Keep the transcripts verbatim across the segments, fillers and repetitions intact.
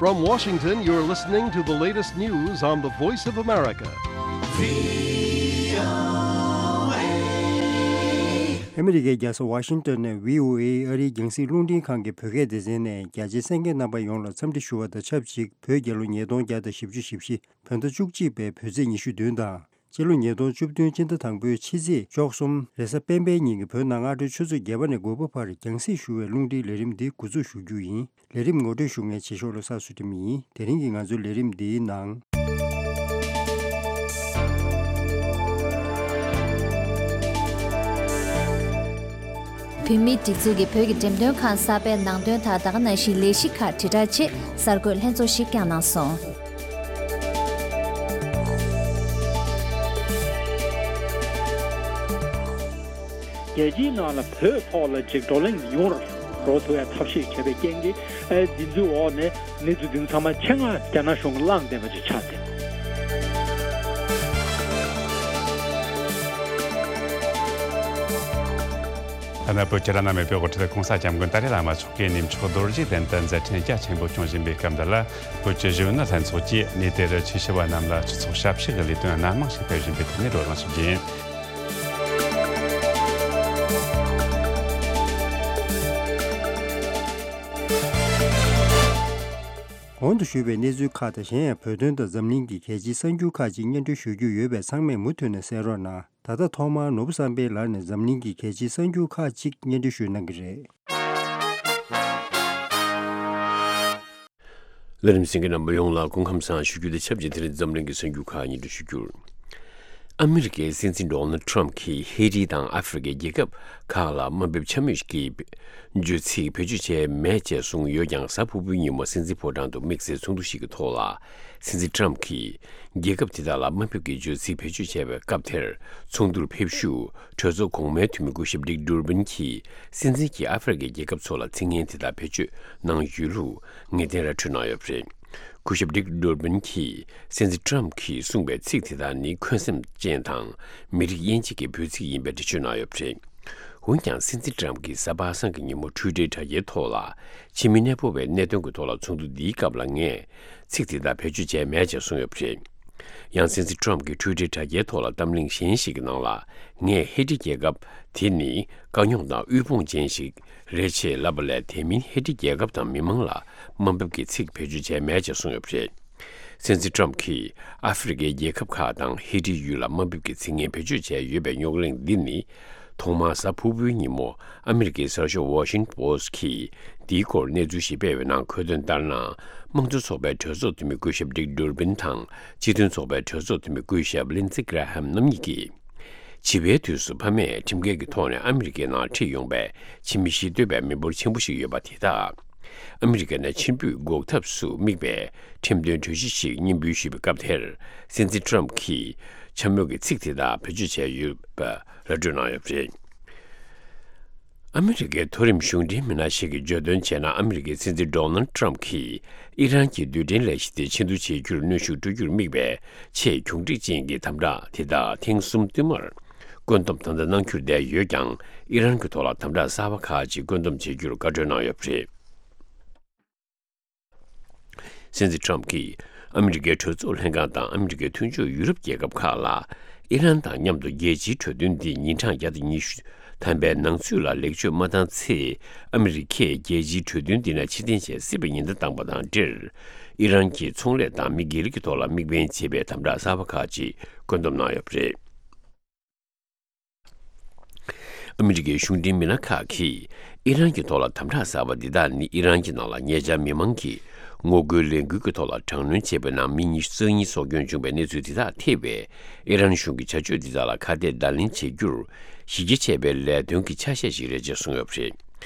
From Washington, you're listening to the latest news on the Voice of America. ཨ་མི་རི་ཀའི་རྒྱལ་ས་ཝ་ཤིང་ཏོན་ནས་བྷི་ཨོ་ཨེ་ཨ་རིའི་རྒྱང་སྲིང་རླུང་འཕྲིན་ཁང་གི་བོད་སྐད་སྡེ་ཚན་ནས་རྒྱ་ཆེའི་གསན་མཁན་རྣམ་པ་ཡོངས་ལ་འཚམས་འདྲི་ཞུ་བ་དང་ཆབས་ཅིག་བོད་རྒྱལ་ལོ་ཉིས་སྟོང་བརྒྱ་དང་བཞི་བཅུ་ཞེ་བཞི་བོད་ཟླ་བཅུ་གཅིག་པའི་བོད་ཚེས་ཉི་ཤུ་བདུན་དང་། སྤྱི་ལོ་ཉིས་སྟོང་བཅུ་བདུན་སྤྱི་ཟླ་དང་པོའི་ཕྱི་ཚེས་བཅུ་གསུམ་རེས་གཟའ་སྤེན་པའི་ཉིན་གྱི་བོད་གནའ་སྔ་དྲོའི་ཆུ་ཚོད་བརྒྱད་པ་ནས་དགུ་པ་བར་རྒྱང་སྲིང་ཞུ་བའི་རླུང་འཕྲིན་ལས་རིམ་འདི་འགོ་འཛུགས་ཞུ་རྒྱུ་ཡིན། ལས་རིམ་ངོ་སྤྲོད་ཞུ་མཁན་བྱེད་ཤོག་ལོ་གསར་བསོད་སྒྲོན་ཡིན། དེ་རིང་གི་ང་ཚོའི་ལས་རིམ་འདིའི་ནང་། བོད་མིའི་སྒྲིག་འཛུགས་ཀྱིས་བོད་ཀྱི་འགྲེམས་སྟོན་ཁང་གསར་པའི་ནང་དོན་དང་ད་ག་ནང་བཞིན་ལས་གཞི་ཁག་དྲིལ་བསྒྲགས་ཆེད་གསར་འགོད་ལྷན་ཚོགས་ཤིག་བསྐྱངས་གནང་སོང་། རྒྱལ་སྤྱིའི་ནང་ལ་བོད་ཐོག་ལ་ཅིག་བགྲོ་གླེང་ཡོང་རོགས་ཐུབ་ཡ་ཐབས་ཤེས་བྱས་པའི་རྐྱེན་གྱིས། ཨེ། འདི་ཚོའི་འོག་ནས་གནས་ཚུལ་འདི་ཚང་མ་ཆེད་མངགས་རྒྱ་ནག་གཞུང་གིས་བླངས་བསྡད་པ་ཅིག་ཆགས་ཏེ། ཐ་ན་བོད་ཀྱི་བླ་ན་མེད་པའི་དབུ་ཁྲིད་༸གོང་ས་༸སྐྱབས་མགོན་ཏཱ་ལའི་བླ་མ་མཆོག་གིས་གནས་མཆོག་རྡོ་རྗེ་གདན་དུ་མཛད་འཕྲིན་རྒྱ་ཆེན་པོ་སྐྱོང་བཞིན་པའི་སྐབས་འདི་ལ། བོད་ཀྱི་གཞོན་ནུ་ལྷན་ཚོགས་ཀྱིས་གནས་དེར་ཆོས་ཞུ་བ་རྣམས་ལ་སྤྱི་ཚོགས་ཞབས་ཕྱི་གི་ལས་དོན་སྣ་མང་ཞིག་སྤེལ་བཞིན་པའི་ཐད་ནས་བགྲོ་གླེང་ཞུ་རྒྱུ་ཡིན། གོང་དུ་ཞུས་པའི་གནས་ཚུལ་ཁག་དང་། གཞན་ཡང་བོད་དོན་དང་འཛམ་གླིང་གི་གལ་ཆེའི་གསར་འགྱུར་ཁག་ཅིག་སྙན་སྒྲོན་ཞུ་རྒྱུ་ཡོད་པས། ཚང་མས་མུ་མཐུད་ནས་གསན་རོགས་གནང་། ད་ལྟ་ཐོག་མར་ནོར་བུ་བསམ་འཕེལ་ལགས་ནས་འཛམ་གླིང་གི་གལ་ཆེའི་གསར་འགྱུར་ཁག་ཅིག་སྙན་སྒྲོན་ཞུ་གནང་གི་རེད། ལས་རིམ་གསན་མཁན་རྣམ་པ་ཡོངས་ལ་སྐུ་ཁམས་བཟང་ཞུ་རྒྱུ་དང་ཆབས་ཅིག་དེ་རིང་འཛམ་གླིང་གི་གསར་འགྱུར་ཁག་སྙན་སྒྲོན་ཞུ་རྒྱུར། ཨ་མི་རི་ཀའི་སྲིད་འཛིན་ཌོ་ནལ་ཊམ་གྱིས་ཧེ་ཏི་དང་ཨ་ཧྥེ་རི་ཀའི་རྒྱལ་ཁབ་ཁག་ལ་དམའ་འབེབས་འཕྱ་སྨོད་ཀྱི་བརྗོད་ཚིག་བེད་སྤྱོད་བྱས་མེད་ཅེས་གསུངས་ཡོད་ཀྱང་། གཟའ་ཕུར་བུའི་ཉིན་མོ་སྲིད་འཛིན་ཕོ་བྲང་དུ་དམིགས་བསལ་ཚོགས་འདུ་ཞིག་གི་ཐོག་ལ། སྲིད་འཛིན་ཊམ་གྱིས་རྒྱལ་ཁབ་དེ་དག་ལ་དམའ་འབེབས་ཀྱི་བརྗོད་ཚིག་བེད་སྤྱོད་བྱས་པའི་སྐབས་དེར། ཚོགས་འདུར་ཕེབས་བཞུགས་གྲོས་ཚོགས་གོང་མའི་འཐུས་མི་སྐུ་ཞབས་ཌིག་ཌུར་བིན་གྱིས་སྲིད་འཛིན་གྱིས་ཨ་ཧྥེ་རི་ཀའི་རྒྱལ་ཁབ་ཚོ་ལ་ཚིག་ངན་དེ་དག་བེད་སྤྱོད་གནང་ཡོད་ལུགས་ངེས་གཏན་ར་འཕྲོད་གནང་ཡོད་པ་རེད། སྐུ་ཞབས་ཌིག་ཌུར་བིན་གྱིས་སྲིད་འཛིན་ཊམ་གྱིས་གསུངས་པའི་ཚིག་དེ་དག་ནི་འཁོན་སེམས་ཅན་དང་མི་རིགས་དབྱེ་འབྱེད་ཀྱི་འབོད་ཚིག་ཡིན་པའི་འགྲེལ་བརྗོད་གནང་ཡོད་པ་རེད། འོན་ཀྱང་། སྲིད་འཛིན་ཊམ་གྱིས་གཟའ་པ་སངས་ཀྱི་ཉིན་མོ་ཊུའི་ཊར་དྲ་རྒྱའི་ཐོག་ལ། ཕྱི་མི་གནས་སྤོ་བའི་གནད་དོན་གྱི་ཐོག་ལ་ཚོགས་འདུ་འདིའི་སྐབས་ལ་ངས་ཚིག་དེ་དག་བེད་སྤྱོད་བྱས་མེད་ཅེས་གསུངས་ཡོད་པ་རེད། ཡང་། སྲིད་འཛིན་ཊམ་གྱིས་ཊུའི་ཊར་དྲ་རྒྱའི་ཐོག་ལ་གཏམ་གླེང་གཞན་ཞིག་གི་ནང་ལ། ངས་ཧེ་ཏི་རྒྱལ་ཁབ་དེ་ནི་དཀའ་རྙོག་དང་དབུལ་ཕོངས་ཅན་ཞིག་རེད་ཅེས་ལབ་པ་ལས། དེ་མིན་ཧེ་ཏི་རྒྱལ་ཁབ་དང་མི་མང་ལ་དམའ་འབེབས་ཀྱི་ཚིག་བེད་སྤྱོད་བྱས་མེད་ཅེས་གསུངས་ཡོད་པ་རེད། སྲིད་འཛིན་ཊམ་གྱིས་ཨ་ཧྥེ་རི་ཀའི་རྒྱལ་ཁབ་ཁག་དང་ཧེ་ཏི་ཡུལ་ལ་དམའ་འབེབས་ཀྱི་ཚིག་ངན་བེད་སྤྱོད་བྱས་ཡོད་པའི་རྙོག་གླེང་འདི་ནི། ཐོག་མར་གཟའ་ཕུར་བུའི་ཉིན་མོ་ཨ་མི་རི་ཀའི་གསར་ཤོག་ཝ་ཤིང་པོ་སི་ཊི་གིས་འདིའི་སྐོར་གནས་ཚུལ་ཞིག་སྤེལ་བའི་ནང་འཁོད་དོན་ལྟར་ན། དམངས་གཙོ་ཚོགས་པའི་གྲོས་ཚོགས་འཐུས་མི་སྐུ་ཞབས་ཌིག་ཌུར་བིན་དང་། སྤྱི་མཐུན་ཚོགས་པའི་གྲོས་ཚོགས་འཐུས་མི་སྐུ་ཞབས་ལིན་ཙི་གྷ་ར་ཧམ་རྣམ་གཉིས་ཀྱིས། བྱིས་པའི་དུས་སུ་ཕ་མས་ཁྲིམས་འགལ་གྱི་ཐོག་ནས་ཨ་མི་རི་ཀའི་ནང་ཁྲིད་ཡོང་པའི་ཕྱི་མི་གཞིས་སྡོད་པའི་མི་འབོར་ཆེན་པོ་ཞིག་ཡོད་པ་དེ་དག་ཨ་མི་རི་ཀ་ནས་ཕྱིར་འབུད་འགོག་ཐབས་སུ་དམིགས་པའི་ཁྲིམས་དོན་གྲོས་གཞི་ཞིག་སྙན་འབུལ་ཞུས་པའི་སྐབས་དེར། སྲིད་འཛིན་ཊམ་གྱིས་འཕྱ་སྨོད་ཀྱི་ཚིག་དེ་དག་བེད་སྤྱོད་བྱས་ཡོད་པ་ར་སྤྲོད་གནང་ཡོད་པ་རེད། ཨ་མི་རི་ཀའི་མཐོ་རིམ་གཞུང་འབྲེལ་མི་སྣ་ཞིག་གིས་བརྗོད་དོན་བྱས་ན། ཨ་མི་རི་ཀའི་སྲིད་འཛིན་ཌོ་ནལ་ཊམ་གྱིས་ཨི་རན་གྱི་རྡུལ་ཕྲན་ལས་གཞི་དེ་ཆེད་དུ་བྱེད་རྒྱུར་གནོན་ཤུགས་སྤྲོད་རྒྱུར་དམིགས་པའི་ཆེས་གྱོང་འགྲིག་ཅན་གྱི་དམ་དྲག་དེ་དག་ཐེངས་གསུམ་བསྟུད་མར་བཀོད་འདོམས་ད་ལྟ་གནང་འཁྱོར་བསྡད་ཡོད་ཀྱང་། ཨི་རན་གྱི་ཐོག་ལ་དམ་དྲག་གསར་པ་ཁག་ཅིག་བཀོད་འདོམས་བྱེད་རྒྱུར་བཀའ་འཁྲོལ་གནང་ཡོད་པ་རེད། སྲིད་འཛིན་ཊམ་གྱིས་ཨ་མི་རི་ཀའི་གྲོས་ཚོགས་ལྷན་ཁང་དང་ཨ་མི་རི་ཀའི་མཐུན་ཕྱོགས་ཡུ་རོབ་རྒྱལ་ཁབ་ཁག་ལ། ཨི་རན་དང་མཉམ་དུ་རྒྱལ་སྤྱིའི་གྲོས་མཐུན་འདི་ཉིན་གྲངས་བརྒྱ་དང་ཉི་ཤུ་ཐམ་པའི་ནང་ཚུད་ལ་ལེགས་བཅོས་མ་བཏང་ཚེ། ཨ་མི་རི་ཀས་རྒྱལ་སྤྱིའི་གྲོས་མཐུན་འདི་ནས་ཕྱིར་འཐེན་བྱེད་སྲིད་པའི་ཉེན་བརྡ་བཏང་པ་དང་འབྲེལ། ཨི་རན་གྱི་ཚོང་ལས་དང་མི་སྒེར་གྱི་ཐོག་ལ་དམིགས་འབེན་བྱེད་པའི་དམ་དྲག་གསར་པ་ཁག་ཅིག་བཀོད་འདོམས་གནང་ཡོད་པ་རེད། ཨ་མི་རི་ཀའི་གཞུང་འབྲེལ་མི་སྣ་ཁག་གིས་ཨི་རན་གྱི་ཐོག་ལ་དམ་དྲག་གསར་པ་འདི་དག་ནི། ཨི་རན་གྱི་ནང་ལ་ཉེ་ཆར་མི་མང་གིས་ངོ་རྒོལ་ལས་འགུལ་གྱི་ཐོག་ལ་དྲག་གནོན་བྱས་པའི་ནང་མི་ཉི་ཤུ་རྩ་གཉིས་སྲོག་སྐྱོན་བྱུང་བའི་གནས་ཚུལ་དེ་དག་ཐེ་བའི་ཨི་རན་གཞུང་གི་བྱ་སྤྱོད་འདི་དག་ལ་ཁ་གཏད་བརྡ་ལན་བྱེད་རྒྱུར་གཞི་རྒྱ་ཆེ་བའི་ལས་དོན་གྱི་ཆ་ཤས་ཤིག་རེད་ཅེས་གསུངས་ཡོད་པ་རེད།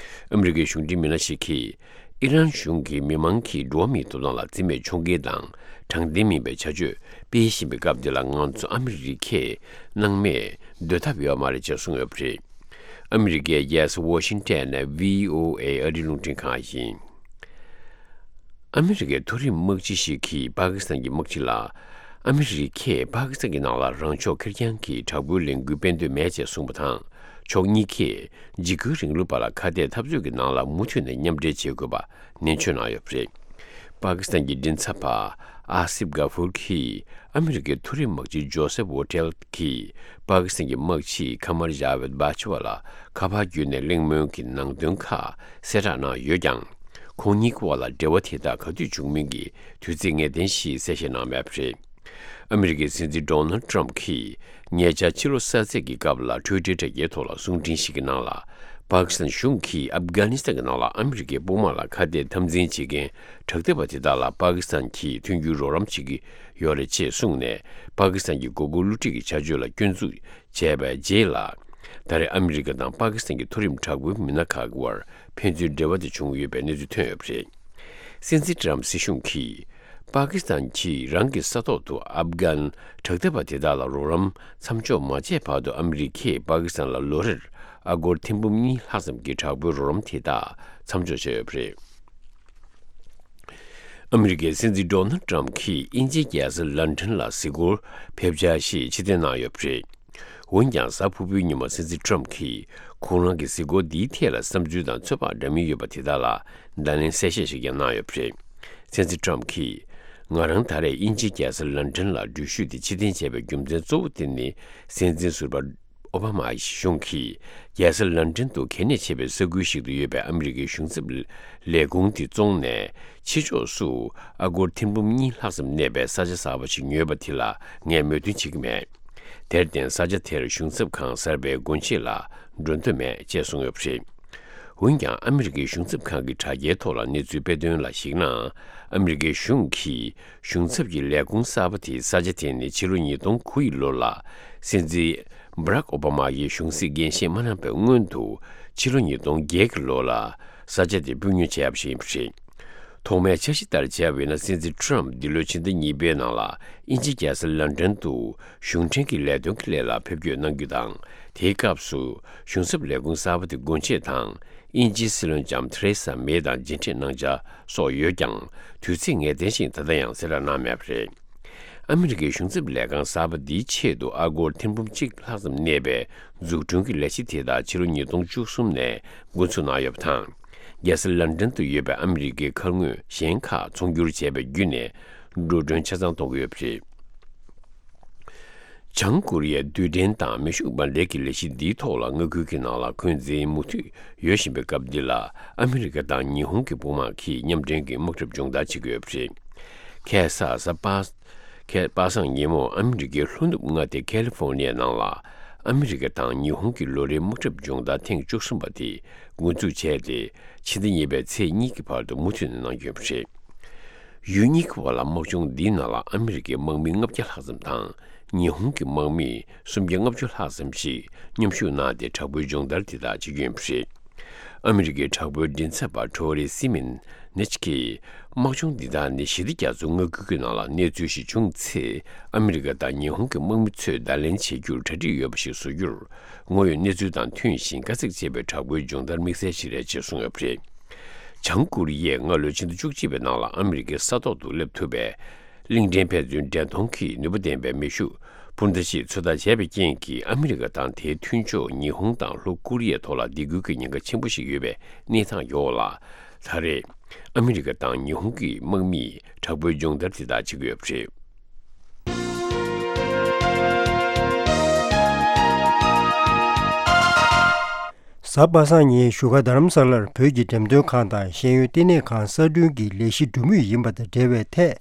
ཨ་མི་རི་ཀའི་གཞུང་འབྲེལ་མི་སྣ་ཞིག་གིས། ཨི་རན་གཞུང་གིས་མི་མང་གི་འགྲོ་བ་མིའི་ཐོབ་ཐང་ལ་བརྩི་མེད་ཕྱོགས་འགལ་དང་དྲང་བདེན་མིན་པའི་བྱ་སྤྱོད་སྤེལ་བཞིན་པའི་སྐབས་འདི་ལ། ང་ཚོ་ཨ་མི་རི་ཀས་སྣང་མེད་སྡོད་ཐབས་ཡོད་མ་རེད་ཅེས་གསུངས་ཡོད་པ་རེད། ཨ་མི་རི་ཀའི་རྒྱལ་ས་ཝ་ཤིང་ཊོན་ནས་བྷི་ཨོ་ཨེ་ཨ་རིའི་རླུང་འཕྲིན་ཁང་ཡིན། ཨ་མི་རི་ཀའི་མཐོ་རིམ་དམག་སྤྱི་ཞིག་གིས་པ་ཀི་སི་ཐན་གྱི་དམག་སྤྱི་ལ། ཨ་མི་རི་ཀས་པ་ཀི་སི་ཐན་གྱི་ནང་ལ་རང་ཕྱོགས་ཁེར་རྐྱང་གི་དྲག་པོའི་ལས་འགུལ་སྤེལ་འདོད་མེད་ཅེས་གསུངས་པ་དང་། ཕྱོགས་གཉིས་ཀས་འཇིགས་སྐུལ་རིང་ལུགས་པ་ལ་ཁ་གཏད་འཐབ་རྩོད་ཀྱི་ནང་ལ་མུ་མཐུད་ནས་མཉམ་འབྲེལ་བྱེད་དགོས་པ་ནན་བརྗོད་གནང་ཡོད་པ་རེད། པ་ཀི་སི་ཐན་གྱི་མགྲིན་ཚབ་པ་ཨ་སིབ་གྷ་ཧྥུར་གྱིས་ཨ་མི་རི་ཀའི་མཐོ་རིམ་དམག་སྤྱི་ཇོ་སེབ་ཝོ་ཊེལ་གྱིས་པ་ཀི་སི་ཐན་གྱི་དམག་སྤྱི་ཁ་མར་ཇ་ཝེད་བྷ་ཇ་ཝ་ལ་ཁ་པར་བརྒྱུད་ནས་གླེང་མོལ་གྱི་ནང་དོན་ཁག་གསལ་བསྒྲགས་གནང་ཡོད་ཀྱང་། ཁོང་གཉིས་ཀྱི་དབར་ལ་འབྲེལ་བ་དེ་དག་ག་དུས་བྱུང་མིན་གྱི་དུས་ཚིགས་ངེས་གཏན་ཞིག་གསལ་བཤད་གནང་མེད་པ་རེད། ཨ་མི་རི་ཀའི་སྲིད་འཛིན་ཌོ་ནལ་ཏྲམ་གྱིས་ཉེ་ཆར་ཕྱི་ལོ་གསར་ཚེས་ཀྱི་སྐབས་ལ་ཊུའི་ཊར་དྲ་རྒྱའི་ཐོག་ལ་གསུང་འཕྲིན་ཞིག་གི་ནང་ལ། པ་ཀི་སི་ཐན་གཞུང་གིས་ཨབ་གྷ་ནི་སི་ཐན་གྱི་ནང་ལ་ཨ་མི་རི་ཀའི་དཔུང་དམག་ལ་ཁ་གཏད་འཐབ་འཛིང་བྱེད་མཁན་དྲག་འཐབ་པ་དེ་དག་ལ་པ་ཀི་སི་ཐན་གྱིས་མཐུན་འགྱུར་རོགས་རམ་བྱེད་ཀྱི་ཡོད་རེད་ཅེས་གསུངས་ནས། པ་ཀི་སི་ཐན་གྱི་མགོ་སྐོར་བསླུ་བྲིད་ཀྱི་བྱ་སྤྱོད་ལ་སྐྱོན་འཛུགས་བྱས་པའི་རྗེས་ལ། ད་རེས་ཨ་མི་རི་ཀ་དང་པ་ཀི་སི་ཐན་གྱི་མཐོ་རིམ་དྲག་པོའི་མི་སྣ་ཁག་གི་དབར་ཕན་ཚུན་འབྲེལ་བ་དེ་བྱུང་ཡོད་པའི་གནས་ཚུལ་ཐོན་ཡོད་པ་རེད། སྲིད་འཛིན་ཏྲམ་སྲིད་གཞུང་གིས་པ་ཀི་སི་ཐན་གྱིས་རང་གི་ས་ཐོག་ཏུ་ཨབ་གྷན་དྲག་འཐབ་པ་དེ་དག་ལ་རོགས་རམ་མཚམས་འཇོག་མ་བྱས་བར་དུ། ཨ་མི་རི་ཀས་པ་ཀི་སི་ཐན་ལ་ལོ་རེར་ཨ་སྒོར་ཐེར་འབུམ་གཉིས་ལྷག་ཙམ་གྱི་དྲག་པོའི་རོགས་རམ་དེ་དག་མཚམས་འཇོག་བྱས་ཡོད་པ་རེད། ཨ་མི་རི་ཀའི་སྲིད་འཛིན་ཌོ་ནལ་ཏྲམ་གྱིས་དབྱིན་ཇིའི་རྒྱལ་ས་ལན་ཀྲན་ལ་གཟིགས་སྐོར་ཕེབས་འཆར་ཞིག་ཕྱིར་འཐེན་གནང་ཡོད་པ་རེད། འོན་ཀྱང་། གཟའ་ཕུར་བུའི་ཉིན་མོ་སྲིད་འཛིན་ཏྲམ་གྱིས་ཁོང་རང་གི་གཟིགས་སྐོར་འདིའི་ཐད་ལ་བསམ་ཚུལ་དང་ཚོད་དཔག་འདྲ་མིན་ཡོད་པ་དེ་དག་ལ་བརྡ་ལན་གསལ་བཤད་ཞིག་ཀྱང་གནང་ཡོད་པ་རེད། སྲིད་འཛིན་ཏྲམ་གྱིས། ང་རང་ད་རེས་དབྱིན་ཇིའི་རྒྱལ་ས་ལན་ཀྲན་ལ་འགྲུལ་བཞུད་དེ་ཕྱིར་འཐེན་བྱས་པའི་རྒྱུ་མཚན་གཙོ་བོ་དེ་ནི། སྲིད་འཛིན་ཟུར་པ་ཨོ་བྷ་མ་ཡི་གཞུང་གིས་རྒྱལ་ས་ལན་ཀྲན་དུ་གལ་གནད་ཆེ་བའི་ས་ཁུལ་ཞིག་ཏུ་ཡོད་པའི་ཨ་མི་རི་ཀའི་གཞུང་ཚབ་ལས་ཁུངས་དེ་བཙོངས་ནས། ཕྱི་ཕྱོགས་སུ་ཨ་སྒོར་ཐེར་འབུམ་གཉིས་ལྷག་ཙམ་གནས་པའི་ས་ཆ་གསར་པ་ཞིག་ཉོས་པ་དེ་ལ་ངས་མོས་མཐུན་བྱེད་ཀྱི་མེད། དེར་བརྟེན། ས་ཆ་དེར་གཞུང་ཚབ་ཁང་གསར་པའི་སྒོ་འབྱེད་ལ་འགྲོ་འདོད་མེད་ཅེས་གསུངས་ཡོད་པ་རེད། འོན་ཀྱང་། ཨ་མི་རི་ཀའི་གཞུང་ཚབ་ཁང་གི་དྲ་རྒྱའི་ཐོག་ལ་གནས་ཚུལ་སྤེལ་དོན་ལ་གཞིགས་ན། ཨ་མི་རི་ཀའི་གཞུང་གིས་གཞུང་ཚབ་ཀྱི་ལས་ཁུངས་གསར་པ་དེའི་ས་ཆ་དེ་ནི་ཕྱི་ལོ་ཉིས་སྟོང་དགུ་ཡི་ལོ་ལ་སྲིད་འཛིན་བྷ་རག་ཨོ་བྷ་མ་ཡིས་གཞུང་སྲིད་འགན་བཞེས་མ་གནང་བའི་སྔོན་དུ། ཕྱི་ལོ་ཉིས་སྟོང་བརྒྱད་ཀྱི་ལོ་ལ་ས་ཆ་དེ་དཔུང་ཉོ་བྱས་པ་ཞིག་ཡིན་པ་རེད། ཐོག་མའི་འཆར་གཞི་ལྟར་བྱས་པ་ཡིན་ན། སྲིད་འཛིན་ཏྲམ་འདི་ལོའི་ཕྱི་ཟླ་གཉིས་པའི་ནང་ལ་དབྱིན་ཇིའི་རྒྱལ་ས་ལན་ཀྲན་དུ་གཞུང་འབྲེལ་གྱི་ལས་དོན་གྱི་སླད་ལ་ཕེབས་སྐྱོད་གནང་རྒྱུ་དང་། དེའི་སྐབས་སུ་གཞུང་ཚབ་ལས་ཁུངས་གསར་པ་དེ་སྒོ་འབྱེད་དང་། དབྱིན་ཇིའི་སྲིད་བློན་ལྕམ་ཐེ་རེ་ས་མེ་དང་མཇལ་འཕྲད་གནང་འཆར་སོགས་ཡོད་ཀྱང་། དུས་ཚིགས་ངེས་གཏན་ཞིག་ད་ལྟ་ཡང་གསལ་བསྒྲགས་གནང་མེད་པ་རེད། ཨ་མི་རི་ཀའི་གཞུང་ཚབ་ལས་ཁང་གསར་པ་འདིའི་ཆེད་དུ་ཨ་སྒོར་ཐེར་འབུམ་གཅིག་ལྷག་ཙམ་གནས་པའི་འཛུགས་སྐྲུན་གྱི་ལས་གཞི་དེ་དག་ཕྱི་ལོ་ཉིས་སྟོང་བཅུ་གསུམ་ནས་འགོ་འཛུགས་གནང་ཡོད་པ་དང་། རྒྱལ་ས་ལན་ཀྲན་དུ་ཡོད་པའི་ཨ་མི་རི་ཀའི་མཁར་དངོས་གཞན་ཁག་ཚོང་སྒྱུར་བྱས་པ་བརྒྱུད་ནས་འགྲོ་གྲོན་ཆ་ཚང་གཏོང་གི་ཡོད་པ་རེད། བྱང་ཀོ་རི་ཡས་རྡུལ་ཕྲན་དང་མེ་ཤུགས་འབར་མདེལ་གྱི་ལས་གཞི་འདིའི་ཐོག་ལ་མངའ་ཁུལ་གྱི་ནང་ལ་འཁོན་འཛིན་མུ་མཐུད་ཡོད་བཞིན་པའི་སྐབས་འདི་ལ། ཨ་མི་རི་ཀ་དང་ཉི་ཧོང་གི་དཔུང་དམག་གིས་མཉམ་འབྲེལ་གྱི་དམག་གྲབས་སྦྱོང་བརྡར་བྱེད་ཀྱི་ཡོད་པ་རེད། ཁ་སང་གཟའ་པ། ཁ་པ་སངས་ཉིན་མོ་ཨ་མི་རི་ཀའི་ལྷོ་ནུབ་མངའ་སྡེ་ཁ་ལི་ཧྥོ་ནི་ཡའི་ནང་ལ། ཨ་མི་རི་ཀ་དང་ཉི་ཧོང་གི་ལོ་རེའི་དམག་གྲབས་སྦྱོང་བརྡར་ཐེངས་བཅུ་གསུམ་པ་དེ་འགོ་འཛུགས་བྱས་ཏེ། ཕྱི་ཟླ་གཉིས་པའི་ཚེས་གཉིས་ཀྱི་བར་དུ་མུ་མཐུད་ནས་གནང་རྒྱུ་ཡིན་པ་རེད། ཡུལ་གཉིས་ཀྱི་བར་ལ་དམག་སྦྱོང་འདིའི་ནང་ལ་ཨ་མི་རི་ཀའི་དམག་མི་ལྔ་བརྒྱ་ལྷག་ཙམ་དང་། ཉི་ཧོང་གི་དམག་མི་སུམ་བརྒྱ་ལྔ་བཅུ་ལྷག་ཙམ་ཞིག་མཉམ་ཞུགས་གནང་སྟེ། དྲག་པོའི་སྦྱོང་བརྡར་དེ་དག་བྱེད་ཀྱི་ཡིན་པ་རེད། ཨ་མི་རི་ཀའི་དྲག་པོའི་མགྲིན་ཚབ་པ་ཁྲོ་རི་སི་མིན་ནེཆ་གིས། དམག་སྦྱོང་འདི་དག་ནི་ཞི་བདེ་རྒྱ་མཚོའི་མངའ་ཁུལ་གྱི་ནང་ལ་གནས་ཚུལ་ཞིག་བྱུང་ཚེ། ཨ་མི་རི་ཀ་དང་ཉི་ཧོང་གི་དམག་མི་ཚོས་བརྡ་ལན་བྱེད་རྒྱུར་གྲ་སྒྲིག་ཡོད་པ་ཞིག་བཟོ་རྒྱུར། དངོས་ཡོད་གནས་ཚུལ་དང་མཐུན་ཞིང་དཀའ་ཚེགས་ཆེ་བའི་དྲག་པོའི་སྦྱོང་བརྡར་དམིགས་བསལ་ཞིག་རེད་ཅེས་གསུངས་ཡོད་པ་རེད། བྱང་ཀོ་རི་ཡས་སྔ་ལོའི་ཕྱི་ཟླ་བཅུ་གཅིག་པའི་ནང་ལ་ཨ་མི་རི་ཀའི་ས་ཐོག་ཏུ་སླེབས་ཐུབ་པའི་གླིང་ཕྲན་ཕན་ཚུན་འདྲེན་གཏོང་གི་ནུས་པ་ལྡན་པའི་མེ་ཤུགས་འཕུར་མདའ་ཞིག་ཚོད་ལྟ་བྱས་པའི་རྐྱེན་གྱིས། ཨ་མི་རི་ཀ་དང་དེའི་མཐུན་ཕྱོགས་ཉི་ཧོང་དང་ལྷོ་ཀོ་རི་ཡའི་ཐོག་ལ་སྡིགས་སྐུལ་གྱི་ཉེན་ཁ་ཆེན་པོ་ཞིག་ཡོད་པའི་གནས་སྟངས་ཡོད་ལ། ད་རེས་ཨ་མི་རི་ཀ་དང་ཉི་ཧོང་གི་དམག་མིས་དྲག་པོའི་སྦྱོང་བརྡར་དེ་དག་བྱེད་ཀྱི་ཡོད་པ་རེད། གཟའ་པ་སངས་ཉིན་བཞུགས་སྒར་རྡ་རམ་ས་ལར་བོད་ཀྱི་འགྲེམས་སྟོན་ཁང་དང་ཤེས་ཡོན་བསྟི་གནས་ཁང་གསར་སྐྲུན་གྱི་ལས་གཞི་སྒྲུབ་མུས་ཡིན་པ་དང་འབྲེལ་བའི་ཐད།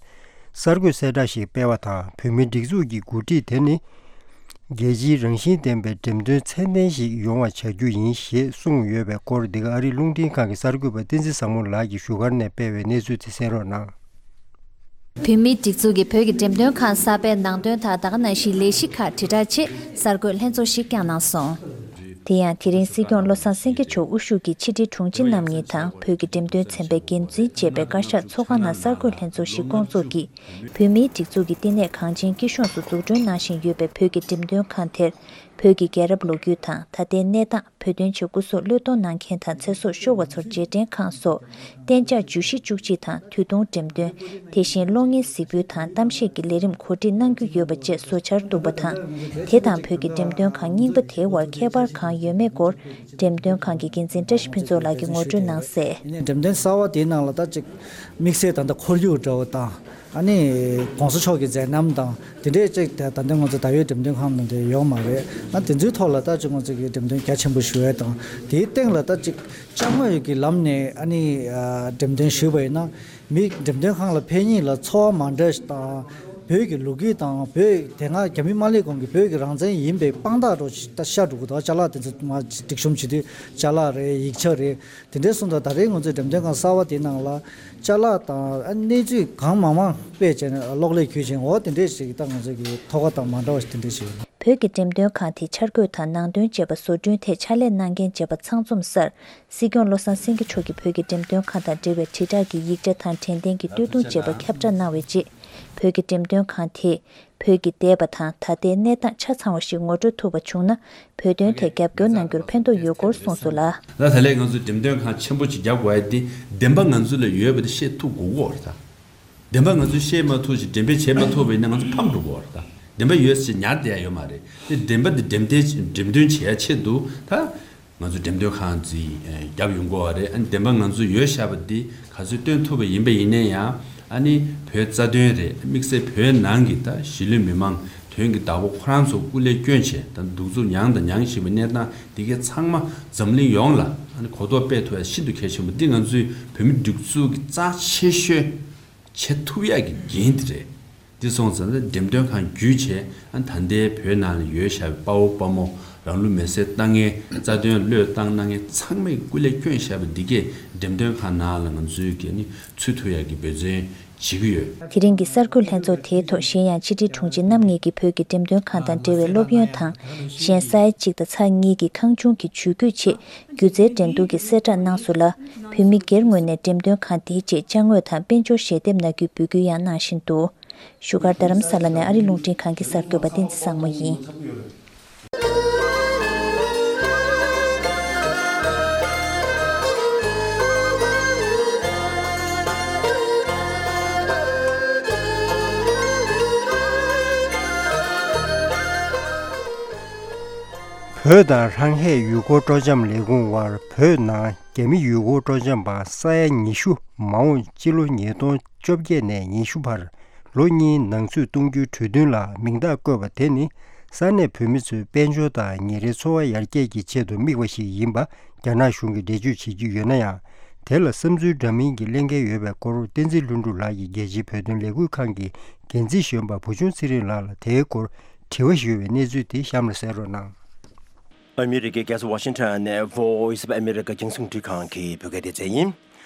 གསར་འགོད་གསལ་བསྒྲགས་ཤིག་སྤེལ་བ་དང་། བོད་མིའི་སྒྲིག་འཛུགས་ཀྱི་འགོ་ཁྲིད་དེ་ནི། རྒྱལ་སྤྱིའི་རང་བཞིན་ལྡན་པའི་འགྲེམས་སྟོན་ཚད་ལྡན་ཞིག་ཡོང་བ་བྱ་རྒྱུ་ཡིན་ཞེས་གསུངས་ཡོད་པའི་སྐོར། འདི་ག་ཨ་རིའི་རླུང་འཕྲིན་ཁང་གི་གསར་འགོད་པ་བསྟན་འཛིན་བཟང་མོ་ལགས་ཀྱིས་བཞུགས་སྒར་ནས་སྤེལ་བའི་གནས་ཚུལ་དེ་གསན་རོགས་གནང་། བོད་མིའི་སྒྲིག་འཛུགས་ཀྱིས་བོད་ཀྱི་འགྲེམས་སྟོན་ཁང་གསར་པའི་ནང་དོན་དང་། ད་ག་ནང་བཞིན་ལས་གཞི་ཁག་དྲིལ་བསྒྲགས་ཆེད་གསར་འགོད་ལྷན་ཚོགས་ཤིག་བསྐྱངས་གནང་སོང་། དེ་ཡང་། དེ་རིང་སྲིད་སྐྱོང་བློ་བཟང་སེང་གེ་མཆོག་དབུ་བཞུགས་ཀྱིས་ཕྱི་དྲིལ་དྲུང་ཆེ་རྣམ་གཉིས་དང་། བོད་ཀྱི་འགྲེམས་སྟོན་ཚན་པའི་འགན་འཛིན་བཅས་པའི་བཀའ་ཤག་ཚོགས་ཁང་ནང་གསར་འགོད་ལྷན་ཚོགས་ཤིག་བསྐོང་ཚོགས་ཀྱིས། བོད་མིའི་སྒྲིག་འཛུགས་ཀྱི་བསྟི་གནས་ཁང་ཆེན་སྐྱིད་གཤོངས་སུ་འཛུགས་སྐྲུན་གནང་བཞིན་ཡོད་པའི་བོད་ཀྱི་འགྲེམས་སྟོན་ཁང་དེར། བོད་ཀྱི་རྒྱལ་རབས་ལོ་རྒྱུས་དང་། ད་ལྟའི་གནས་སྟངས། བོད་དོན་ཆེད་སྐུ་གཟུགས་བློས་གཏོང་གནང་མཁན་དང་། ཚེ་སྲོག་ཤོར་བ་ཚོར་རྗེས་དྲན་ཁང་སོགས། གཏན་འཇགས་བརྗོད་གཞི་བཅུ་གཅིག་དང་། དུས་ཐུང་འགྲེམས་སྟོན། དེ་བཞིན་གློག་བརྙན་གཟིགས་འབུལ་དང་། གཏམ་བཤད་ཀྱི་ལས་རིམ་གོ་སྒྲིག་གནང་རྒྱུ་ཡོད་པ་བཅས་བཟོ་འཆར་འདུག་པ་དང་། དེ་དང་བོད་ཀྱི་འགྲེམས་སྟོན་ཁང་རྙིང་པ་དེའི་དབར་ཁྱད་པར་གང་ཡོད་མེད་སྐོར། འགྲེམས་སྟོན་ཁང་གི་འགན་འཛིན་བཀྲ་ཤིས་ཕུན་ཚོགས་ལགས་ཀྱིས་ངོ་སྤྲོད་གནང་གསལ། ཡིན་ནའི་འགྲེམས་སྟོན་གསར་བ་དེའི་ནང་ལ་ད་ཅིག་དམིགས་བསལ་ད་ལྟ་ཁོར་ཡུག་འདྲ་བོ་དང་། ཨ་ནི་༸གོང་ས་མཆོག་གི་མཛད་རྣམ་དང་དེ་འདྲས་ཅིག་ད་ད་ལྟ་ང་ཚོ་ད་ཡོད་འགྲེམས་སྟོན་ཁང་ནང་དུ་ཡོད་མ་རེད། ཨ་དེ་ཚོའི་ཐོག་ལ་ད་ཅིག་ང་ཚོ་གི་འགྲེམས་སྟོན་རྒྱ་ཆེན་པོ་ཞུ་ཡས་དང་། དེའི་སྟེང་ལ་ད་ཅིག་དཔྱ་དངོས་ཀྱི་ལམ་ནས་ཨ་ནི་ཨ་འགྲེམས་སྟོན་ཞུས་པ་ཡིན་ན། མི་འགྲེམས་སྟོན་ཁང་ལ་ཕེབས་མཁན་ལ་ཚོར་བ་མ་འདྲ་ཞིག་དང་། བོད་ཀྱི་ལོ་རྒྱུས་དང་བོད་དེ་སྔ་རྒྱ་མི་མ་སླེབས་གོང་གི་བོད་ཀྱི་རང་བཙན་ཡིན་པའི་དཔང་རྟགས་འདྲ་ཞིག་ད་ཤར་འགྲོ་གི་འདུག་ཅ་ལག་དེ་ཚོ་མར་སྒྲིག་གཤོམ་བྱེད་དུས་ཅ་ལག་རེད། ཡིག་ཆ་རེད། དེ་འདྲའི་སོང་ཙང་ད་རེས་ང་ཚོའི་འགྲེམས་སྟོན་ཁང་གསར་བ་དེའི་ནང་ལ་ཅ་ལག་དང་ཨ་གནས་ཚུལ་གང་མང་མང་སྤེལ་བྱས་ནས་གློག་ཀླད་བརྒྱུད་བྱས། འོ་དེ་འདྲས་ཞིག་ད་ང་ཚོ་གི་ཐོག་ཁ་དང་མ་འདྲ་བ་ཞིག་དེ་འདྲས་ཞིག་ཡོད། བོད་ཀྱི་འགྲེམས་སྟོན་ཁང་དེ་འཆར་འགོད་དང་ནང་དོན་བཅས་པ་བཟོ་སྐྲུན་ཐད་ཕྱག་ལས་གནང་མཁན་བཅས་པ་ཚང་འཛོམས་སར། སྲིད་སྐྱོང་བློ་བཟང་སེང་གེ་མཆོག་གིས་བོད་ཀྱི་འགྲེམས་སྟོན་ཁང་དང་འབྲེལ་བའི་དྲིལ་བསྒྲགས་ཀྱི་ཡིག་ཆ་དང་དྲན་རྟེན་གྱི་སྟོད་ཐུང་བཅས་པ་ཁྱབ་བསྒྲགས་གནང་བའི་རྗེས། བོད་ཀྱི་འགྲེམས་སྟོན་ཁང་དེས་བོད་ཀྱི་འདས་པ་དང་ད་ལྟའི་གནས་སྟངས་ཆ་ཚང་བ་ཞིག་ངོ་སྤྲོད་ཐུབ་པ་བྱུང་ན། བོད་དོན་ཐད་རྒྱབ་སྐྱོར་གནང་རྒྱུར་ཕན་ཐོགས་ཡོད་སྐོར་གསུངས་སོང་ལ། ད་ད་ལན་ང་ཚོས་འགྲེམས་སྟོན་ཁང་ཆེན་པོ་ཅིག་རྒྱག་དགོས་ཡ་དེ་བདེན་པ་ང་ཚོ་ལ་ཡོད་པ་དེ་བཤད་ཐུབ་དགོས་ཀྱི་ཡོད་རེད་ད། བདེན་པ་ང་ཚོས་བཤད་མ་ཐུབ་ཅིག་འགྲེམས་སྤེལ་བྱེད་མ་ཐུབ་པ་ཡིན་ན་ང་ཚོ་ཕམ་འགྲོ་གི་ཡོད་རེད་ད། བདེན་པ་ཡོད་ཟེར་ཉར་བསྡད་ཡ་ཡོད་མ་རེད། དེ་བདེན་པ་དེ་འགྲེམས་སྟོན་འགྲེམས་སྟོན་བྱེད་ཡ་ཆེད་དུ་ད། ང་ཚོ་འགྲེམས་སྟོན་ཁང་ཅིག་ཨ་བརྒྱབ་ཡོང་གི་ཡོད་རེད། ཨ་ནི་བདེན་པ་ང་ཚོ་ཡོད་བཞག་པ་འདི་ག་ཚོད་སྟོན་ཐུབ་པ་ཡིན་པ་ཡིན་ན་ཡང་། ཨ་ནི་བོད་རྩ་དོན་རེད། དམིགས་བསལ་བོད་ནང་གི་ད་གཞིས་ལུས་མི་མང་དོན་གྱི་བདག་པོ་ཁོ་རང་ཚོ་སྐུ་ལས་བསྐྱོན་བྱས་ད་གདུག་རྩུབ་མྱངས་དང་མྱང་བཞིན་པའི་གནས་སྟངས་འདི་གའི་ཚང་མ་འཛམ་གླིང་ཡོངས་ལ་ཨ་ནི་གོ་རྟོགས་སྤེལ་ཐུབ་ཡ་ཤིན་ཏུ་གལ་ཆེན་པོ། འདི་ང་ཚོའི་བོད་མི་སྒྲིག་འཛུགས་ཀྱི་རྩ་ཆེ་ཤོས་བྱེད་ཐུབ་ཡག་གི་འགན་དེ་རེད། དེ་སོང་ཙང་འགྲེམས་སྟོན་ཁང་བརྒྱུད་བྱས་ཨ་ད་ལྟའི་བོད་ནང་ལ་ཡོད་བཞག་པའི་དཔའ་བོ་དཔའ་མོ་རང་ལུས་མེར་སྲེག་བཏང་མཁན་རྩ་དོན་བློས་བཏང་གནང་མཁན་ཚང་མས་སྐུ་ལས་བསྐྱོན་བཞག་པ་འདི་གས་འགྲེམས་སྟོན་ཁང་ནང་ལ་ང་ཚོས་ཀྱི་ནི་ཚུད་ཐུབ་ཡག་གི་འབད་བརྩོན་བྱེད་ཀྱི་ཡོད། དེ་རིང་གི་གསར་འགོད་ལྷན་ཚོགས་དེའི་ཐོག་གཞན་ཡང་ཕྱི་དྲིལ་དྲུང་ཆེ་རྣམ་གཉིས་ཀྱིས་བོད་ཀྱི་འགྲེམས་སྟོན་ཁང་དང་འབྲེལ་བའི་སློབ་ཡོན་དང་གཞན་ས་ཡ་གཅིག་དང་ཚེག་གཉིས་ཀྱི་ཁང་ཆུང་གི་ཇུས་འགོད་ཆེད་སྒྱུ་རྩལ་འགྲན་བསྡུར་གྱི་གསལ་བསྒྲགས་གནང་སོང་ལ། བོད་མི་སྒེར་ངོས་ནས་འགྲེམས་སྟོན་ཁང་དེའི་ཆེད་ཅ་དངོས་དང་དཔལ་འབྱོར་ཞལ་འདེབས་གནང་རྒྱུའི་འབོད་སྐུལ་ཡང་གནང་བཞིན་འདུག་བཞུགས་སྒར་རྡ་རམ་ས་ལ་ནས་ཨ་རི་རླུང་འཕྲིན་ཁང་གི་གསར་འགོད་པ་བསྟན་འཛིན་བཟང་མོ་ཡིན། བོད་དང་ཧྲང་ཧའེ་ཡུལ་སྐོར་སྤྲོ་འཆམ་ལས་ཁུངས་དབར་བོད་ནང་རྒྱ་མི་ཡུལ་སྐོར་སྤྲོ་འཆམ་པ་ས་ཡ་ཉི་ཤུ་མ་འོངས་སྤྱི་ལོ་ཉིས་སྟོང་བཅོ་བརྒྱད་ནས་ཉི་ཤུ་བར་ལོ་གཉིས་ནང་ཚུད་གཏོང་རྒྱུའི་གྲོས་མཐུན་ལ་མིང་རྟགས་བཀོད་པ་དེ་ནི་ས་གནས་བོད་མི་ཚོའི་དཔལ་འབྱོར་དང་ཉིན་རེའི་འཚོ་བ་ཡར་རྒྱས་ཀྱི་ཆེད་དུ་དམིགས་པ་ཞིག་ཡིན་པ་རྒྱ་ནག་གཞུང་གིས་འགྲེལ་བརྗོད་བྱེད་ཀྱི་ཡོད་ན་ཡང་། དེ་ལ་བསམ་ཚུལ་འདྲ་མིན་གྱི་གླེང་མཁན་ཡོད་པའི་སྐོར། བསྟན་འཛིན་ལྷུན་གྲུབ་ལགས་ཀྱིས་རྒྱལ་སྤྱིའི་བོད་དོན་ལས་འགུལ་ཁང་གི་འགན་འཛིན་གཞོན་པ་བུ་ཆུང་ཚེ་རིང་ལགས་ལ་དེའི་སྐོར་དྲི་བ་ཞུས་པའི་གནས་ཚུལ་དེ་གཤམ་ལ་གསན་རོགས་གནང་། ཨ་མི་རི་ཀའི་རྒྱལ་ས་ཝ་ཤིང་ཊོན་ནས་Voice of America་རྒྱང་སྲིང་འཕྲིན་ཁང་གི་བོད་སྐད་སྡེ་ཚན་ཡིན།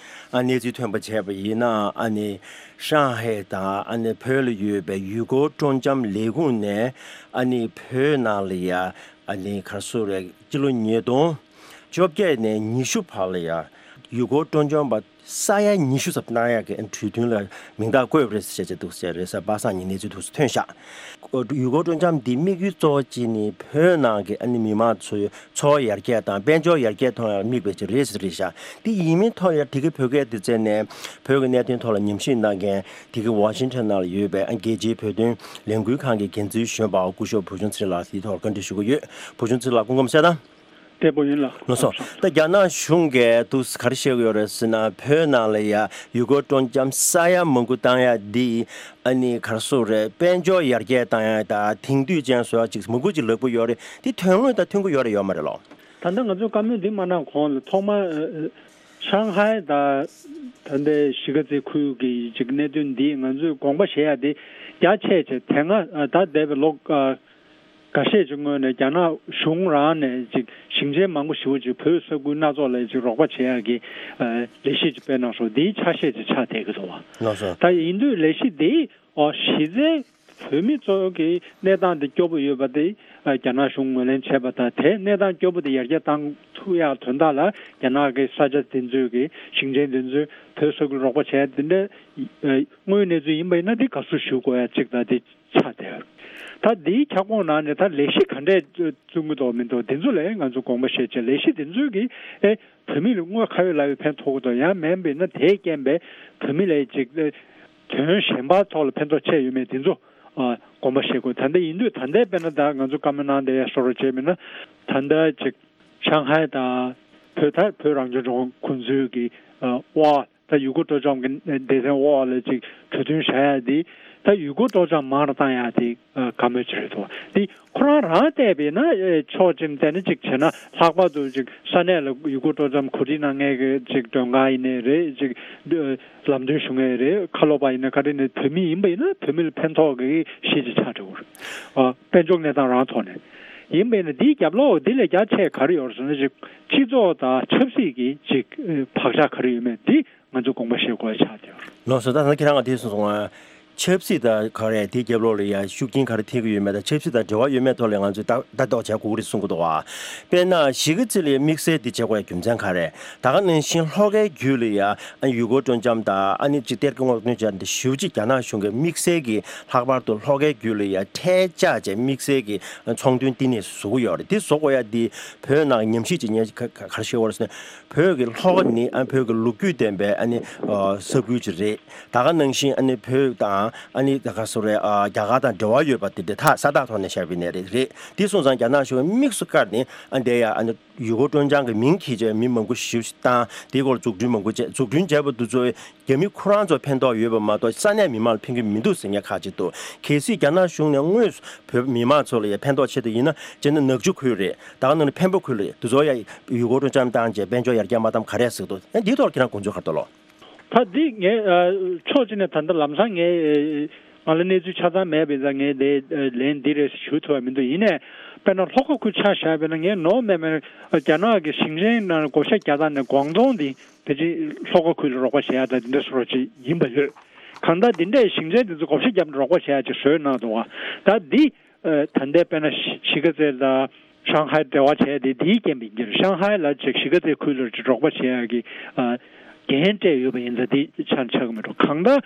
ཨ་གནས་ཚུལ་ཐོན་པ་བྱས་པ་ཡིན་ན། ཨ་ནི་ཧྲང་ཧའེ་དང་ཨ་ནི་བོད་ལ་ཡོད་པའི་ཡུལ་སྐོར་སྤྲོ་འཆམ་ལས་ཁུངས་ནས་ཨ་ནི་བོད་ནང་ལ་ཡ་ཨ་ནི་ག་རེ་ཟེར་རེད། སྤྱི་ལོ་ཉིས་སྟོང་བཅོ་བརྒྱད་ནས་ཉི་ཤུ་བར་ལ་ཡ་ཡུལ་སྐོར་སྤྲོ་འཆམ་པ་ས་ཡ་ཉི་ཤུ་ཙམ་གནང་ཡག་གི་གྲོས་མཐུན་ལ་མིང་རྟགས་བཀོད་པ་རེད་ཟེར་བྱས་འདུག་ཟེར་རེས་གཟའ་པ་སངས་ཉིན་གནས་ཚུལ་དུ་ཐོན་ཤག་ཡུལ་སྐོར་སྤྲོ་འཆམ་འདི་དམིགས་ཡུལ་གཙོ་བོ་གཅིག་ནི་བོད་ནང་གི་ཨ་ནི་མི་མང་ཚོའི་འཚོ་བ་ཡར་རྒྱས་དང་དཔལ་འབྱོར་ཡར་རྒྱས་གཏོང་ཡག་དམིགས་པའི་ཆེད་རེད་ཟེར་རེད་ཤག་འདི་ཡིན་མིན་ཐོག་ལ་དེ་གའི་བོད་སྐད་སྡེ་ཚན་ནས་བོད་ཀྱི་གནད་དོན་ཐོག་ལ་ཉམས་ཞིབ་གནང་མཁན་དེ་གའི་ཝ་ཤིང་ཊོན་ནང་ལ་ཡོད་པའི་ཨ་རྒྱལ་སྤྱིའི་བོད་དོན་ལས་འགུལ་ཁང་གི་འགན་འཛིན་གཞོན་པ་སྐུ་ཞབས་བུ་ཆུང་ཚེ་རིང་ལགས་དེའི་ཐོག་བཀའ་འདྲི་ཞུ་གི་ཡོད། བུ་ཆུང་ཚེ་རིང་ལགས་སྐུ་ཁམས་བཟང་། བདེ་པོ་ཡིན་ལགས། ལགས་སོ། ད་རྒྱ་ནག་གཞུང་གིས་དུས་ག་རེ་བཤད་ཀྱི་ཡོད་རེད་ཟེར་ན། བོད་ནང་ལ་ཡ་ཡུལ་སྐོར་སྤྲོ་འཆམ་ས་ཡ་མང་པོ་བཏང་ཡ་འདི་ཨ་ནི་ག་རེ་ཟེར་རེད། དཔལ་འབྱོར་ཡར་རྒྱས་བཏང་ཡ་དང་དེང་དུས་ཅན་བཟོ་ཡ་ཅིག་མང་པོ་ཅིག་ལབ་ཀྱི་ཡོད་རེད། འདི་དོན་དངོས་དང་མཐུན་གྱི་ཡོད་རེད་ཡོད་མ་རེད་ལོ། ད་ལྟ་ང་ཚོས་བཀའ་མོལ་འདི་མ་གནང་གོང་ལ་ཐོག་མར་ཨ་ཨ་ཧྲང་ཧའེ་དང་ད་ལྟའི་གཞིས་ཀ་རྩེ་ཁུལ་གྱི་ཅིག་གནད་དོན་འདི་ང་ཚོས་དགོངས་པ་བཞེས་ཡ་འདི་རྒྱ་ཆེ་ཆེ། དེ་སྔ་ཨ་ད་འདས་པའི་ལོ་ཨ་འགའ་ཤས་ཀྱི་སྔོན་ནས་རྒྱ་ནག་གཞུང་རང་ནས་ཅིག་ཞིང་ཆེན་མང་པོ་ཞེ་པོ་ཅིག་བོད་ས་ཁུལ་སྣ་ཚོགས་ལ་ཅིག་རོགས་པ་བྱེད་ཡག་གི་ཨ་ལས་གཞི་ཅིག་སྤེལ་གནང་སོང་། འདིའི་ཆ་ཤས་ཅིག་ཆགས་བསྡད་ཀྱི་འདུག་བ། ལགས་སོ། ད་ཡིན་དུས་ལས་གཞི་འདི་ཨོ་གཞི་རྩའི་བོད་མི་ཚོ་གི་གནས་སྟངས་འདི་སྐྱོ་པོ་ཡོད་པ་དེ་ཨ་རྒྱ་ནག་གཞུང་ངོས་ལེན་བྱས་པ་དང་། དེ་གནས་སྟངས་སྐྱོ་པོ་དེ་ཡར་རྒྱས་བཏང་ཐུབ་ཡག་དོན་དག་ལ་རྒྱ་ནག་གི་ས་ཆ་དེ་ཚོའི་གི་ཞིང་ཆེན་དེ་ཚོས་བོད་ས་ཁུལ་རོགས་པ་བྱས་དེ་འདྲ་ཨ་དངོས་ཡོད་གནས་ཚུལ་ཡིན་པ་ཡིན་ན་དེ་དགའ་བསུ་ཞུ་དགོས་ཡ་གཅིག་དང་དེ། ཆགས་བསྡད། ད་འདིའི་ཁྱབ་ཁོངས་ནང་ནས་ད་ལས་གཞི་ག་འདྲས་བརྩོན་གྱི་འདུག་མི་འདུག་འདི་ཚོ་ལ་ང་ཚོ་དགོངས་པ་བཞེས་བྱས། ལས་གཞི་འདི་ཚོས་ཀྱིས་ཨེ་བོད་མི་ལ་དངོས་ཁ་ཡོད་ལག་ཡོད་ཕན་ཐོགས་ཀྱི་འདུག་ཡང་མིན་པ་ཡིན་ན་དེའི་རྐྱེན་པས་བོད་མི་ལ་ཅིག་ཨེ་དོན་གཞན་པ་ཐོག་ལ་ཕན་ཐོགས་ཆེ་ཡོད་མེད་འདི་ཚོ་ཨ་དགོངས་པ་བཞེས་དགོས། ད་ལྟ་ཡིན་དུས་ད་ལྟའི་དཔེར་ན་ད་ང་ཚོ་བཀའ་མོལ་གནང་བསྡད་ཡ་སོགས་རོགས་བྱས་མིན་ན་ད་ལྟ་ཅིག་ ཧྲང་ཧའེ་དང་བོད་ད་བོད་རང་སྐྱོང་ལྗོངས་ཁོང་ཚོའི་གི་ཨ་དབར་ད་ཡུལ་སྐོར་སྤྲོ་འཆམ་གྱི་སྡེ་ཚན་འོག་ལ་ཅིག་གྲོས་མཐུན་བཞག་ཡ་དེ་ད་ཡུལ་སྐོར་སྤྲོ་འཆམ་མང་རུ་བཏང་ཡ་དེ་ཨ་དགའ་མོས་ཅིག་རེད་འདུག་དེ་ཁོ་རང་རང་བལྟས་པས་ན་ཨེ་ཕྱོགས་གཅིག་ནས་བལྟས་ན་ཅིག་བྱས་ན་ལྷག་པར་དུ་ཅིག་ས་གནས་ལ་ཡུལ་སྐོར་སྤྲོ་འཆམ་གོ་སྒྲིག་གནང་མཁན་གྱི་ཅིག་མགྲོན་ཁང་ཡིན་ནའི་རེད། ཅིག་ཨ་ལམ་སྟོན་ཞུ་མཁན་རེད། ཁ་ལོ་པ་ཡིན་ན་ག་རེ་ནས་བོད་མི་ཡིན་པ་ཡིན་ན་བོད་མི་ལ་ཕན་ཐོགས་ཀྱི་གཞི་ཅིག་ཆགས་འགྲོ་གི་རེད། ཨ་དཔལ་འབྱོར་གནས་སྟངས་རང་ཐོག་ནས་ཡིན་པས་ན་འདིའི་རྒྱབ་ལོགས་འདི་ལས་རྒྱ་ཆེ་ག་རེ་ཡོད་རེད་ཟེར་ན་ཅིག་སྤྱི་ཚོགས་དང་ཆབ་སྲིད་ཀྱི་ཅིག་ཨ་བག་ཆགས་ག་རེ་ཡོད་མེད་འདི་ང་ཚོས་དགོངས་པ་བཞེས་དགོས་ཆགས་བསྡད་ཡོད་རེད། ལགས་སོ། ད་ལྟ་ཁྱེད་རང་ག་དེ་གསུངས་སོང་ང་། ཆབ་སྲིད་དང་ག་རེ་དེའི་རྒྱབ་ལོགས་ལ་ཡ་ཤུགས་རྐྱེན་ག་རེ་ཐེབས་ཀྱི་ཡོད་མེད་དང་ཆབ་སྲིད་དང་འབྲེལ་བ་ཡོད་མེད་ཐོག་ལ་ང་ཚོས་ལྟ་ལྟ་རྟོག་བྱ་དགོས་ཀྱི་རེད་གསུང་གི་འདུག་བ། དཔེར་ན་གཞིས་ཀ་རྩེ་ལ་ཡ་དམིགས་བསལ་འདི་བྱེད་དགོས་ཡ་རྒྱུ་མཚན་ག་རེ། ད་ག་ནང་བཞིན་ལྷོ་ཁའི་རྒྱུད་ལ་ཡ་ཨ་ཡུལ་སྐོར་སྤྲོ་འཆམ་དང་ཨ་ནི་ཅིག་གཏེར་ཁ་སྔོག་འདོན་བྱས་འདི་ཞེ་པོ་ཅིག་རྒྱ་ནག་གཞུང་གིས་དམིགས་བསལ་གྱི་ལྷག་པར་དུ་ལྷོ་ཁའི་རྒྱུད་ལ་ཡ་ཐལ་ལྕག་བྱས་དམིགས་བསལ་གྱི་ཚོང་དོན་བསྟི་གནས་བཟོ་གི་ཡོད་རེད། འདི་བཟོ་དགོས་ཡ་འདི་བོད་ནང་ཉམས་ཞིབ་ཅིག་ཉན་ག་ག་རེ་ཤེས་པ་རེད་ཟེར་ན། བོད་ཀྱི་ལྷོ་ཁ་ནི་ཨ་བོད་ཀྱི་ལོ་རྒྱུས་ལྡན་པའི་ཨ་ནི་ས་ཁུལ་ཅིག་རེད། ད་ག་ནང་བཞིན་ཨ་ནི་བོད་དང་ཨ་ནི་ད་ག་སོ་རེད། རྒྱ་གར་དང་འབྲེལ་བ་ཡོད་པ་དེ་དེ་ཐག་ས་ཐག་ཐོག་ནས་བཤད་པའི་གནས་རེད་རེད། དེ་སོང་ཙང་རྒྱ་ནག་གཞུང་དམིགས་སུ་བཀར་ནས་ཨ་འདས་ཡ་ཨ་ནི་ཡུལ་སྐོར་སྤྲོ་འཆམ་གྱི་མིང་འཁྱེར་བྱས་མི་མང་པོ་ཞེ་པོ་ཞིག་བཏང་། དེའི་སྐོར་འཛུགས་སྐྲུན་མང་པོ་བྱས། འཛུགས་སྐྲུན་བྱས་པ་དེ་ཚོ་རྒྱ་མི་ཁོ་རང་ཚོ་ཕན་ཐོགས་ཡོད་པ་མ་གཏོགས་ས་གནས་མི་མང་ལ་ཕན་གྱི་མི་འདུག་ཟེར་མཁན་ཁག་ཅིག་འདུག་གལ་སྲིད་རྒྱ་ནག་གཞུང་ནས་དངོས་སུ་བོད་མི་མང་ཚོ་ལ་ཡ་ཕན་ཐོགས་ཆེད་དུ་ཡིན་ན་སྤྱིར་ན་ནག་ཆུ་ཁུལ་རེད། ད་ག་ནང་ནས་འཕན་པོ་ཁུལ་རེད། དེ་ཚོ་ཡ་ཡུལ་སྐོར་སྤྲོ་འཆམ་བཏང་བྱས་དཔལ་འབྱོར་ཡར་རྒྱས་མ་བཏང་ག་རེ་ཟེར་འདུག་ཨ་འདིའི་ཐོག་ཁྱེད་རང་དགོངས་ཚུལ་ག་རེ་འདུག་ལོ། ད་འདི་ངས་ཨ་ཕྱོགས་གཅིག་ནས་ད་ལྟ་ལམ་སང་ངས་ཨ་ང་ལ་གནས་ཚུལ་ཆ་ཚང་མེད་པ་ཡིན་ཙང་ངས་དེ་ཨ་ལན་འདི་རེད་ཞུ་ཐུབ་པ་མི་འདུག་ཡིན་ནའི་དཔེར་ན་ལྷོ་ཁ་ཁུལ་ཆ་བཞག་པ་ཡིན་ན་ངས་ནོར་མེད་མེད་རྒྱ་ནག་གི་ཞིང་ཆེན་ནང་བགོ་བཤའ་རྒྱག་སྟངས་ནས་ཀོང་ཏུང་འདི་ཕལ་ཆེར་ལྷོ་ཁ་ཁུལ་ལ་རོགས་པ་བྱེད་ཡག་དང་འདི་འདྲ་བཟོ་འདྲ་ཅིག་ཡིན་པ་ཡོད། གང་ལྟར་འདི་འདྲའི་ཞིང་ཆེན་འདི་ཚོ་བགོ་བཤའ་བརྒྱབ་ནས་རོགས་པ་བྱེད་ཡག་ཅིག་བཟོས་གནང་འདུག་བ། ད་འདི་ཨ་ད་ལྟའི་དཔེར་ན་གཞིས་ཀ་རྩེ་དང་ཧྲང་ཧའེ་འབྲེལ་བ་བྱས་ཏེ་དེའི་རྐྱེན་པས་ཡིན་གྱི་རེད། ཧྲང་ཧའེ་ལ་ཅིག་གཞིས་ཀ་རྩེ་ཁུལ་ལ་ཅིག་རོགས་པ་བྱེད་ཡག་གི་ཨ་འགན་སྤྲད་ཡོད་པ་ཡིན་ཙང་དེ་ཆ་ཆགས་ཀྱི་མི་འགྲོ། གང་ལྟར་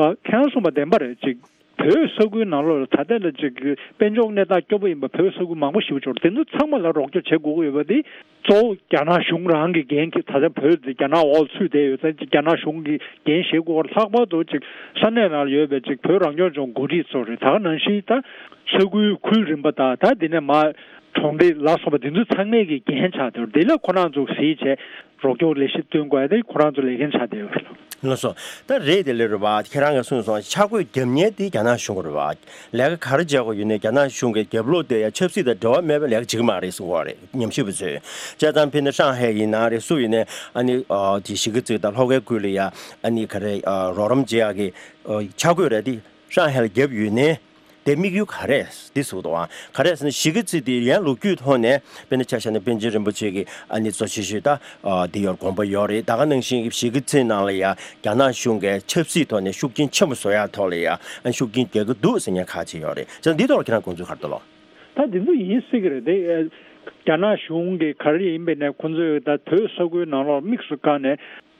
ཨ་ཁྱེད་རང་གསུངས་པ་བདེན་པ་རེད། ཅིག་བོད་ས་ཁུལ་ནང་ལོགས་ལ་ད་ལྟ་ལ་ཅིག་དཔལ་འབྱོར་གནས་སྟངས་སྐྱོ་པོ་ཡིན་པ་བོད་ས་ཁུལ་མང་པོ་ཞིག་འབྱོར། དེ་ཚོ་ཚང་མ་ལ་རོགས་སྐྱོར་བྱེད་དགོས་ཀྱི་ཡོད་པ་དེ་གཙོ་བོ་རྒྱ་ནག་གཞུང་རང་གི་འགན་གྱི་ད་ལྟ་བོད་དེ་རྒྱ་ནག་འོག་ཚུད་བསྡད་ཡོད་ཙང་རྒྱ་ནག་གཞུང་གི་འགན་བཞེས་དགོས་པར་ལྷག་པར་དུ་ཅིག་ས་གནས་ནང་ལ་ཡོད་པའི་ཅིག་བོད་རང་སྐྱོང་ལྗོངས་འགོ་ཁྲིད་ཚོ་རེད། ད་ག་ནང་བཞིན་ད་ས་ཁུལ་ཁུལ་རིམ་པ་དང་ད་དེ་ནས་མར་གྲོང་སྡེ་ལ་སོགས་པ་དེ་ཚོ་ཚང་མས་ཀྱི་འགན་ཆགས་བསྡད་ཡོད་རེད། དེ་ལ་ཁོ་རང་ཚོ་གཟིགས་བྱས་རོགས་སྐྱོར་ལས་གཞི་སྟོན་དགོས་ཡ་དེ་ཁོ་རང་ཚོ་ལས་འགན་ཆགས་བསྡད་ཡོད་རེད། ལགས་སོ། ད་རེད་དེ་ལས་རེད་བ། ཁྱེད་རང་གིས་གསུངས་སོང་། ཆ་བགོས་རྒྱབ་མཁན་དེ་རྒྱ་ནག་གཞུང་རེད་བ། ལས་ཀ་ག་རེ་བྱེད་དགོས་ཡོད་ནའི་རྒྱ་ནག་གཞུང་གི་རྒྱབ་ལོགས་དེ་ཡ་ཆབ་སྲིད་དང་འབྲེལ་བ་མེད་པའི་ལས་ཀ་བྱེད་ཀྱི་མ་རེད་གསུང་གི་རེད། ཉམས་ཞིབ་པ་ཚོས། བྱས་ཙང་ཕྱིན་ན་ཧྲང་ཧའེ་ཡིན་ན་རེད། སུ་ཡིན་ནའི་ཨ་ནི་ཨ་དེ་གཞིས་ཀ་རྩེ་དང་ལྷོ་ཁའི་ཁུལ་ལ་ཡ་ཨ་ནི་ག་རེ་ཨ་རོགས་རམ་བྱེད་ཡག་གི་ཨ་ཆ་བགོས་རེད་དེ་ཧྲང་ཧའེ་ལ་བརྒྱབ་ཡོད་ནའི། དེ་དམིགས་ཡུལ་ག་རེ་འདི་ཟེར་དུས་ག་རེ་ཟེར་ན་གཞིས་ཀ་རྩེ་དེ་ཡན་ལོ་རྒྱུས་ཐོག་ནས་དཔེར་ན་ཆ་བཞག་ན་པཎ་ཆེན་རིན་པོ་ཆེ་གི་ཨ་ནི་གཙོ་ཆེ་ཤོས་ད་ཨ་དེ་ཡོད་དགོངས་པ་ཡོད་རེད། ད་ག་ནང་བཞིན་གཞིས་ཀ་རྩེ་ནང་ལ་ཡ་རྒྱ་ནག་གཞུང་གིས་ཆབ་སྲིད་ཐོག་ནས་ཤུགས་རྐྱེན་ཆེན་པོ་བཟོ་ཡག་ཐོག་ལ་ཡ་ཨ་ཤུགས་རྐྱེན་རྒྱག་གི་འདུག་ཟེར་མཁན་ཁག་ཅིག་ཡོད་རེད། བྱས་ཙང་འདི་ཐོག་ལ་ཁྱེད་རང་དགོངས་ཚུལ་ག་རེ་འདུག་ལོ། ད་འདི་ཚོ་ཡིན་སྲིད་ཀྱི་རེད་དེ། རྒྱ་ནག་གཞུང་གིས་ག་རེ་ཡིན་པའི་ནས་ཁོང་ཚོས་ད་བོད་ས་ཁུལ་ནང་ལོགས་དམིགས་སུ་བཀར་ནས།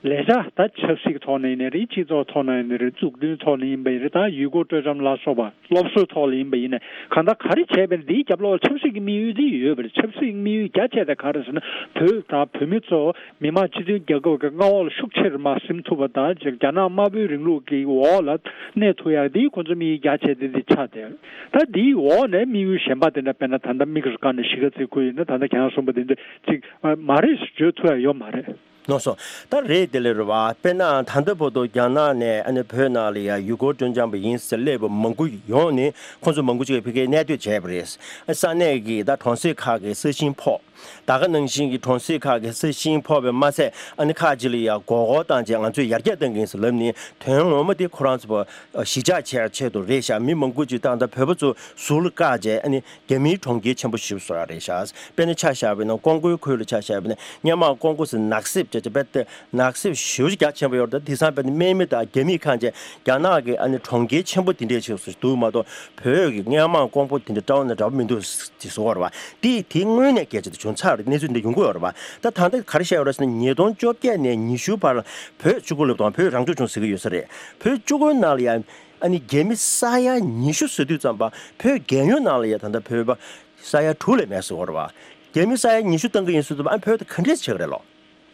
ལས་བྱ་ད་ཆབ་སྲིད་ཐོག་ནས་ཡིན་ནའི་རེད། སྤྱི་ཚོགས་ཐོག་ནས་ཡིན་ནའི་རེད། འཛུགས་སྐྲུན་ཐོག་ནས་ཡིན་པ་ཡིན་ནའི་རེད། ད་ཡུལ་སྐོར་སྤྲོ་འཆམ་ལ་སོགས་པ་སློབ་གསོའི་ཐོག་ལ་ཡིན་པ་ཡིན་ནའི་གང་ལྟར་ག་རེ་བྱས་པ་ཡིན་ནའི་འདིའི་རྒྱབ་ལོགས་ལ་ཆབ་སྲིད་ཀྱི་དམིགས་ཡུལ་འདི་ཡོད་པ་རེད། ཆབ་སྲིད་ཀྱི་དམིགས་ཡུལ་རྒྱ་ཆེ་དེ་ག་རེ་ཟེར་ན་བོད་དང་བོད་མི་ཚོ་མི་དམངས་སྤྱི་མཐུན་རྒྱལ་ཁབ་ཀྱི་མངའ་འོག་ལ་ཤུགས་ཆེ་རུ་མར་ཟིན་ཐུབ་པ་དང་རྒྱ་ནག་དམར་པོའི་རིང་ལུགས་ཀྱི་འོག་ལ་གནས་ཐུབ་ཡག་འདི་ཁོང་ཚོ་དམིགས་ཡུལ་རྒྱ་ཆེ་དེ་འདི་ཆགས་བསྡད་ཡོད། ད་འདིའི་འོག་ནས་དམིགས་ཡུལ་གཞན་པ་དེ་འདྲ་དཔེར་ན་ད་ལྟ་དམིགས་སུ་བཀར་ནས་གཞིས་ཀ་རྩེ་ཁུལ་ཡིན་ན་ད་ལྟ་ཁྱེད་རང་གསུངས་པ་དེ་འདྲ་ཅིག་མ་རེད་ཟེར་བརྗོད་ཐུབ་ཡག་ཡོད་མ་རེད། ལགས་སོ། ད་རེད་དེ་ལས་རེད་བ། དཔེར་ན་ད་ལྟ་བར་དུ་རྒྱ་ནག་ནས་ཨ་ནི་བོད་ནང་ལ་ཡ་ཡུལ་སྐོར་སྤྲོ་འཆམ་པ་ཡིན་ཟེར་སླེབས་པ་མང་པོ་ཡོང་ནས་ཁོང་ཚོ་མང་པོ་ཅིག་ཕ་གིར་གནས་སྡོད་བྱས་པ་རེད། ས་གནས་ཀྱི་ད་གྲོང་གསེབ་ཁག་གི་ས་ཞིང་ཕོག་ད་ག་ནང་བཞིན་གྱི་གྲོང་གསེབ་ཁག་གི་ས་ཞིང་ཕོག་པའི་མ་ཚད་ཨ་ནི་ཁག་ཅིག་ལ་ཡ་སྒོར་སྒོར་བཏང་བྱས་ང་ཚོས་ཡར་རྒྱས་གཏང་གི་ཡིན་ཟེར་ལབ་ནས་དོན་ངོ་མ་དེ་ཁོ་རང་ཚོ་གཞིས་ཆགས་ཆེ་ཆེད་དུ་རེད་ཤག་མི་མང་པོ་ཅིག་ད་ལྟ་བོད་པ་ཚོ་ཟུར་ལ་བཀག་བྱས་ཨ་ནི། རྒྱ་མིའི་གྲོང་ཁྱེར་ཆེན་པོ་ཞིག་བཟོ་ཡ་རེད་ཤག་དཔེར་ན་ཆ་བཞག་པ་ཡིན་ན་ཀོང་ཀོའི་ཁུལ་ལ་ཆ་བཞག་པ་ཡིན་ན་སྔོན་མ་ཀོང་ཀོ་ཟེར་ནག་སེབ་བྱས་བྱས་དཔེ་དེ་ནག་སེབ་ཞེ་པོ་ཅིག་རྒྱ་ཆེན་པོ་ཡོད་རེད། ད་དེང་སང་དཔེ་དེ་དམག་མི་དང་རྒྱ་མིས་ཁེངས་བྱས་རྒྱ་ནག་གི་ཨ་ནི་གྲོང་ཁྱེར་ཆེན་པོ་དེ་འདྲས་ཞིག་བཟོ་འདུག་མ་གཏོགས་བོད་ཀྱི་སྔོན་མ་ཀོང་པོ་དེ་འདྲ་འདྲ་བོ་ནས་འདྲ་བོ་མི་འདུག་ཅེས་ཟེར་བ་རེད་བ། དེ་དེ་དངོས་གནས་སྐད་ཆ་དེ་བྱུང་ཚར་རེད། གནས་ཚུལ་འདི་འདྲ་ཡོང་གི་ཡོད་རེད་བ། ད་ད་ལྟ་ག་རེ་བཤད་ཡོད་རེད་ཟེར་ན་ཉིས་སྟོང་བཅོ་བརྒྱད་ནས་ཉི་ཤུ་བར་ལ་བོད་བཅུ་དགུ་ལབ་དང་བོད་རང་སྐྱོང་ལྗོངས་ཟེར་གྱི་ཡོད་ས་རེད། བོད་བཅུ་དགུ་ནང་ལ་ཡང་། ཨ་ནི་རྒྱ་མི་ས་ཡ་ཉི་ཤུ་ཟེར་དུས་ཙམ་པ་བོད་རྒྱལ་ཡོངས་ནང་ལ་ཡ་ད་ལྟ་བོད་པ་ས་ཡ་དྲུག་ལས་མེད་ཟེར་བ་རེད་བ། རྒྱ་མི་ས་ཡ་ཉི་ཤུ་བཏང་གི་ཡིན་ཟེར་དུས་ཨ་བོད་དེ་ག་འདྲས་ཆགས་ཀྱི་རེད་ལོ།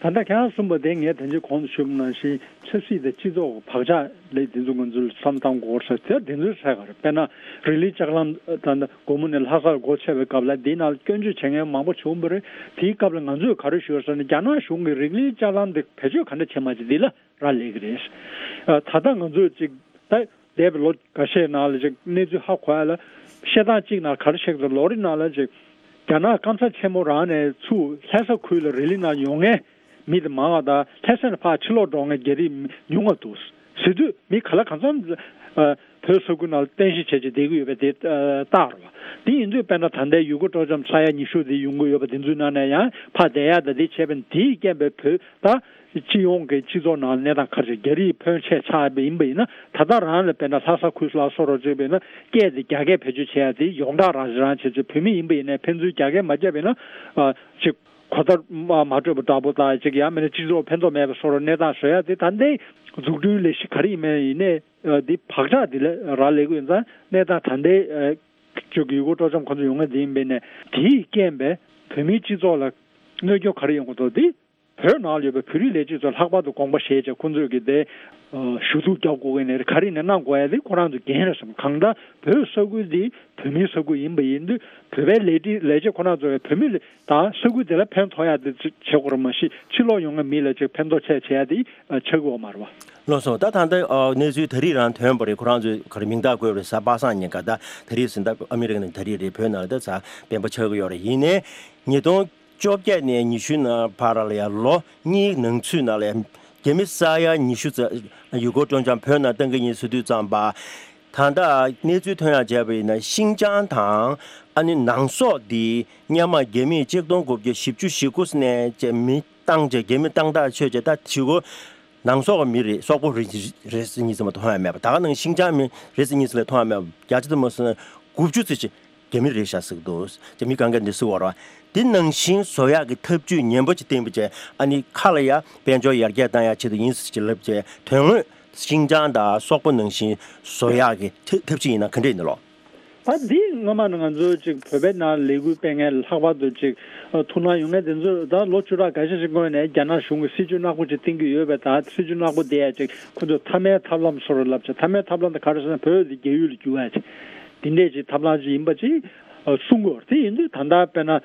ད་ལྟ་ཁྱེད་རང་གསུངས་པ་དེ་ངས་དེ་ཚོའི་གོང་དུ་ཞུས་པ་ནང་བཞིན་ཆབ་སྲིད་དང་སྤྱི་ཚོགས་ཀྱི་བག་ཆགས་ལས་དེ་ཚོ་ང་ཚོས་བསམ་བློ་གཏོང་དགོས་ས་དེ་དེ་ཚོའི་ས་ག་རེད། དཔེར་ན་རི་ལི་ལྕགས་ལམ་ད་ལྟ་དགོང་མོ་ནས་ལྷ་སར་སྒོ་ཕྱེ་བའི་སྐབས་ལ་འདིའི་ནང་ལ་སྐྱོན་བརྗོད་བྱེད་མཁན་མང་པོ་བྱུང་བ་རེད། དེའི་སྐབས་ལ་ང་ཚོས་ག་རེ་ཞུས་ཟེར་ན་རྒྱ་ནག་གཞུང་གིས་རི་ལི་ལྕགས་ལམ་དེ་བེད་སྤྱོད་ག་འདྲ་བྱེད་མ་བྱེད་འདི་ལ་རག་ལས་ཀྱི་རེད། ད་ལྟ་ང་ཚོས་ཅིག་ད་འདས་པའི་ལོ་འགའ་ཤས་ནང་ལ་ཅིག་གནས་ཚུལ་ཧ་གོ་ཡ་ལ་བཤད་སྟངས་གཅིག་ནང་ག་རེ་བཤད་ཀྱི་འདུག་ལོ་རེ་ནང་ལ་ཅིག་རྒྱ་ནག་སྐམ་ས་ཆེན་མོ་རང་ནས་ཚུར་ལྷ་ས་ཁུལ་ལ་རི་ལི་ནང་ཡོང་མཁན་མི་དེ་མང་བ་དང་ལྷ་ས་ནས་ཕར་ཕྱིར་ལོག་འགྲོ་མཁན་རྒྱ་རིགས་ཉུང་བ་འདུག་ཟེར་དུས་མི་ག་ལ་གང་འཚམ་ཨ་བོད་ས་ཁུལ་ནང་ལ་རྟེན་གཞི་བྱས་བྱས་བསྡད་ཀྱི་ཡོད་པ་དེ་ཨ་རྟགས་རེད་བ། དེ་ཡིན་དུས་དཔེར་ན་ད་ལྟའི་ཡུལ་སྐོར་སྤྲོ་འཆམ་ས་ཡ་ཉི་ཤུ་དེ་ཡོང་གི་ཡོད་པ་དེ་ཚོའི་ནང་ནས་ཡང་ཕར་བསྡད་ཡ་དང་དེ་བྱས་པ་དེའི་རྐྱེན་པས་བོད་ད་སྤྱི་ཡོངས་ཀྱི་སྤྱི་ཚོགས་ནང་གནས་སྟངས་ག་རེ་རེད། རྒྱ་རིགས་ཕོན་ཆེ་ཆགས་པ་ཡིན་པ་ཡིན་ན་ད་ལྟ་རང་ལ་དཔེར་ན་ལྷ་ས་ཁུལ་ལ་སོགས་རོགས་བྱས་པ་ཡིན་ན་སྐད་དེ་རྒྱ་སྐད་བེད་སྤྱོད་བྱེད་ཡ་དེ་ཡོངས་གྲགས་རང་བྱས་རང་བྱས་བྱས་བོད་མི་ཡིན་པ་ཡིན་ན་ཕན་ཚུན་རྒྱ་སྐད་མ་བརྒྱབ་པ་ཡིན་ན་ཨ་ཅིག་གོ་བརྡ་མ་མ་འཕྲོད་པ་འདྲ་པོ་དང་ཅིག་ཡང་མིན་ན་སྤྱི་ཚོགས་ཕན་ཐོགས་མེད་པ་སོགས་རོགས་གནས་སྟངས་བཟོ་ཡ་དེ་ད་ལྟའི་འཛུགས་སྐྲུན་ལས་གཞི་ག་རེ་ཡིན་མིན་ཡིན་ནའི་ཨ་འདི་བག་ཆགས་འདི་ལ་རག་ལས་ཀྱི་ཡོད་ཙང་གནས་སྟངས་ད་ལྟའི་ཨ་ཅིག་ཡུལ་སྐོར་སྤྲོ་འཆམ་ཁོ་ཚོ་ཡོང་མཁན་དེ་ཡིན་པས་ནས་དེའི་རྐྱེན་པས་བོད་མིའི་སྤྱི་ཚོགས་ལ་གནོད་སྐྱོན་ག་རེ་ཡོང་གི་འདུག་འདི་བོད་ནང་ལ་ཡོད་པའི་བོད་རིགས་ལས་བྱེད་ཚོ་ལྷག་པར་དུ་དགོངས་པ་བཞེས་བྱས་ཁོང་ཚོས་ཀྱི་དེ་ཞུ་གཏུག་རྒྱག་དགོས་ཀྱི་ནས་ག་རེ་ནས་གནང་དགོས་ཡ་དེ་ཁོ་རང་ཚོ་འགན་རེད་བསམ། གང་ལྟར་བོད་ས་ཁུལ་འདི་བོད་མིའི་ས་ཁུལ་ཡིན་པ་ཡིན་དུས་བོད་པའི་ལས་བྱེད་ལས་བྱེད་ཁོ་རང་ཚོ་བོད་མི་དང་ས་ཁུལ་དེ་ལ་ཕན་ཐོགས་ཡ་དེ་བྱེད་དགོས་རེད། མ་གཞི་ཕྱི་ལོགས་ཡོང་མཁན་མི་ལ་ཅིག་ཕན་ཐོགས་ཆེ་བྱེད་ཡ་དེ་ཆགས་ཀྱི་ཡོད་མ་རེད་བ། ལགས་སོ། ད་ད་ལྟ་ཨ་གནས་ཚུལ་ད་རེས་རང་ཐོན་པ་རེད། ཁོ་རང་ཚོས་ག་རེ་མིང་རྟགས་བཀོད་པ་རེད། གཟའ་པ་སངས་ཉིན་ཀ་ད་ད་རེས་ཟིན་ད་ཨ་མི་རི་ཀ་ནས་ད་རེས་རེད། བོད་ནང་ལ་ད་གཟའ་སྤེན་པ་ཆགས་ཀྱི་ཡོད་རེད། ཡིན་ནའི་ཉིས་སྟོང་བཅོ་བརྒྱད་ནས་ཉི་ཤུ་ནང་བར་ལ་ཡང་ལོ་གཉིས་ནང་ཚུད་ནང་ལ་ཡང་རྒྱ་མི་ས་ཡ་ཉི་ཤུ་ཙམ་ཡུལ་སྐོར་སྤྲོ་འཆམ་བོད་ནང་གཏོང་གི་ཡིན་ཟེར་དུས་ཙམ་པ། ད་ལྟ་གནས་ཚུལ་ཐོན་ཡག་བྱས་པ་ཡིན་ན་ཤིང་ཅང་དང་ཨ་ནི་ནང་སོག་འདི་སྔོན་མ་རྒྱ་མིས་ཆིག་སྟོང་དགུ་བརྒྱ་བཞི་བཅུ་ཞེ་དགུ་ནས་བྱས་མི་བཏང་བྱས་རྒྱ་མི་བཏང་ཐག་ཆོད་བྱས་ད་ཞེ་དགུ་ནང་སོག་གི་མི་རེད། སོག་པོ་རེད་རེད་ཟེར་གཉིས་ཙམ་མ་གཏོགས་མཐོང་ཡ་མེད་པ། ད་ག་ནང་ཤིང་ཅང་མི་རེད་ཟེར་གཉིས་ཙམ་ལས་མཐོང་ཡ་མེད་པ། བརྒྱ་ཆ་དུ་མ་སོང་ན་དགུ་བཅུ་ཙམ་ཅིག་རྒྱ་མི་རེད་ཤག་ཟེར་གི་འདུག་རྒྱ་མི་གང་ག་འདི་ཟེར་བ་རེད་བ། འདི་ནང་བཞིན་བཟོ་ཡག་གི་ཐབས་ཇུས་ཉམས་པོ་ཅིག་བསྟན་པ་བྱས་ཨ་ནི་ཁ་ལ་ཡ་དཔལ་འབྱོར་ཡར་རྒྱས་བཏང་ཡག་ཆེད་དུ་ཡིན་ཟེར་ཅིག་ལབ་བྱས་དོན་དངོས་ཤིང་ཅང་དང་སོག་པོ་ནང་བཞིན་བཟོ་ཡག་གི་ཐབས་ཐབས་ཇུས་ཡིན་ན་ག་འདྲས་ཡིན་ནི་ལོ། ད་འདི་སྔོན་མ་ནས་ང་ཚོ་ཅིག་བོད་པའི་ནང་ལས་འགུལ་སྤེལ་མཁན་ལྷག་པར་དུ་ཅིག་ཐུགས་སྣང་ཡོད་མཁན་དེ་ཚོ་ད་ལོ་བཅུ་ཕྲག་འགའ་ཤས་ཤིག་སྔོན་ནས་རྒྱ་ནག་གཞུང་གིས་སྲིད་ཇུས་ནག་པོ་ཅིག་བཏིང་གི་ཡོད་པས། ད་སྲིད་ཇུས་ནག་པོ་དེ་ཡ་ཅིག་ཁོ་ཚོས་མཐའ་མའི་ཐབས་ལམ་བཟོ་རོགས་ལབ་ཅིག་མཐའ་མའི་ཐབས་ལམ་དེ་ག་རེ་ཟེར་ན་བོད་དེ་རྒྱ་ཡུལ་ལ་འགྱུར་བ་ཅིག་འདི་འདྲས་ཅིག་ཐབས་ལམ་ཅིག་ཡིན་པ་ཅིག་གསུང་གི་ཡོད་རེད། དེ་ཡིན་དུས་ད་ལྟ་དཔེར་ན་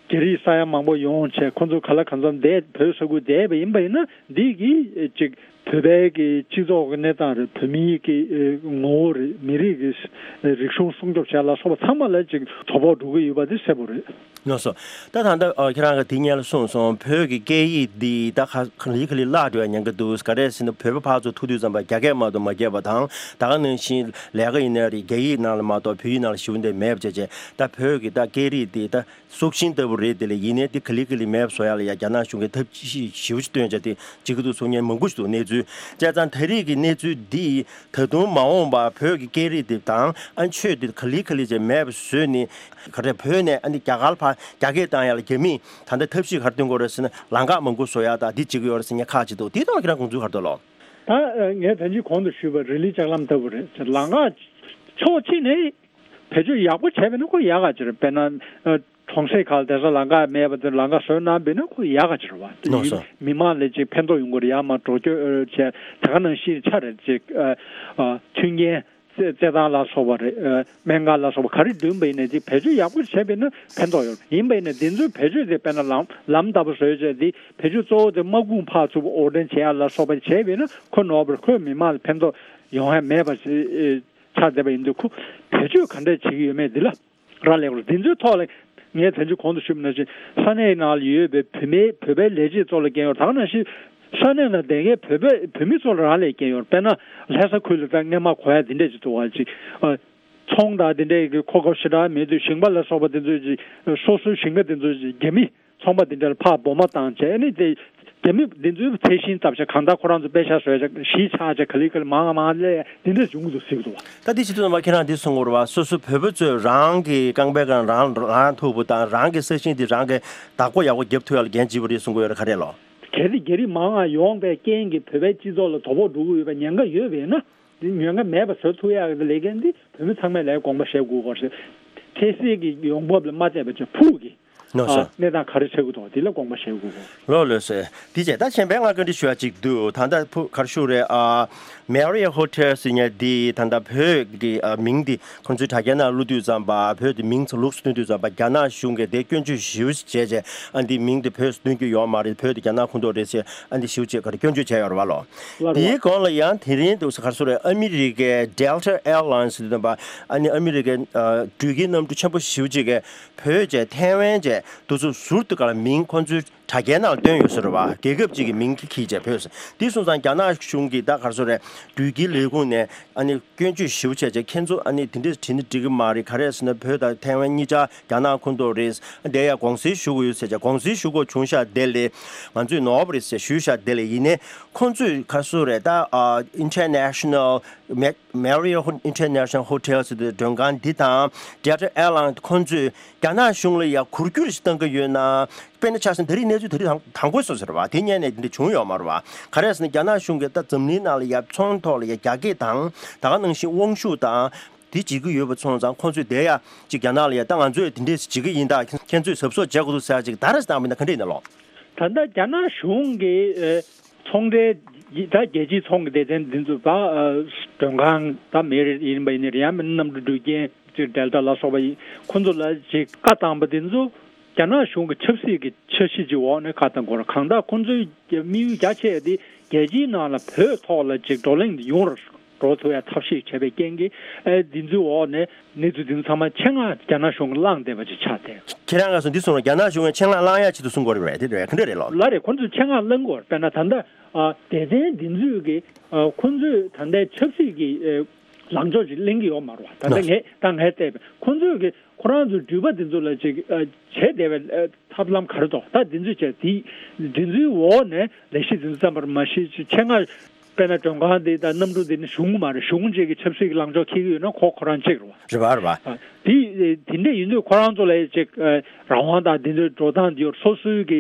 རྒྱ་རིགས་ས་ཡ་མང་པོ་ཡོང་བྱས་ཁོ་ཚོ་ག་ལ་གང་འཚམ་བསྡད་བོད་ས་ཁུལ་བསྡད་པ་ཡིན་པ་ཡིན་ན་འདི་གིས་ཅིག་བོད་པའི་གི་སྤྱི་ཚོགས་ཀྱི་གནས་སྟངས་རེད། བོད་མིའི་གི་ངོ་བོ་རེད། མི་རིགས་ཀྱི་རིག་གཞུང་སྲུང་སྐྱོབ་བྱས་ལ་སོགས་པ་ཚང་མ་ལ་ཅིག་དོ་ཕོག་འགྲོ་གི་ཡོད་པ་དེ་གསལ་པོ་རེད། ལགས་སོ། ད་ད་ལྟ་ཨ་ཁྱེད་རང་གིས་དེ་སྔོན་ལ་གསུངས་སོང་། བོད་ཀྱི་སྐད་ཡིག་འདི་ད་ག་ལེ་ག་ལེ་བརླག་འགྲོ་ཡ་ཉེན་ཁ་འདུག་ག་རེ་ཟེར་ན་བོད་པ་ཕར་ཚུར་ཐུག་དུས་ཙམ་པ་རྒྱ་སྐད་མ་གཏོགས་མ་བརྒྱབ་པ་དང་། ད་ག་ནང་བཞིན་ལས་ཀ་ཡིན་ན་རེད། རྒྱ་ཡིག་ནང་ལ་མ་གཏོགས་བོད་ཡིག་ནང་ལ་ཞེ་པོ་འདི་མེད་པ་བྱས་བྱས་ད་བོད་ཀྱི་ད་སྐད་རིགས་འདི་ད་སྲོག་ཤིང་ལྟ་བུ་རེད། དེ་ལས་ཡིན་ནའི་དེ་ག་ལེ་ག་ལེ་མེད་པ་བཟོ་ཡ་ལ་ཡ་རྒྱ་ནག་གཞུང་གིས་ཐབས་ཤེས་ཞེ་པོ་ཅིག་བཏོན་བྱས་དེ་བྱེད་ཀྱི་འདུག་གསུང་མཁན་མང་པོ་ཞིག་འདུག་གནས་ཚུལ་བྱས་ཙང་ད་རེས་ཀྱི་གནས་ཚུལ་འདི་ད་དུང་མ་འོངས་པ་བོད་ཀྱི་སྐད་རིགས་དེ་དང་ཨ་ཆོས་དེ་ག་ལེ་ག་ལེ་བྱས་མེད་པ་བཟོས་ནས་ག་རེ་བོད་ནས་ཨ་ནི་རྒྱ་གར་ཕར་རྒྱ་སྐད་བཏང་ཡ་ལ་རྒྱ་མིས་ད་ལྟ་ཐབས་ཤེས་ག་རེ་སྟོན་གྱི་ཡོད་རེད་ཟེར་ན་ལམ་ཁ་མང་པོ་བཟོ་ཡ་ད་འདི་བྱེད་ཀྱི་ཡོད་རེད་ཟེར་མཁན་ཁག་ཅིག་འདུག་དེའི་ཐོག་ལ་ཁྱེད་རང་དགོངས་ཚུལ་ག་རེ་འདུག་ལགས། ད་ངས་ད་ཅི་གོང་དུ་ཞུས་པ་རི་ལི་ལྕགས་ལམ་ལྟ་བུ་རེད། ལམ་ཁ་ཕྱོགས་གཅིག་ནས་བེད་སྤྱོད་ཡག་པོ་བྱས་པ་ཡིན་ན་ཁོ་ཡག་ག་ཅིག་རེད། དཔེར་ན་ཨ་གྲོང་གསེབ་ཁག་ལ་དེང་སང་ལམ་ཁ་མེད་པ་དེ་ལམ་ཁ་བཟོས་གནང་བ་ཡིན་ན་ཁོ་ཡག་ག་ཅིག་རེད་བ། དེ་ལགས་སོ། མི་མང་ལ་ཅིག་ཕན་ཐོགས་ཡོང་གི་རེད། ཡར་མར་འགྲོ་སྐྱོད་ཨ་བྱས་ད་ག་ནང་བཞིན་ཆ་རེད་ཅིག་ཨ་ཨ་མཐུན་རྐྱེན་རྩེད་རྩེད་ཐང་ལ་སོགས་པ་རེད། ཨ་སྨན་ཁང་ལ་སོགས་པ་ག་རེ་བསྐྲུན་པ་ཡིན་ནའི་དེ་བེད་སྤྱོད་ཡག་པོ་བྱས་པ་ཡིན་ན་ཕན་ཐོགས་ཡོད་རེད། ཡིན་པ་ཡིན་ནའི་དེ་ཚོའི་བེད་སྤྱོད་དེ་དཔེར་ན་ལམ་ལམ་ལྟ་བུ་བཟོས་བྱས་དེ་བེད་སྤྱོད་གཙོ་བོ་དེ་དམག་དཔུང་ཕར་ཚུར་དབོར་འདྲེན་བྱེད་ཡ་ལ་སོགས་པ་བྱས་པ་ཡིན་ན་ཁོ་ནོར་བ་རེད། ཁོས་མི་མང་ལ་ཕན་ཐོགས་ཡོང་ཡ་མེད་པ་ཞིག་ཆགས་བསྡད་པ་ཡིན་དུས་ཁོ་བེད་སྤྱོད་ག་འདྲས་བྱེད་ཀྱི་ཡོད་མེད་འདི་ལ་རག་ལས་པ་རེད། འདི་ཚོའི་ཐོག་ལ་ངས་དོན་གཅིག་གོང་དུ་ཞུས་པ་ནང་བཞིན་ས་གནས་ནང་ལ་ཡོད་པའི་བོད་མི་བོད་པའི་ལས་བྱེད་ཚོ་ལ་འགན་ཡོད་རེད། ད་ག་ནང་བཞིན་ས་གནས་ནང་བསྡད་མཁན་བོད་པའི་བོད་མི་ཚོ་ལ་རག་ལས་འགན་ཡོད་རེད། དཔེར་ན་ལྷ་ས་ཁུལ་ལ་ད་སྔོན་མ་གོ་ཡ་འདི་འདྲས་ཅིག་འདུག་བ་ཅིག་ཨ་ཚོང་དང་འདི་འདྲས་ཀྱི་གོ་སྐབས་ཞེ་དྲག་མེད་དུས་ཞིང་པ་ལ་སོགས་པ་འདི་ཚོས་ཅིག་སོ་སོའི་ཞིང་ཁ་འདི་ཚོ་ཅིག་རྒྱ་མི་ཚོང་པ་འདི་འདྲ་ལ་ཕར་སྦོམ་མ་བཏང་བྱས་ནས་དེ་རྒྱ་མི་འདི་ཚོའི་ཚད་ཤིང་བཏབ་བྱས་གང་ལྟར་ཁོ་རང་ཚོ་པེ་ཤག་བཟོས་བྱས་གཞིས་ཆགས་བྱས་ག་ལེ་ག་ལེ་མང་ང་མང་ང་སླེབས་འདི་འདྲ་བྱུང་གི་འདུག་ཟེར་གི་འདུག་བ། ད་འདི་བྱེད་དུས་ཙམ་པ་ཁྱེད་རང་འདི་གསུང་གི་རེད་བ། སོ་སོ་བོད་པ་ཚོས་རང་གི་རྐང་པའི་སྒང་རང་རང་ཐུག་པ་དང་རང་གི་ས་ཞིང་འདི་རང་གི་བདག་པོ་ཡག་པོ་རྒྱབ་ཐུབ་ཡག་ལ་འགན་བྱེད་པ་རེད་གསུང་གི་ཡོད་རེད། ག་རེ་ལོ། གལ་ཏེ་རྒྱ་རིགས་མང་ང་ཡོང་པའི་རྐྱེན་གྱིས་བོད་པའི་སྤྱི་ཚོགས་ལ་དོ་ཕོག་འགྲོ་གི་ཡོད་པའི་ཉེན་ཁ་ཡོད་པས་ན་འདི་ཉེན་ཁ་མེད་པ་བཟོ་ཐུབ་ཡག་གི་ལས་འགན་འདི་བོད་མི་ཚང་མས་ལས་དགོངས་པ་བཞེས་དགོས་སྐོར་ཞེས་འཕྲལ་སེལ་གྱི་ཡོང་འབབ་ལ་མ་བལྟས་པ་བྱས་ཕུགས་ཀྱི་ ནོ་སོ། ཨ་གནས་སྟངས་ག་རེ་ཆགས་ཀྱི་འདུག་དེ་ལ་དགོངས་པ་བཞེས་དགོས་གོ། ལོ་ལོ་སོ། དེ་བྱས་ད་གཞན་པའི་ང་བཀའ་འདྲི་ཞུ་ཡ་ཅིག་འདུག་ད་ལྟ་ཕུ་ག་རེ་ཞུ་རེད། ཨ་Marriott Hotel ཟེར་ཉན་དེ་ད་ལྟ་བོད་ཀྱི་ཨ་མིང་དེ་ཁོང་ཚོའི་དྲ་རྒྱའི་ནང་བླུགས་དུས་ཙམ་པ་བོད་དེ་མིང་ཚོ་ལུགས་སུ་སྟོན་དུས་ཙམ་པ་རྒྱ་ནག་གཞུང་གིས་དེ་སྐྱོན་བརྗོད་ཞེ་པོ་བྱས་བྱས་ཨ་འདི་མིང་དེ་བོད་སུ་སྟོན་རྒྱུ་ཡོད་མ་རེད། བོད་དེ་རྒྱ་ནག་ཁོངས་གཏོགས་རེད་ཟེར་ཨ་འདི་ཞེ་པོ་བྱས་ག་རེ་སྐྱོན་བརྗོད་བྱས་ཡོད་རེད་བ་ལོ། ལགས་རེད་བ། དེའི་གོང་ལ་ཡང་དེ་རིང་དུ་ག་རེ་ཟེར་རེད། ཨ་མི་རི་ཀའི་Delta Airlines ཟེར་དུས་ཙམ་པ་ཨ་ནི་ཨ་མི་རི་ཀའི་ཨ་འགྲུལ་སྐྱེལ་གནམ་གྲུ་ཆེན་པོ་ཞེ་པོ་ཅིག་གིས་བོད་བྱས་ཐའེ་ཝན་བྱས་དུ་ཚོ་ཟུར་དུ་ག་ལ་མིང་ཁོང་ཚོའི་དྲ་རྒྱའི་ནང་ལ་བཏོན་ཡོད་ཟེར་བ། རྒྱལ་ཁབ་ཅིག་གི་མིང་གི་ཁྱི་བྱས་བོད་ཟེར། དེ་སོང་ཙང་རྒྱ་ནག་གཞུང་གིས་ད་ག་རེ་ཟེར་རེད། འགྲུལ་སྐྱེལ་ལས་ཁུངས་ནས་ཨ་ནི་སྐྱོན་བརྗོད་ཞེ་པོ་བྱས་བྱས་ཁྱེད་ཚོ་ཨ་ནི་དེ་འདྲས་བྲིས་ན་འགྲིག་གི་མ་རེད། ག་རེ་ཟེར་ན་བོད་དང་ཐའེ་ཝན་གཉིས་ཆ་རྒྱ་ནག་ཁོངས་གཏོགས་རེད། དེ་ཡང་དགོངས་སེལ་ཞུ་དགོས་ཡོད་ཟེར་བྱས་དགོངས་སེལ་ཞུ་དགོས་བྱུང་ཤག་དེ་ལས་ང་ཚོས་ནོར་བ་རེད་ཟེར་ཞུས་ཤག་དེ་ལས་ཡིན་ནའི་ཁོང་ཚོས་ག་རེ་ཟེར་རེད། ད་ཨ་International Marriott International Hotel ཟེར་དུས་མགྲོན་ཁང་འདི་དང་Delta Airlines ཁོང་ཚོས་རྒྱ་ནག་གཞུང་ལ་ཡང་གུར་སྐྱོར་ཞིག་བཏང་གི་ཡོད་ན། དཔེར་ན་ཆ་བཞག་ན་ད་རེས་གནས་ཚུལ་ད་རེས་དང་དང་པོ་སོ་ཟེར་བ་དེ་ཉན་ནས་འདི་འདྲ་བྱུང་ཡོད་མ་རེད་བ། ག་རེ་ཟེར་ན་རྒྱ་ནག་གཞུང་གིས་ད་འཛམ་གླིང་ནང་ལ་ཡ་ཚོང་ཐོག་ལ་ཡ་རྒྱ་སྐད་དང་ད་ག་ནང་བཞིན་དབང་ཤུགས་དང་དེ་བྱེད་ཀྱི་ཡོད་པ་སོང་ཙང་ཁོང་ཚོས་དེ་ཡ་ཅིག་རྒྱ་ནག་ལ་ཡ་ད་ང་ཚོས་དེ་འདྲས་བྱེད་ཀྱི་ཡིན་ད་ཁྱེད་ཚོས་གཟབ་གཟབ་བྱེད་དགོས་འདུག་ཟེར་ཡ་ཅིག་ད་རེས་བཏང་བ་ཡིན་ན་ག་འདྲས་ཡིན་ན་ལོ། ད་ལྟ་རྒྱ་ནག་གཞུང་གིས་ཨེ་ཚོང་འབྲེལ་ད་རྒྱལ་སྤྱིའི་ཚོང་གི་སྡེ་ཚན་འདི་ཚོ་ད་མགྲོན་ཁང་ད་མེ་རི་ཡིན་པ་ཡིན་ན་རེད་ཡང་མིན་ན་གནམ་གྲུ་འགྲུལ་སྐྱེལ་ཅིག་Delta ལ་སོགས་པ་ཡིན་ཁོང་ཚོ་ལ་ཅིག་བཀའ་བཏང་པ་འདི་ཚོ། རྒྱ་ནག་གཞུང་གི་ཆབ་སྲིད་ཀྱི་འཆར་གཞི་ཅིག་འོག་ནས་ཁ་བཏང་དགོས་རེད། གང་ལྟར་ཁོང་ཚོའི་དམིགས་ཡུལ་རྒྱ་ཆེ་དེ་རྒྱལ་སྤྱིའི་ནང་ལ་བོད་ཐོག་ལ་ཅིག་བགྲོ་གླེང་ཡོང་ར་འགྲོ་ཐུབ་ཡ་ཐབས་ཤེས་བྱས་པའི་རྐྱེན་གྱིས་ཨེ་འདི་ཚོའི་འོག་ནས་གནས་ཚུལ་འདི་ཚོ་ཚང་མ་ཆེད་མངགས་རྒྱ་ནག་གཞུང་གིས་བླངས་བསྡད་པ་ཅིག་ཆགས་བསྡད། ཁྱེད་རང་ག་སོང་འདི་གསུངས་ར་རྒྱ་ནག་གཞུང་གིས་ཆེད་མངགས་བླངས་ཡ་ཆེད་དུ་གསུང་དགོས་རེད་པས་དེ་རེད་ག་འདྲ་རེད་ལོ། ལ་རེད་ཁོང་ཚོས་ཆེད་མངགས་བླང་དགོས་རེད། དཔེར་ན་ད་ལྟ་ཨ་སྡེ་ཚན་འདི་ཚོས་ཀྱིས་ཨ་ཁོང་ཚོས་ད་ལྟའི་ཆབ་སྲིད་ཀྱི་ཨེ་ལངས་ཕྱོགས་ཅིག་ལེན་གྱི་ཡོད་མ་རེད་བ། ད་ལྟ་ངས་ད་ངས་བལྟས་པས་ཁོང་ཚོས་ཀྱིས། ཁོ་རང་ཚོའི་འགྲུལ་པ་དེ་ཚོ་ལ་ཅིག་ཨ་བྱས་བསྡད་པའི་ཨ་ཐབས་ལམ་ག་རེ་འདུག་ད་དེ་ཚོས་བྱས་དེ་དེ་ཚོའི་འོག་ནས་ལས་གཞི་དེ་ཚོ་བརྩམས་པར་མ་གཞི་ཆེད་མངགས་དཔེར་ན་མགྲོན་ཁང་དེ་དང་གནམ་གྲུ་དེ་ནི་གཞུང་མ་རེད། གཞུང་གཅིག་གི་ཆབ་སྲིད་ཀྱི་ལངས་ཕྱོགས་འཁྱེར་གྱི་ཡོད་ན་ཁོ་ཁོ་རང་གཅིག་རེད་བ། རེད་བ་རེད་བ། ཨ་དེ་དེ་འདྲས་ཡིན་དུས་ཁོ་རང་ཚོ་ལ་ཅིག་ཨ་རང་དབང་དང་དེ་ཚོའི་འགྲོ་སྟངས་དེ་ཡོད་སོ་སོའི་གི་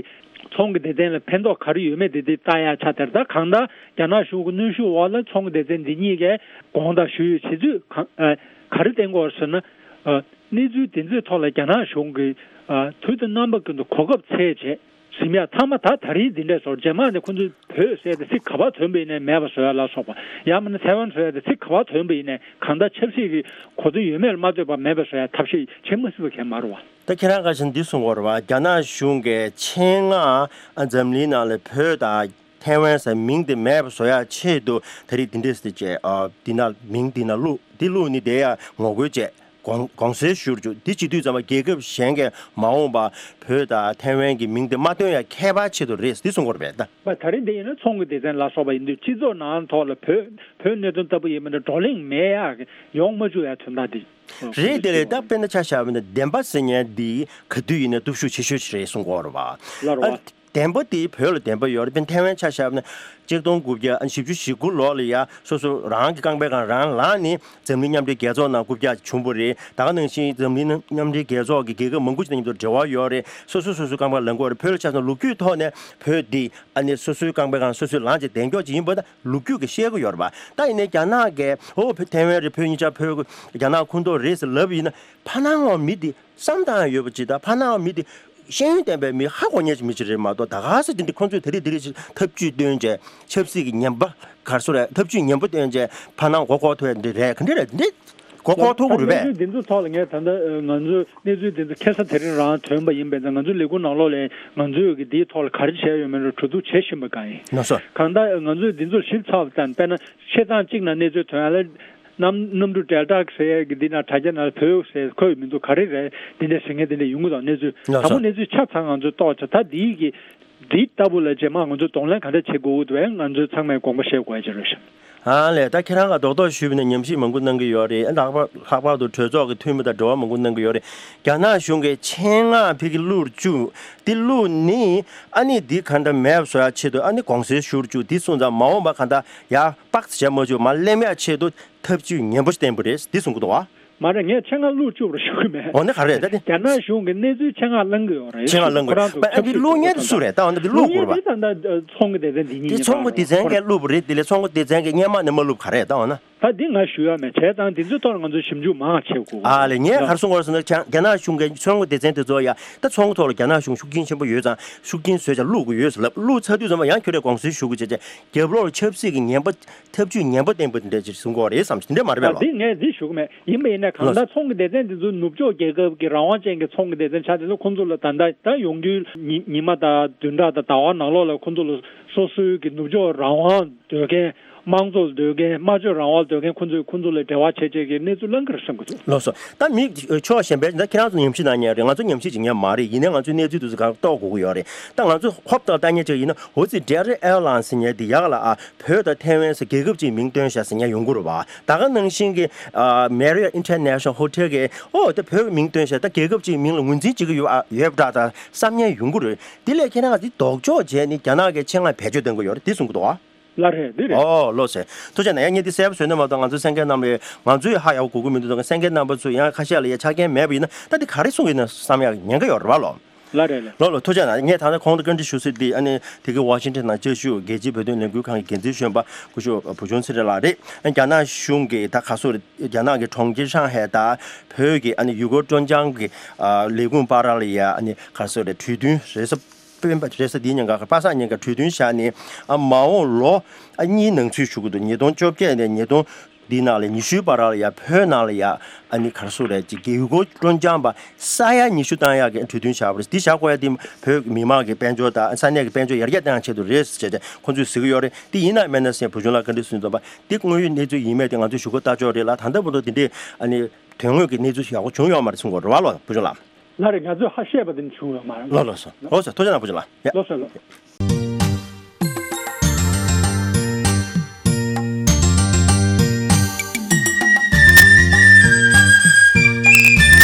ཚོང་གི་སྡེ་ཚན་ལ་ཕན་ཐོགས་ག་རེ་ཡོད་མེད་དེ་དེ་ལྟ་ཡ་ཆ་དེར་ད་གང་ལྟར་རྒྱ་ནག་གཞུང་གི་གནོན་ཤུགས་འོག་ལ་ཚོང་གི་སྡེ་ཚན་འདི་གཉིས་ཀས་དགོངས་དག་ཞུ་ཡོད་བྱེད་དུས་གང་ཨ་ག་རེ་བསྟན་དགོས་ཟེར་ན། ཨ་གནས་ཚུལ་དེ་ཚོའི་ཐོག་ལ་རྒྱ་ནག་གཞུང་གིས་ཨ་དུས་དང་རྣམ་པ་ཀུན་ཏུ་གོ་སྐབས་འཚོལ་བྱས་ཟིན་ཡ་ཐ་མ་ད་ད་རིང་འདི་འདྲས་སོར་རྗེས་མ་ནས་ཁོ་ཚོས་བོད་ཟེར་ཏེ་ཚིག་ག་པར་ཐོན་པ་ཡིན་ནའི་མེད་པ་བཟོ་ཡ་ལ་སོགས་པ་ཡང་མིན་ན་ཚེ་དབང་བཟོ་ཡ་དེ་ཚིག་ག་པར་ཐོན་པ་ཡིན་ནའི་གང་ལྟར་ཆབ་སྲིད་ཀྱི་གོ་དོན་ཡོད་མེད་ལ་མ་ལྟོས་པར་མེད་པ་བཟོ་ཡ་ཐབས་ཤེས་བྱེད་མ་སྲིད་པ་གང་ཡང་མ་རེད་བ། ད་ཁྱེད་རང་ཁ་ཤས་འདི་གསུང་བ་རེད་བ། རྒྱ་ནག་གཞུང་གིས་ཆེད་མངགས་འཛམ་གླིང་ནང་ལ་བོད་དང་ཐའེ་ཝན་ཟེར་མིང་དེ་མེད་པ་བཟོ་ཡ་ཆེད་དུ་ད་རེས་འདི་འདྲས་ཟེར་བྱས་ཨ་འདི་ན་མིང་འདི་ན་བླུགས་འདི་བླུགས་ནི་དེ་ཡ་ངོ་རྒོལ་བྱས། དགོངས་དགོངས་སེལ་ཞུ་རྒྱུ་འདི་བྱེད་དུས་ཙམ་པ་རྒྱལ་ཁབ་གཞན་གྱིས་མ་འོངས་པ་བོད་དང་ཐའེ་ཝན་གྱི་མིང་དེ་མ་བཏོན་ཡ་ཁྱད་པར་ཆེད་དུ་རེད་འདི་གསུང་གི་རེད་པས་ད། པ་ད་རེས་འདི་ཡིན་ན་ཚོང་གི་སྡེ་ཚན་ལ་སོགས་པ་ཡིན་དུས་སྤྱི་ཚོགས་ནང་ཐོག་ལ་བོད་བོད་གནད་དོན་ལྟ་བུ་ཡིན་མིན་ད་བགྲོ་གླེང་མེད་ཡ་ཡོང་མ་བཅུག་ཡ་དོན་དག་འདི། རེད་དེ་ལས་ད་དཔེར་ན་ཆ་བཞག་པ་ན་བདེན་པ་ཟེར་མཁན་འདི་ག་དུས་ཡིན་ན་སྟོབས་ཤུགས་ཆེ་ཤོས་ཤིག་རེད་གསུང་གི་ཡོད་རེད་པ། ལ་རེད་པ། བདེན་པ་དེ་བོད་ལ་བདེན་པ་ཡོད་རེད། དཔེར་ན་ཐའེ་ཝན་ཆ་བཞག་ན་ཆིག་སྟོང་དགུ་བརྒྱ་བཞི་བཅུ་ཞེ་དགུ་ལོ་ལ་ཡ་སོ་སོ་རང་གི་རྐང་པའི་སྒང་རང་ལངས་ནས་འཛམ་གླིང་མཉམ་འབྲེལ་རྒྱལ་ཚོགས་ནང་རྐུབ་བཀྱག་བྱུང་བ་རེད། ད་ག་ནང་བཞིན་འཛམ་གླིང་མཉམ་འབྲེལ་རྒྱལ་ཚོགས་ཀྱི་རྒྱལ་ཁབ་མང་པོ་ཞིག་དང་མཉམ་དུ་འབྲེལ་བ་ཡོད་རེད། སོ་སོ་སོ་སོའི་རྐང་པར་ལངས་དགོས་རེད། བོད་ལ་ཆ་བཞག་ན་ལོ་རྒྱུས་ཐོག་ནས་བོད་འདི་ཨ་ནི་སོ་སོའི་རྐང་པའི་སྒང་སོ་སོས་ལངས་བྱས་བདེན་སྐྱོང་ཅིག་ཡིན་པ་ད་ལོ་རྒྱུས་ཀྱིས་བཤད་ཀྱི་ཡོད་རེད་པ། ད་ཡིན་ནའི་རྒྱ་ནག་གིས་ཨོ་བོད་ཐའེ་ཝན་རེད། བོད་གཉིས་ཆ་བོད་རྒྱ་ནག་ཁོངས་གཏོགས་རེད་ཟེར་ལབ་ཡིན་ན་ཕ་ནང་བ་མི་འདི་བསམ་སྟངས་ཡོད་པ་ཅིག་དང་ཕ་ནང་མི་དེ་ཤེས་ཡོན་ལྡན་པའི་མི་ཧ་གོ་མཁན་ཅིག་མི་ཅིག་རེད་མ་གཏོགས་ད་ག་ཟེ་དེ་འདྲ་ཁོང་ཚོས་དེ་རིགས་དེ་རིགས་ཅིག་ཐབས་ཇུས་བཏོན་བྱས་ཆབ་སྲིད་ཀྱི་ངན་པ་ག་རེ་ཟེར་རེད། ཐབས་ཇུས་ངན་པ་བཏོན་བྱས་ཕ་ནང་མགོ་འཁོར་ཐུབ་ཡ་འདི་རེད། ག་འདྲ་རེད། འདི་མགོ་འཁོར་ཐུབ་ཀྱི་རེད་པས། གནས་ཚུལ་འདི་ཚོ་ཐོག་ལ་ངས་ད་ལྟ་ང་ཚོས་གནས་ཚུལ་འདི་ཚོ་ཁ་སང་དེ་རིང་རང་ཐོན་པ་ཡིན་པས་ད་ང་ཚོའི་ལས་ཁུངས་ནང་ལོགས་ལ་ང་ཚོས་ཀྱི་འདིའི་ཐོག་ལ་ག་རེ་བྱས་ཡོད་མེད་ལ་གྲོས་བསྡུར་བྱེད་བཞིན་པ་གང་ཡིན། ལགས་སོ། གང་ལྟར་ང་ཚོས་འདི་ཚོར་ཞིབ་ཚགས་པ་དང་དཔེར་ན་བཤད་སྟངས་གཅིག་ན་གནས་ཚུལ་ཐོན་ཡ་ལ། གནམ་གནམ་གྲུ་ཌེལ་ཊ་ཟེར་ཡས་ཀྱི་འདི་ན་དྲ་རྒྱ་ནང་བོད་ཟེར་འཁོད་ཡོད་མི་འདུག་ག་རེ་རེད། འདི་འདྲ་ཟེར་མཁན་འདི་འདྲ་ཡོང་གི་འདུག་གནས་ཚུལ་ལགས་དང་པོ་སོ། གནས་ཚུལ་ཆ་ཚང་ང་ཚོས་རྟོགས་བྱ་ད་འདིའི་གི་འདི་ལྟ་བུ་ལ་རྗེས་མ་ང་ཚོས་གདོང་ལེན་ག་འདྲ་བྱེད་དགོས་ཀྱི་འདུག་བས་ང་ཚོས་ཚང་མས་དགོངས་པ་བཞེས་དགོས་ཡ་ཅིག་རེད་ཤག་ཨ་ལས་ད་ཁྱེད་རང་ག་རྡོག་རྡོག་ཞུས་པ་ན་ཉམས་ཞིབ་མང་པོ་གནང་གི་ཡོད་རེད། ལྷག་པར་ལྷག་པར་དུ་གྲོས་ཚོགས་ཀྱི་འཐུས་མི་དང་འབྲེལ་བ་མང་པོ་གནང་གི་ཡོད་རེད། རྒྱ་ནག་གཞུང་གིས་ཆེད་མངགས་ཕ་གི་བླུགས་བཅུག་འདི་བླུགས་ནི་ཨ་ནི་འདི་ག་འདྲ་མེད་པ་བཟོ་ཡ་ཆེད་དུ་ཨ་ནི་དགོངས་སེལ་ཞུ་བཅུག་འདི་སོང་ཙང་མ་འོངས་པ་ག་འདྲ་ཡ་དཔག་ཚད་བྱ་མ་བཅུག་མར་སླེབས་ཡ་ཆེད་དུ། ཐབས་ཇུས་ངན་པོ་ཞིག་བསྟན་པ་རེད་འདི་གསུང་གི་འདུག་བ། མ་རེད། ངས་ཆེད་མངགས་བླུགས་བཅུག་པར་ཞུ་གི་མེད། འོ་ན་ག་རེད་ད་དེ། རྒྱ་ནག་གཞུང་གིས་གནས་ཚུལ་ཆེད་མངགས་བླང་གི་ཡོད་རེད། ཆེད་མངགས་བླང་གི་ཁོ་རང་ཚོ་ཨ་འདི་ཆབ་སྲིད་བླུགས་མཁན་དེ་སུ་རེད་ད། འོ་ན་འདི་བླུགས་དགོས་རེད་བ། ད་ད་ཚོང་གི་སྡེ་ཚན་འདི་དེ་གཉིས་ཚོང་གི་སྡེ་ཚན་གྱིས་བླུགས་པ་རེད། དེ་ལས་ཚོང་གི་སྡེ་ཚན་གྱིས་སྔོན་མ་ནས་མ་བླུགས་ག་རེད་ད་འོ་ན། ད་འདི་ང་ཞུ་ཡ་མེད། བྱས་ཙང་འདི་ཚོའི་ཐོག་ལ་ང་ཚོས་ཞིབ་འཇུག་མང་བ་བྱེད་དགོས། ཨ་ལས། ངས་ག་རེ་གསུང་དགོས་ཟེར་ན། རྒྱ་རྒྱ་ནག་གཞུང་གི་ཚོང་གི་སྡེ་ཚན་དེ་ཚོ་ཡ་ད་ཚོང་གི་ཐོག་ལ་རྒྱ་ནག་གཞུང་ཤུགས་རྐྱེན་ཆེན་པོ་ཡོད་ཙང་ཤུགས་རྐྱེན་བཟོས་ཙང་བླུག་དགོས་ཡོད་ཟེར་ལབ། བླུག་ཚར་དུས་ཙམ་པ་ཡང་ཁྱོད་རས་དགོངས་སེལ་ཞུ་དགོས་བྱས་བྱས་རྒྱབ་ལོགས་ལ་ཆབ་སྲིད་ཀྱི་ངན་པ་ཐབས་ཇུས་ངན་པ་བསྟན་པ་དེ་འདྲ་ཅིག་གསུང་གི་ཡོད་རེད་བསམ། དེ་འདྲ་མ་རེད་པས་ལགས། ད་འདི་ངས་འདི་ཞུ་གི་མེད། ཡིན་པ་ཡིན་ན་གང་ལགས། ལྟར་ཚོང་གི་སྡེ་ཚན་དེ་ཚོ་ནུབ་ཕྱོགས་རྒྱལ་ཁབ་ཀྱི་རང་དབང་ཅན་གྱི་ཚོང་གི་སྡེ་ཚན་ཆགས་དེ་ཚོ་ཁོང་ཚོ་ལ་ད་ལྟ་ད་ཡོང་རྒྱུའི་ཉི་ཉི་མ་དང་བདུན་ཕྲག་དང་ཟླ་བ་ནང་ལོགས་ལ་ཁོང་ཚོ་ལ་སོ་སོའི་གི་ནུབ་ཕྱོགས་རང་དབང་འདོད་མཁན། དམངས་གཙོ་འདོད་མཁན། སྨྲ་བརྗོད་རང་དབང་འདོད་མཁན་ཁོང་ཚོས་ཁོང་ཚོ་ལ་འབྲེལ་བ་བྱེད་བྱེད་ཀྱི་གནས་ཚུལ་གླེང་གི་རེད་བསམ་གྱི་འདུག། ལགས་སོ། ད་མི་ཕྱོགས་གཞན་པའི་ད་ཁྱེད་རང་ཚོ་ཉམས་ཞིབ་གནང་མཁན་རེད། ང་ཚོ་ཉམས་ཞིབ་བྱེད་མཁན་མ་རེད། ཡིན་ནའི་ང་ཚོའི་གནས་ཚུལ་དེ་ཚོ་གང་རྟོགས་དགོས་ཀྱི་ཡོད་རེད། ད་ང་ཚོ་ཧོབ་ཏེ་ལྟ་མཁན་ཅིག་ཡིན་ན། འོ་ཙི་Delta Airlines་ཟེར་མཁན་དེ་ཡག་ལ་ཨ་བོད་དང་ཐའེ་ཝན་ཟེར་རྒྱལ་ཁབ་ཅིག་མིང་བཏོན་བཞག་ཟེར་མཁན་ཡོང་གི་རེད་པ། ད་ག་ནང་བཞིན་གྱི་ཨ་Marriott International Hotel་གིས་ཨོ་ད་བོད་ཀྱི་མིང་བཏོན་བཞག་ད་རྒྱལ་ཁབ་ཅིག་མིང་ལ་ངོས་འཛིན་བྱེད་ཀྱི་ཡོད་ཨ་ཡོད་པ་འདྲ་ད་བསམ་མཁན་ཡོང་གི་རེད། དེ་ལས་ཁྱེད་རང་ག་དེ་ལྡོག་ཕྱོགས་བྱས་ནས་རྒྱ་ནག་གིས་ཆེད་མངགས་བེད་སྤྱོད་གཏོང་གི་ཡོད་རེད། དེ་གསུང་གི་འདུག་ཨ། ལགས་རེད། འདི་རེད། ཨོ་ལགས་སོ། ཐུགས་རྗེ་གནང་། ཡང་ངས་འདི་གསལ་པོ་བཟོས་ན་མ་གཏོགས་གསན་མཁན་རྣམས་ལ་ང་ཚོས་ཧ་ཡག་པོ་གོ་གི་མི་འདུག་དང་གསན་མཁན་རྣམ་པ་ཚོས་ཡང་ཁ་ཤས་ལ་ཡ་ཆ་རྐྱེན་མེད་པ་ཡིན་ན་ད་འདི་ག་རེ་གསུང་གི་ཡོད་ན་བསམ་ཡག་ཉེན་ཁ་ཡོད་རེད་པ་ལོ། ལགས་རེད་ལགས། ལགས་ལགས། ཐུགས་རྗེ་གནང་། ངས་ད་ལྟ་གོང་དུ་བཀའ་འདྲི་ཞུ་སྲིད་འདི་ཨ་ནི་དེ་གའི་ཝ་ཤིང་ཊོན་ནང་བཅའ་བཞུགས་རྒྱལ་སྤྱིའི་བོད་དོན་ལས་འགུལ་ཁང་གི་འགན་འཛིན་གཞོན་པ་སྐུ་ཞབས་བུ་ཆུང་ཚེ་རིང་ལགས་རེད། རྒྱ་ནག་གཞུང་གིས་ད་ག་སོ་རེད། རྒྱ་ནག་གི་གྲོང་ཁྱེར་ཧྲང་ཧའེ་དང་བོད་ཀྱི་ཨ་ནི་ཡུ་གུར་ཀྲོན་ཅང་གི་ཨ་ལས་ཁུངས་བར་ལ་ཡ་ཨ་ནི་ག་སོ་རེད། གྲོས་མཐུན་རེས་གཟའ་སྤེན་པ་རེས་གཟའ་འདིའི་ཉིན་ཀ་པ་སངས་ཉིན་ཀ་གྲོས་མཐུན་བཞག་ནས་ཨ་མ་འོངས་ལོ་ཨ་གཉིས་ནང་ཚུད་ཞུ་གི་འདུག། ཉིས་སྟོང་བཅོ་བརྒྱད་ནས་ཉིས་སྟོང་འདིའི་ནང་ལ་ཉི་ཤུའི་བར་ལ་ཡ་བོད་ནང་ལ་ཡ་ཨ་ནི་ག་རེ་ཟེར་རེད། ཅིག་ཡུ་གུར་ཀྲོན་ཅང་པ་ས་ཡ་ཉི་ཤུ་བཏང་ཡག་གི་གྲོས་མཐུན་བཞག་པ་རེད། འདི་བཞག་དགོས་ཡ་དེ་བོད་མི་མང་གི་དཔལ་འབྱོར་དང་ས་གནས་ཀྱི་དཔལ་འབྱོར་ཡར་རྒྱས་གཏང་ཆེད་དུ་རེད་ཟེར་བྱས་ཏེ་ཁོང་ཚོས་ཟེར་གི་ཡོད་རེད། འདི་ཡིན་ན་མིན་ན་ཟེར་བུ་ཆུང་ལགས་བཀའ་འདྲི་ཞུས་འདུག་པ། འདི་དངོས་ཡོད་གནས་ཚུལ་ཡིན་མིན་དེ་ང་ཚོས་ཞུ་སྒོ་ལྟ་ཆོག་རེད་ལ། ད་ལྟ་བར་དུ་འདི་འདྲའི་ཨ་ནི་དོན་དངོས་ཀྱི་གནས་ཚུལ་ཡག་པོ་བྱུང་ཡོད་མ་རེད་གསུང་གི་ཡོད་རེད་པ་ལོ། བུ་ཆུང་ལགས། ལགས་རེད། ང་ཚོས་ཧ་བཤད་པ་དེ་འདྲ་བྱུང་ཡོད་མ་རེད། ལགས་ལགས་སོ། ལགས་སོ། ཐུགས་རྗེ་གནང་བུ་ཆུང་ལགས། ཡ། ལགས་སོ་ལགས།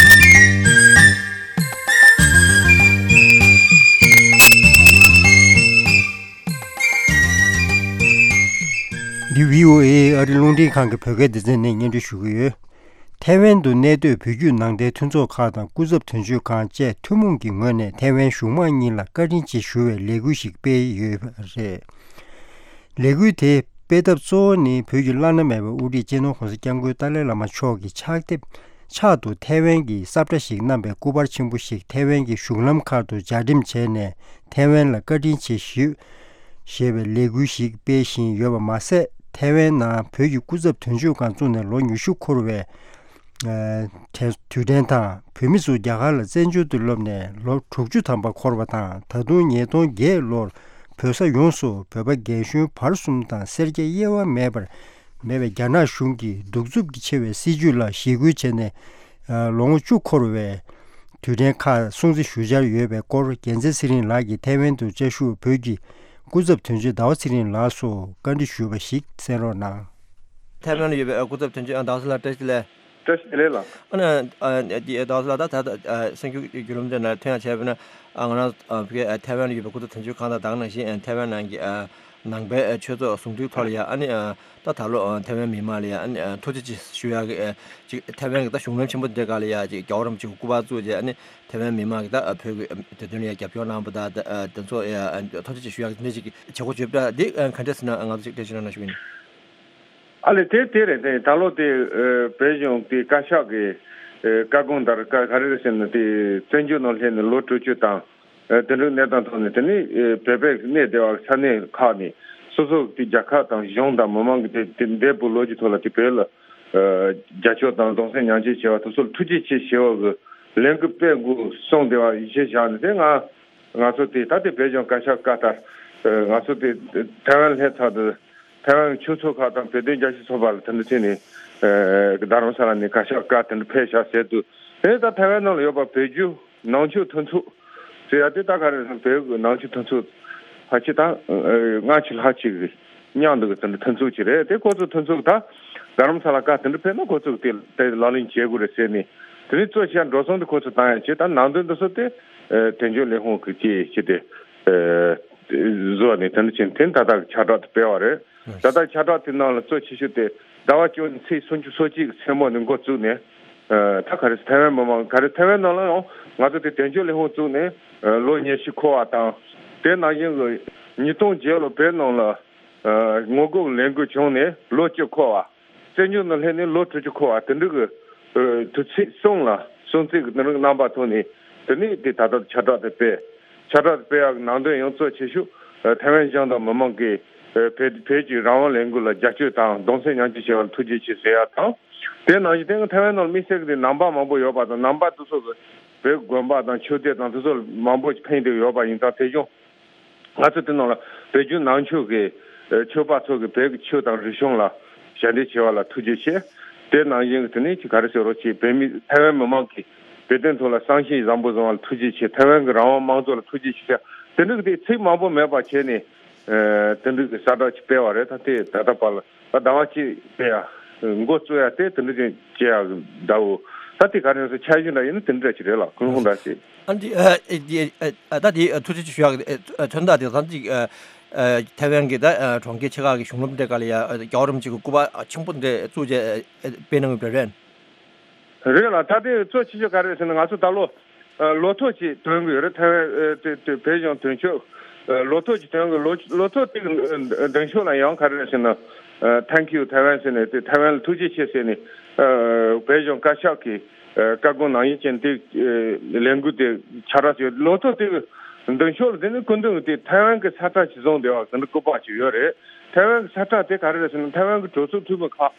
འདི་བྷི་ཨོ་ཨེ་ཨ་རི་རླུང་འཕྲིན་ཁང་གི་བོད་སྐད་སྡེ་ཚན་ནས་སྙན་སྒྲོན་ཞུ་གི་ཡོད། ཐའེ་ཝན་དུ་གནས་སྡོད་བོད་བརྒྱུད་ནང་བསྟན་མཐུན་ཚོགས་ཁག་དང་སྐུ་ཚབ་དོན་གཅོད་ཁང་བཅས་ཐུན་མོང་གི་ངོས་ནས་ཐའེ་ཝན་གཞུང་མང་གཉིས་ལ་བཀའ་དྲིན་ཆེ་ཞུ་བའི་ལས་འགུལ་ཞིག་སྤེལ་ཡོད་པ་རེད། ལས་འགུལ་དེ་སྤེལ་ཐབས་གཙོ་བོ་ནི་བོད་ཀྱི་བླ་ན་མེད་པའི་དབུ་ཁྲིད་སྤྱི་ནོར་༸གོང་ས་༸སྐྱབས་མགོན་ཏཱ་ལའི་བླ་མ་མཆོག་གི་ཕྱག་དེབ་ཕྱག་ཏུ་ཐའེ་ཝན་གྱི་ས་བཀྲ་ཞིག་བསྣམས་པའི་སྐུ་པར་ཆེན་པོ་ཞིག་ཐའེ་ཝན་གྱི་གཞུང་ལམ་ཁག་ཏུ་ལྗགས་འགྲེམས་བྱས་ནས་ཐའེ་ཝན་ལ་བཀའ་དྲིན་ཆེ་ཞུ། ཞེས་པའི་ལས་འགུལ་ཞིག་སྤེལ་བཞིན་ཡོད་པ་མ་ཟད། ཐའེ་ཝན་ནང་བོད་ཀྱི་སྐུ་ཚབ་དོན་གཅོད་ཁང་བཙུགས་ནས་ལོ་ཉི་ཤུ་འཁོར་བའི་ཨ་དུས་དྲན་དང་། བོད་མི་ཚོ་རྒྱ་གར་ལ་བཙན་བྱོལ་དུ་ལོག་ནས་ལོ་དྲུག་ཅུ་ཐམ་པ་འཁོར་བ་དང་། ད་དུང་ཉིས་སྟོང་བརྒྱད་ལོར་བོད་ས་ཡོངས་སུ་བོད་པ་རྒན་གཞོན་བར་གསུམ་དང་སེར་སྐྱ་དབྱེ་བ་མེད་པར་མེད་པའི་རྒྱ་ནག་གཞུང་གི་གདུག་རྩུབ་ཀྱི་ཆེ་བའི་སྲིད་བྱུས་ལ་ཞི་རྒོལ་བྱས་ནས་ལོ་ངོ་བཅུ་འཁོར་བའི་དུས་དྲན་ཁག་སྲུང་བརྩི་ཞུ་འཆར་ཡོད་པའི་སྐོར། རྒྱལ་མཚན་ཚེ་རིང་ལགས་ཀྱིས་ཐའེ་ཝན་དུ་བཅའ་བཞུགས་བོད་ཀྱི་སྐུ་ཚབ་དོན་གཅོད་ཟླ་བ་ཚེ་རིང་ལགས་སུ་བཀའ་འདྲི་ཞུས་པ་ཞིག་གསན་རོགས་གནང་། ཐའེ་ཝན་ལ་ཡོད་པའི་སྐུ་ཚབ་དོན་གཅོད་ཟླ་བ་ཚེ་ལགས་བཀྲ་ཤིས་བདེ་ལེགས། བཀྲ་ཤིས་བདེ་ལེགས་ལགས། ཨ་ནི་ཟླ་བ་ཚེ་ལགས། ད་ད་ད་གསར་འགྱུར་བརྒྱུད་ལམ་དེ་ནང་ཐོན་ཡག་བྱས་པ་ན། ང་རང་ཐའེ་ཝན་ལ་ཡོད་པའི་སྐུ་ཚབ་དོན་གཅོད་ཁང་དང་། ད་ག་ནང་བཞིན་ཐའེ་ཝན་ནང་གི་ནང་པའི་ཆོས་ཚོགས་ཟུང་འབྲེལ་ཐོག་ལ་ཡ། ཨ་ནི་ད་ད་ལོ་ཐའེ་ཝན་མི་མང་ལ་ཡ་ཨ་ནི་ཐུགས་རྗེ་ཆེ་ཞུ་ཡག་གི་ཅིག་ཐའེ་ཝན་གྱི་ད་གཞུང་ལམ་ཆེན་པོ་འདི་ག་ལ་ཡ་ཅིག་རྒྱལ་བ་རིན་པོ་ཆེ་གི་སྐུ་པར་བཙུགས་རྗེས། ཨ་ནི་ཐའེ་ཝན་མི་མང་གི་ད་བོད་ཀྱི་དེ་དོན་ལ་ཡ་རྒྱབ་སྐྱོར་གནང་བ་དང་། དེ་ཚོ་ཡ་ཐུགས་རྗེ་ཆེ་ཞུ་ཡག་གི་འདི་ཅིག་བྱེད་སྒོ་བརྗོད་པ་འདི་ག་འདྲས་ཟེར་ན་ང་ཚོ་ཅིག་འགྲེལ་བརྗོད་གནང་ན་ཞུ་གི་ཡིན། ཨ་ལས། དེ་དེ་རེད། དེ་ད་ལོ་དེ་བོད་གཞུང་དེ་བཀའ་ཤག་གི་བཀའ་དགོངས་ལྟར་ག་ག་རེ་རེད་ཟེར་ན། དེ་བཙན་བྱོལ་ནང་སླེབས་ནས་ལོ་དྲུག་ཅུ་དང་། ཨ་དེ་འདྲའི་གནས་སྟངས་ཐོག་ནས། དེ་ནི་ཨ་བོད་པའི་གནས་སྡོད་པ་ས་གནས་ཁག་ནས་སོ་སོ་གི་རྒྱལ་ཁབ་དང་གཞུང་དང་མི་མང་གི་དེ་དེ་འདས་པའི་ལོ་རྒྱུས་ཐོག་ལ་དེ་བོད་ལ་ཨ་རྒྱབ་སྐྱོར་དང་གདུང་སེམས་མཉམ་སྐྱེད་བྱས་པ་དེ་ཚོ་ལ་ཐུགས་རྗེ་ཆེ་ཞུ་བ་གི་ལས་འགུལ་སྤེལ་དགོས་གསུངས་བསྡད་པ་ཡིད་ཆེས་བཞག་ནས། དེ་ང་ང་ཚོ་དེ་ད་ལྟའི་བོད་གཞུང་བཀའ་ཤག་བཀའ་ལྟར་ཨ་ང་ཚོ་དེ་ཐའེ་ཝན་སླེབས་ཚར་དུས་ཐའེ་ཝན་གྱི་ཆོས་ཚོགས་ཁག་དང་བོད་དོན་རྒྱབ་སྐྱོར་ཚོགས་པ་ལ་དེ་འདྲ་བྱས་ནས་ཨ་རྡ་རམ་ས་ལ་ནས་བཀའ་ཤག་བཀའ་དེ་འདྲ་ཕེབས་བཞག་ཟེར་དུས། དེ་ད་ཐའེ་ཝན་ནང་ལ་ཡོད་པ་བོད་བརྒྱུད་ནང་ཆོས་མཐུན་ཚོགས་ཟེར་ཡ་དེ། ད་ག་རེ་ཟེར་ན་བོད་ཀྱི་ནང་ཆོས་མཐུན་ཚོགས་ཕལ་ཆེར་ད་ཨ་ལྔ་བཅུ་ལྷག་ཅིག་གི་མཉམ་དུ་གི་དེ་འདྲ་མཐུན་ཚོགས་ཅིག་རེད། དེ་ཁོ་ཚོ་མཐུན་ཚོགས་ད་རྡ་རམ་ས་ལ་བཀའ་དེ་འདྲ་ཕེབས་ན་ཁོ་ཚོ་གི་དེ་དེ་ལག་ལེན་བྱེད་དགོས་རེད་ཟེར་ནས། དེ་ནས་གཙོ་ཆེ་འགྲོ་སོང་དེ་ཁོ་ཚོ་བཏང་ཡ་བྱས། ད་ནང་དོན་འདི་ཚོ་དེ་ཨ་དོན་གཅོད་ལས་ཁུངས་ཀྱི་ཅིག་ཅིག་དེ་ཨ་བཟོས་ནས་དེ་འདྲ་བྱས་ནས་དེ་ད་ལྟ་གི་ཁྱབ་བསྒྲགས་དེ་སྤེལ་བ་རེད། ད་ལྟ་ཁྱབ་བསྒྲགས་དེ་ནང་ལ་གཙོ་ཆེ་ཤོས་དེ་ཟླ་བ་བཅུ་གཉིས་ཚེས་སུམ་ཅུ་སོ་གཅིག་གི་མཚན་མོ་ནས་འགོ་བཙུགས་ནས། ཨ་ད་ག་རེ་ཟེར། ཐའེ་ཝན་མི་མང་ག་རེ་ཐའེ་ཝན་ནང་ལ་ཡང་ང་ཚོ་དེ་དོན་གཅོད་ལས་ཁུངས་བཙུགས་ནས་ཨ་ལོ་ཉི་ཤུ་འཁོར་བ་དང་། དེ་ནང་བཞིན་གྱི་ཉིས་སྟོང་བརྒྱད་ལོ་བོད་ནང་ལ་ཨ་ངོ་རྒོལ་ལས་འགུལ་བྱུང་ནས་ལོ་བཅུ་འཁོར་བ། བཙན་བྱོལ་ནང་སླེབས་ནས་ལོ་དྲུག་ཅུ་འཁོར་བ་དེ་འདྲ་གི་ཨ་དུས་ཚིགས་གསུམ་ལ་སྲུང་བརྩི་གི་དེ་འདྲ་གི་རྣམ་པ་ཐོག་ནས་དེ་ནས་དེ་ད་ལྟ་ཁྱབ་བསྒྲགས་དེ་སྤེལ། ཁྱབ་བསྒྲགས་དེ་སྤེལ་ཡག་གི་ནང་དོན་ཡང་གཙོ་ཆེ་ཤོས་ཨ་ཐའེ་ཝན་གཞུང་དང་མི་མང་གིས་ཨ་བོད་བོད་ཀྱི་རང་དབང་ལས་འགུལ་ལ་རྒྱབ་སྐྱོར་དང་གདུང་སེམས་མཉམ་སྐྱེད་བྱས་པ་ལ་ཐུགས་རྗེ་ཆེ་ཟེར་ཡག་དང་། དེ་ནང་བཞིན་དེ་སྔ་ཐའེ་ཝན་ནང་ལ་དམིགས་བསལ་གྱི་དེ་ནང་པ་མང་པོ་ཡོད་པ་དང་། ནང་པ་དེ་ཚོ་གི་བོད་དགོན་པ་དང་ཆོས་སྡེ་དང་དེ་ཚོ་མང་པོ་ཕན་བདེ་ཡོད་པ་ཡིན་ཙང་། དེ་བཞིན་ང་ཚོ་དེ་ནང་ལ་བོད་བརྒྱུད་ནང་ཆོས་ཀྱི་ཨ་ཆོས་པ་ཚོ་གིས་བོད་ཀྱི་ཆོས་དང་རིག་གཞུང་ལ་ཞབས་འདེགས་བྱས་པ་ལ་ཐུགས་རྗེ་ཆེ། དེ་ནང་བཞིན་གྱི་དེ་ནས་ཅིག་ག་རེ་ཟེར་རོགས་བྱེད། བོད་མི་ཐའེ་ཝན་མི་མང་གིས་བོད་དོན་ཐོག་ལ་བསམ་ཤེས་བཟང་པོ་བཟུང་བ་ལ་ཐུགས་རྗེ་ཆེ། ཐའེ་ཝན་གྱི་རང་དབང་དམངས་གཙོ་ལ་ཐུགས་རྗེ་ཆེ། དེ་འདྲ་གི་དེ་ཚིག་མང་པོ་མེད་པ་བྱས་ནས་ཨ་དེ་འདྲ་གི་གསལ་བསྒྲགས་ཅིག་སྤེལ་བ་རེད། ད་དེ་ད་ལྟ་བར་ལ་ད་ཟླ་བ་གཅིག་སྤེལ་ཡ་འགོ་བཙུགས་ཡ་དེ་དེ་འདྲ་ཅིག་བྱེད་ཡ་གི་འདྲ་བོ། ད་དེ་ག་རེ་ཟེར། འཆར་གཞི་འདྲ་ཡིན་ན་དེ་འདྲ་ཅིག་རེད་ལགས། ཁུངས་ཁུངས་འདྲ་ཞིག་ཨ་འདི་ཨ་ཨ་ཨ་ད་དེ་ཨ་ཐུགས་རྗེ་ཆེ་ཞུ་ཡག་ཨ་མཚོན་རྟགས་དེ་ད་ཅིག་ཨ་ཨ་ཐའེ་ཝན་གྱི་ད་ཨ་གྲོང་ཁྱེར་ཆེ་ཁག་གི་གཞུང་ལམ་འདྲ་ག་ལ་ཡ་ཨ་རྒྱལ་བ་རིན་པོ་ཆེ་གི་སྐུ་པར་ཨ་ཆེན་པོ་འདྲ་བཙུགས་རྗེས་ཨ་ཨ་སྤེལ་གནང་གི་རེད། རེད་ལགས། ད་དེ་གཙོ་ཆེ་ཤོས་ག་རེ་རེད་ཟེར་ན། ང་ཚོ་ད་ལོ་ཨ་ལོ་ཐོ་ཅིག་འདོན་གི་ཡོད་རེད། ཐའེ་ཝན་ཨ་དེ་དེ་བོད་གཞུང་དོན་གཅོད་ཨ་ལོ་ཐོ་ཅིག་འདོན་གི། ལོ་ལོ་ཐོ་དེ་གི་ཨ་འདོན་ཕྱོགས་ལ་ཡང་ག་རེ་རེད་ཟེར་ན། ཨ་Thank you Taiwan ཟེར་ནས་དེ་ཐའེ་ཝན་ལ་ཐུགས་རྗེ་ཆེ་ཟེར་ནས་ཨ་བོད་གཞུང་བཀའ་ཤག་གི་ཨ་བཀའ་དགོངས་ནང་བཞིན་བྱས་ནས་དེ་ཨ་ལས་འགུལ་དེ་ཁྱབ་བསྒྲགས་བྱས། ལོ་ཐོ་དེ་གི་འདོན་ཕྱོགས་ལ་དེ་ནི་སྐུ་མདུན་གྱི་དེ་ཐའེ་ཝན་གྱི་ས་ཁྲ་ཅིག་བཟུང་བསྡད་པ་དེ་འདྲ་སྐུ་པར་ཅིག་ཡོད་རེད། ཐའེ་ཝན་གྱི་ས་ཁྲ་དེ་ག་རེ་རེད་ཟེར་ན། ཐའེ་ཝན་གྱི་གྲོས་ཚོགས་འཐུས་མི་ཁག་ཨ་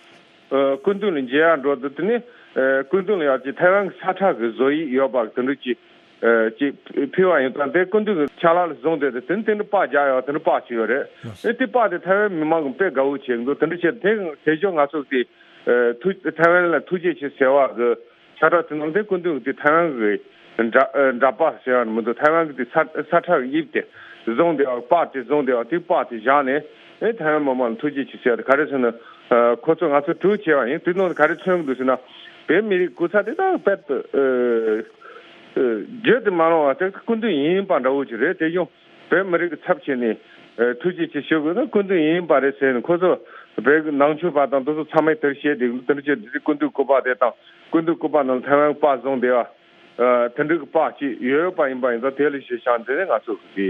སྐུ་མདུན་ལ་མཇལ་ཡག་འགྲོ་དུས་དེ་ནས་ཨ་སྐུ་མདུན་ལ་ཡང་ཅིག་ཐའེ་ཝན་གྱི་ས་ཁྲ་གི་བཟོ་ཡིག་ཡོད་པ་དེ་འདྲ་ཅིག་ཨ་ཅིག་ཕུལ་བ་ཡིན་ཙང་། དེ་སྐུ་མདུན་གྱི་ཕྱག་ལག་ལ་བཟུང་བསྡད་དེ་དེ་ནས་དེ་འདྲ་པར་རྒྱག་ཡག་དེ་འདྲ་པར་ཅིག་ཡོད་རེད། ཨེ་དེ་པར་དེ་ཐའེ་ཝན་མི་མང་གིས་དཔེ་དགའ་བོ་བྱེད་འདུག། དེ་འདྲ་བྱས་དེ་དེ་ཞོར་ང་ཚོ་དེ་ཨ་ཐུགས་ཐའེ་ཝན་ལ་ཐུགས་རྗེ་ཆེ་ཟེར་བ་གི་ཕྱག་ར་དེ་ནང་དེ་སྐུ་མདུན་གྱི་དེ་ཐའེ་ཝན་གྱི་འདྲ་ཨ་འདྲ་པར་ཟེར་ཡག་མི་འདུག། ཐའེ་ཝན་གྱི་དེ་ས་ས་ཁྲ་གི་དབྱིབས་དེ་བཟུང་བསྡད་པ། པར་དེ་བཟུང་བསྡད་པ། དེ་པར་དེ་བཞག་ནས་ཨེ་ཐའེ་ཝན་མི་མང་ལ་ཐུགས་རྗེ་ཆེ་ཟེར་ཡག་དེ་ག་རེ་ཟེར་ན། ཨ་ཁོ་ཚོ་ང་ཚོ་དྲུག་བྱས་པ་ཡིན། དེ་ནང་ག་རེ་མཚོན་གྱི་འདུག་ཟེར་ན། བོད་མི་རིགས་སྐུ་ཚབ་དེ་དག་དཔེ་ཨ་ཨ་བརྗོད་དུ་མ་རུང་བ་དེ་སྐུ་མདུན་ཡིན་པ་འདྲ་བོ་ཅིག་རེད། དེ་ཡང་བོད་མི་རིགས་ཀྱི་ཚབ་བྱས་ནས་ཨ་ཐུགས་རྗེ་ཆེ་ཞུ་དགོས་ན་སྐུ་མདུན་ཡིན་པ་རེད་ཟེར་ནས། ཁོ་ཚོ་བོད་ཀྱི་ནང་ཆོས་པ་དང་དེ་ཚོ་ཚང་མས་དེར་བཤད་དེ་དེ་འདྲ་བྱས་དེ་སྐུ་མདུན་སྐུ་པར་དེ་དང་། སྐུ་མདུན་སྐུ་པར་ནང་ཐའེ་ཝན་པར་བཟུང་བསྡད་པ་ཨ་དེ་འདྲ་གི་པར་ཅིག་ཡོད་པ་ཡིན་པ་ཡིན་ཙང་། དེ་ལ་གཞི་བཞག་ནས་ང་ཚོ་གི་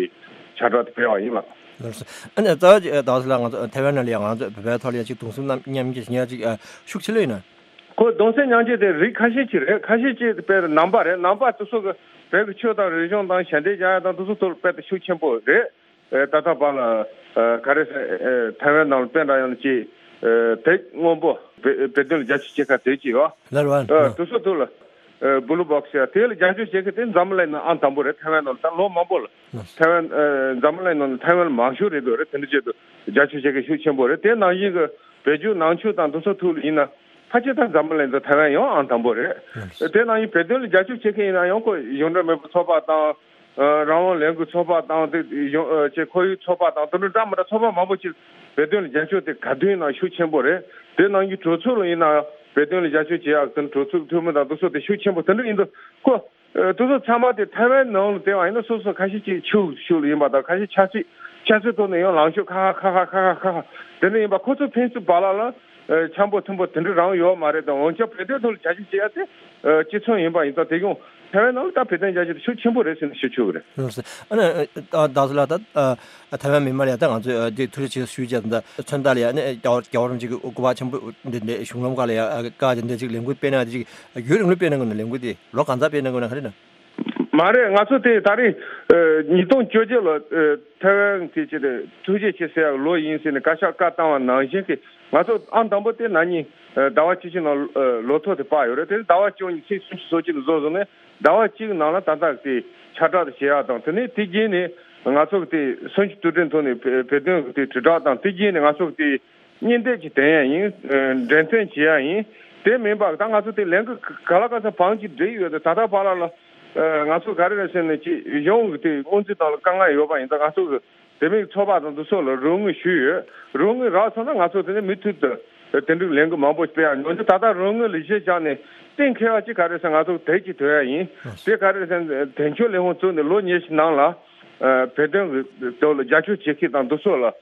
ཕྱག་བསྒྲགས་དེ་སྤེལ་བ་ཡིན་ལགས། ལགས་སོ། ཨ་ནི་ད་ད་ལྟ་ང་ཚོ་ཐའེ་ཝན་ནང་ལ་ཡང་ང་ཚོ་བོད་པའི་ཐོག་ལ་ཡང་ཅིག་གདུང་སེམས་རྣམ་མཉམ་སྐྱེད་བྱེད་ཡག་ཅིག་ཨ་ཤུགས་ཆེ་ལོས་ཡིན་ན། ཁོ་གདུང་སེམས་མཉམ་སྐྱེད་དེ་རིགས་ཁ་ཤས་ཅིག་རེད། ཁ་ཤས་ཅིག་དཔེར་ནང་པ་རེད། ནང་པ་དེ་ཚོ་གི་བོད་ཀྱི་ཆོས་དང་རིག་གཞུང་དང་ཞལ་འདེབས་རྒྱག་ཡག་དང་དེ་ཚོ་ཐོག་ལ་དཔེ་དེ་ཤུགས་ཆེན་པོ་རེད། ཨེ་ད་ལྟ་བར་ལ་ཨེ་ག་རེ་ཟེར། ཨེ་ཐའེ་ཝན་ནང་ལ་དཔེ་འདྲ་ཡང་ཅིག་ཨེ་དེབ་སྔོན་པོ་བོད་བོད་དོན་ལ་རྒྱབ་སྐྱོར་བྱེད་མཁན་དེབ་ཅིག་ཡོད། ལར་བ། ཨེ་དེ་ཚོ་ཐོག་ལ་ཨེ་Blue Box ཡ་དེ་ལ་རྒྱབ་སྐྱོར་བྱེད་མཁན་དེ་འཛམ་བུ་གླིང་ནང་ཨང་དང་པོ་རེད། ཐའེ་ཝན་ནང་ལ་ད་ལོ་མང་པོ་ལ་ཐའེ་ཝན་ཨེ་འཛམ་བུ་གླིང་ནང་ལ་ཐའེ་ཝན་ལ་མང་ཤོས་རེད་འདུག་རེད། དེ་འདྲ་བྱས་འདུག། རྒྱབ་སྐྱོར་བྱེད་མཁན་ཤུགས་ཆེན་པོ་རེད། དེ་ནང་བཞིན་གྱི་བོད་བརྒྱུད་ནང་ཆོས་དང་དེ་ཚོ་ཐོག་ལ་ཡིན་ན་ཕལ་ཆེར་ད་འཛམ་བུ་གླིང་དུ་ཐའེ་ཝན་ཡང་ཨང་དང་པོ་རེད། དེ་ནང་བཞིན་བོད་དོན་ལ་རྒྱབ་སྐྱོར་བྱེད་མཁན་ཡིན་ན་ཡང་ཁོ་གཞུང་འབྲེལ་མེད་པའི་ཚོགས་པ་དང་། ཨ་རང་དབང་ལས་འགུལ་ཚོགས་པ་དང་དེ་གཞུང་ཨ་ཅེ་ཁོར་ཡུག་ཚོགས་པ་དང་དེ་འདྲ་འདྲ་མི་འདྲ་ཚོགས་པ་མང་པོ་ཅིག་བོད་དོན་ལ་རྒྱབ་སྐྱོར་དེ་ག་དུས་ཡིན་ན་ཤུགས་ཆེན་པོ་རེད། དེ་ནང་བཞིན་གྲོས་ཚོགས་ལ་ཡིན་ན་བོད་དོན་ལ་རྒྱབ་སྐྱོར་བྱེད་ཡག་དེ་གྲོས་ཚོགས་འཐུས་མི་དང་དེ་ཚོ་དེ་ཤུགས་ཆེན་པོ་དེ་འདྲ་ཡིན་དུས་ཁོ། ཨ་དེ་ཚོ་ཚང་མ་དེ་ཐའེ་ཝན་ནང་ལ་བལྟས་པ་ཡིན་ན་སོ་སོ་ཁ་ཤས་ཅིག་ཕྱུག་ཕྱུག་ལ་ཡིན་པ་དང་། ཁ་ཤས་ཆབ་སྲིད་ཆབ་སྲིད་ཐོག་ནས་ཡང་ལངས་ཕྱོགས་ཁ་ཁ་ཁ་ཁ་ཁ་ཁ་ཁ་དེ་འདྲ་ཡིན་པ། ཁོ་ཚོ་ཕན་ཚུན་བར་ལ་ལ་ཨ་འཆམ་པོ་མཐུན་པོ་དེ་འདྲ་རང་ཡོད་མ་རེད་དང་། འོན་ཀྱང་བོད་དོན་ཐོག་ལ་རྒྱབ་སྐྱོར་བྱེད་ཡ་དེ་ཨ་གཅིག་མཚུངས་ཡིན་པ་ཡིན་ཙང་། དེ་ཡང་ཐའེ་ཝན་ནང་ལ་ད་བོད་དོན་རྒྱབ་སྐྱོར་དེ་ཤུགས་ཆེན་པོ་རེད་ཟེར་ནས་ཞུ་ཆོག་གི་རེད། ལགས་སོ། ཨ་ནི་ཨ་ད་སོ་ལ་ད་ཨ་ཐའེ་ཝན་མི་མང་ལ་ཡ་ད་ང་ཚོས་ཨ་དེ་ཐུགས་རྗེ་ཆེ་ཞུ་བྱས་ད་མཚོན་རྟགས་ལ་ཡ་ཨ་ནི་རྒྱལ་བ་རྒྱལ་བ་རིན་པོ་ཆེ་གི་སྐུ་པར་ཆེན་པོ་འདི་འདི་གཞུང་ལམ་ཁག་ལ་ཡ་ཨ་བཀའ་དེ་འདི་ཅིག་ལས་འགུལ་སྤེལ་གནང་དེ་ཅིག་ཡུན་རིང་པོ་སྤེལ་གནང་དགོས་ན་ལས་འགུལ་དེ་ལོ་གང་ཙམ་སྤེལ་གནང་དགོས་ན་ག་རེ་ན། མ་རེད། ང་ཚོ་དེ་ད་རེས་ཨ་ཉིས་སྟོང་བཅོ་བརྒྱད་ལོ་ཨ་ཐའེ་ཝན་དེ་ཅི་རེད། ཐུགས་རྗེ་ཆེ་ཟེར་ཡག་ལོ་ཡིན་ཟེར་ནས་བཀའ་ཤག་བཀའ་བཏང་བ་ནང་བཞིན་གྱི་ང་ཚོ་ཨང་དང་པོ་དེ་ན་ནིང་ཨ་ཟླ་བ་བཅུ་གཅིག་ནང་ཨ་ལོ་ཐོ་དེ་ཕར་ཡོད་རེད། དེ་ཟླ་བ་བཅུ་གཉིས་ཚེས་སུམ་ཅུ་སོ་གཅིག་ལ་བཟོ་བཟོ་ནས་ཟླ་བ་གཅིག་ནང་ལ་ད་ལྟ་དེ་ཁྱབ་བསྒྲགས་དེ་བྱེད་ཡག་དང་། དེ་ནས་དེ་རྗེས་ནས་ང་ཚོ་གི་དེ་སུམ་ཅུ་དུས་དྲན་ཐོག་ནས་བོད་བོད་དོན་གྱི་དེ་དྲིལ་བསྒྲགས་དང་། དེ་རྗེས་ནས་ང་ཚོ་གི་དེ་སྙིང་དེབ་ཅིག་འདོན་ཡ་ཡིན། ཨ་འགྲེམས་སྟོན་བྱེད་ཡ་ཡིན། དེ་མིན་པ་ད་ང་ཚོ་དེ་ལས་འགུལ་ག་ལ་ག་ཚོད་བང་ཅིག་བསྒྲིགས་ཡོད་དེ་ད་ལྟ་བར་ལ་ལ་ཨ་ང་ཚོ་ག་རེ་རེད་ཟེར་ན་ཅིག་གཞུང་གི་དེ་སྔོན་རྩིས་དང་ལ་དཀའ་ངལ་ཡོད་པ་ཡིན་ཙང་། ང་ཚོ་གི་དེ་མིན་ཚོགས་པ་དང་དེ་ཚོ་ལ་རོགས་དངུལ་ཞུས་ཡོད། རོགས་དངུལ་རག་སོང་ན་ང་ཚོ་དེ་ནས་མུ་མཐུད་དུ་དེ་འདྲའི་ལས་འགུལ་མང་པོ་སྤེལ་ཡ་ཡིན། འོན་ཀྱང་ད་ལྟ་རོགས་དངུལ་ལ་གཞི་བཞག་ནས་གཏན་འཁེལ་བ་ཅིག་ག་རེ་ཟེར་ན་ང་ཚོ་དེབ་ཅིག་འདོན་ཡ་ཡིན། དེ་ག་རེ་ཟེར་ན་དོན་གཅོད་ལས་ཁུངས་བཙུགས་ནས་ལོ་ཉི་ཤུ་ནང་ལ་ཨ་བོད་དོན་གྱི་ཐོག་ལ་རྒྱབ་སྐྱོར་བྱེད་མཁན་དང་དེ་ཚོ་ལ། ཨ་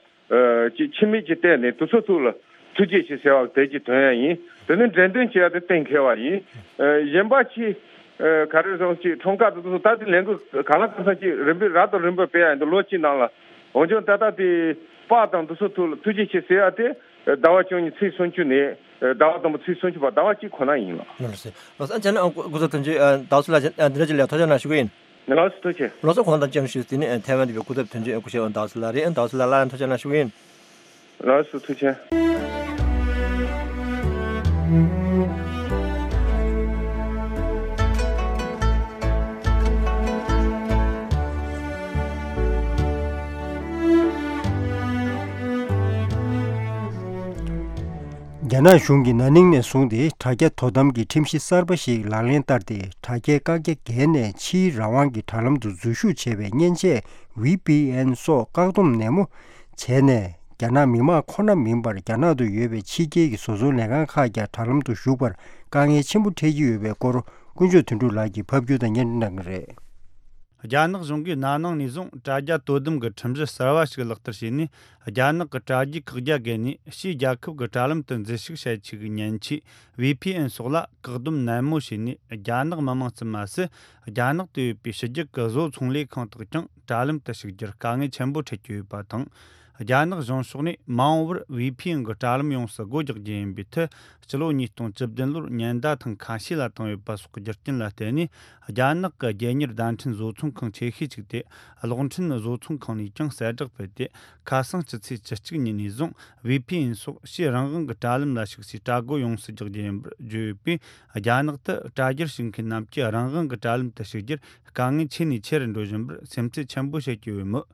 ཅིག་ཁྱིམ་མི་ཅིག་བལྟས་ནས་དེ་ཚོ་ཐུགས་ལ་ཐུགས་རྗེ་ཆེ་ཟེར་བ་དེ་ཅིག་འདོན་ཡ་ཡིན། དེ་ནས་འགྲེམས་སྟོན་བྱེད་ཡ་དེ་གཏན་འཁེལ་བ་ཡིན། ཨ་གཞན་པ་ཅིག་ཨ་ག་རེ་ཟེར་ཅིག་འཁྲུངས་སྐར་དེ་ཚོ་ད་དེ་ལས་འགུལ་གང་ལ་གང་འཚམ་ཅིག་རིམ་པས་རབ་དང་རིམ་པས་སྤེལ་ཡ་ཡིན་འདུག་ལོ་གཅིག་ནང་ལ། འོན་ཀྱང་ད་ལྟ་དེ་པར་དང་དེ་ཚོ་ཐུགས་ལ་ཐུགས་རྗེ་ཆེ་ཟེར་ཡ་དེ་ ཟླ་བ་བཅུ་གཉིས་ཚེས་སུམ་ཅུ་ནས་ཟླ་བ་དང་པོ་ཚེས་སུམ་ཅུ་བར་ཟླ་བ་གཅིག་ཁོ་ན་ཡིན་ལགས། ལགས་སོ། ལགས་སོ། ཨ་ཅག་ནི་ཨ་སྐུ་ཚབ་དོན་གཅོད་ཟླ་བ་སུ་ལགས་འདི་འདྲ་ཅིག་ལ་ཐུགས་རྗེ་གནང་ཞུ་གི་ཡིན། ལགས་སོ། ཐུགས་རྗེ་ཆེ། ལགས་སོ། གོང་དང་ཅང་ཞུས་ཟིན་ནི་ཐའེ་ཝན་འདི་བའི་སྐུ་ཚབ་དོན་གཅོད་སྐུ་ཞབས་ཟླ་བ་སུ་ལགས་རེད། ཟླ་བ་སུ་ལགས་ལ་ཡང་ཐུགས་རྗེ་གནང་ཞུ་གི་ཡིན། ལགས་སོ། ཐུགས་རྗེ་ཆེ། རྒྱ་ནག་གཞུང་གིས་ན་ནིང་ནས་བཟུང་སྟེ་དྲ་རྒྱ་དོ་དམ་གྱི་ཁྲིམས་གཞི་གསར་པ་ཞིག་ལག་ལེན་བསྟར་ཏེ། དྲ་རྒྱའི་བཀག་རྒྱ་འགེལ་ནས་ཕྱིའི་རང་དབང་གི་དྲ་ལམ་དུ་འཛུལ་ཞུགས་བྱེད་པའི་མཉེན་ཆས་ཝི་པི་ཨེན་སོགས་བཀག་སྡོམ་ནན་མོ་བྱས་ནས། རྒྱ་ནག་མི་དམངས་ཁོ་ན་མིན་པར་རྒྱ་ནག་ཏུ་ཡོད་པའི་ཕྱི་རྒྱལ་གྱི་བཟོ་ཚོང་ལས་ཁང་ཁག་ཀྱང་དྲ་ལམ་དུ་ཞུགས་པར་དཀའ་ངལ་ཆེན་པོ་འཕྲད་ཀྱི་ཡོད་པའི་སྐོར་དཀོན་མཆོག་དོན་གྲུབ་ལགས་ཀྱིས་ཕབ་སྒྱུར་དང་སྙན་སྒྲོན་གནང་གི་རེད། རྒྱ་ནག་གཞུང་གིས་ན་ནིང་ནས་བཟུང་དྲ་རྒྱ་དོ་དམ་གྱི་ཁྲིམས་གཞི་གསར་བ་ཞིག་ལག་བསྟར་བྱས་ནས། རྒྱ་ནག་གི་དྲ་རྒྱའི་བཀག་རྒྱ་བརྒལ་ནས་ཕྱིའི་རྒྱལ་ཁབ་ཀྱི་དྲ་ལམ་དུ་འཛུལ་ཞུགས་བྱེད་ཆེད་ཀྱི་མཉེན་ཆས་ཝི་པི་ཨེན་སོགས་ལ་བཀག་སྡོམ་ནན་མོ་བྱས་ནས། རྒྱ་ནག་མི་དམངས་ཙམ་མ་ཟད། རྒྱ་ནག་ཏུ་ཡོད་པའི་ཕྱི་རྒྱལ་གྱི་བཟོ་ཚོང་ལས་ཁང་དག་ཀྱང་དྲ་ལམ་དུ་ཞུགས་རྒྱུར་དཀའ་ངལ་ཆེན་པོ་འཕྲད་ཀྱི་ཡོད་པ་དང་། རྒྱ་ནག་གཞུང་ཕྱོགས་ནས་མ་འོངས་པར་ཝི་པི་ཨེན་གྱི་དྲ་ལམ་ཡོངས་སུ་སྒོ་རྒྱག་རྒྱུ་ཡིན་པའི་མཐུ། སྤྱི་ལོ་ཉིས་སྟོང་བཅུ་བདུན་ལོར་ཉེན་བརྡ་ཐེངས་ཁ་ཤས་ལ་བཏང་ཡོད་པ་སོགས་ཀྱི་རྒྱུ་རྐྱེན་ལ་བརྟེན་ནས། རྒྱ་ནག་གི་རྒྱལ་གཉེར་བརྡ་འཕྲིན་བཟོ་ཚོང་ཁང་ཆེ་ཤོས་གཅིག་སྟེ། གློག་འཕྲིན་བཟོ་ཚོང་ཁང་ནས་ཀྱང་གསལ་བསྒྲགས་སྤེལ་ཏེ། ཁ་སང་སྤྱི་ཚེས་བཅུ་གཅིག་ཉིན་ནས་བཟུང་ཝི་པི་ཨེན་སོགས་ཕྱིའི་རང་དབང་གི་དྲ་ལམ་ལ་ཞུགས་སའི་དྲ་སྒོ་ཡོངས་སུ་རྒྱག་རྒྱུ་ཡིན་པར་བརྗོད་ཡོད་པས། རྒྱ་ནག་ཏུ་དྲ་རྒྱར་ཞུགས་མཁན་རྣམས་ཀྱིས་རང་དབང་གི་དྲ་ལམ་དུ་ཞུགས་རྒྱུར་དཀའ་ངལ་ཆེ་ནས་ཆེ་རུ་འགྲོ་བཞིན་པར་སེམས་ཚེགས་ཆེན་པོ་བྱེད་ཀྱི་ཡོད་མོད།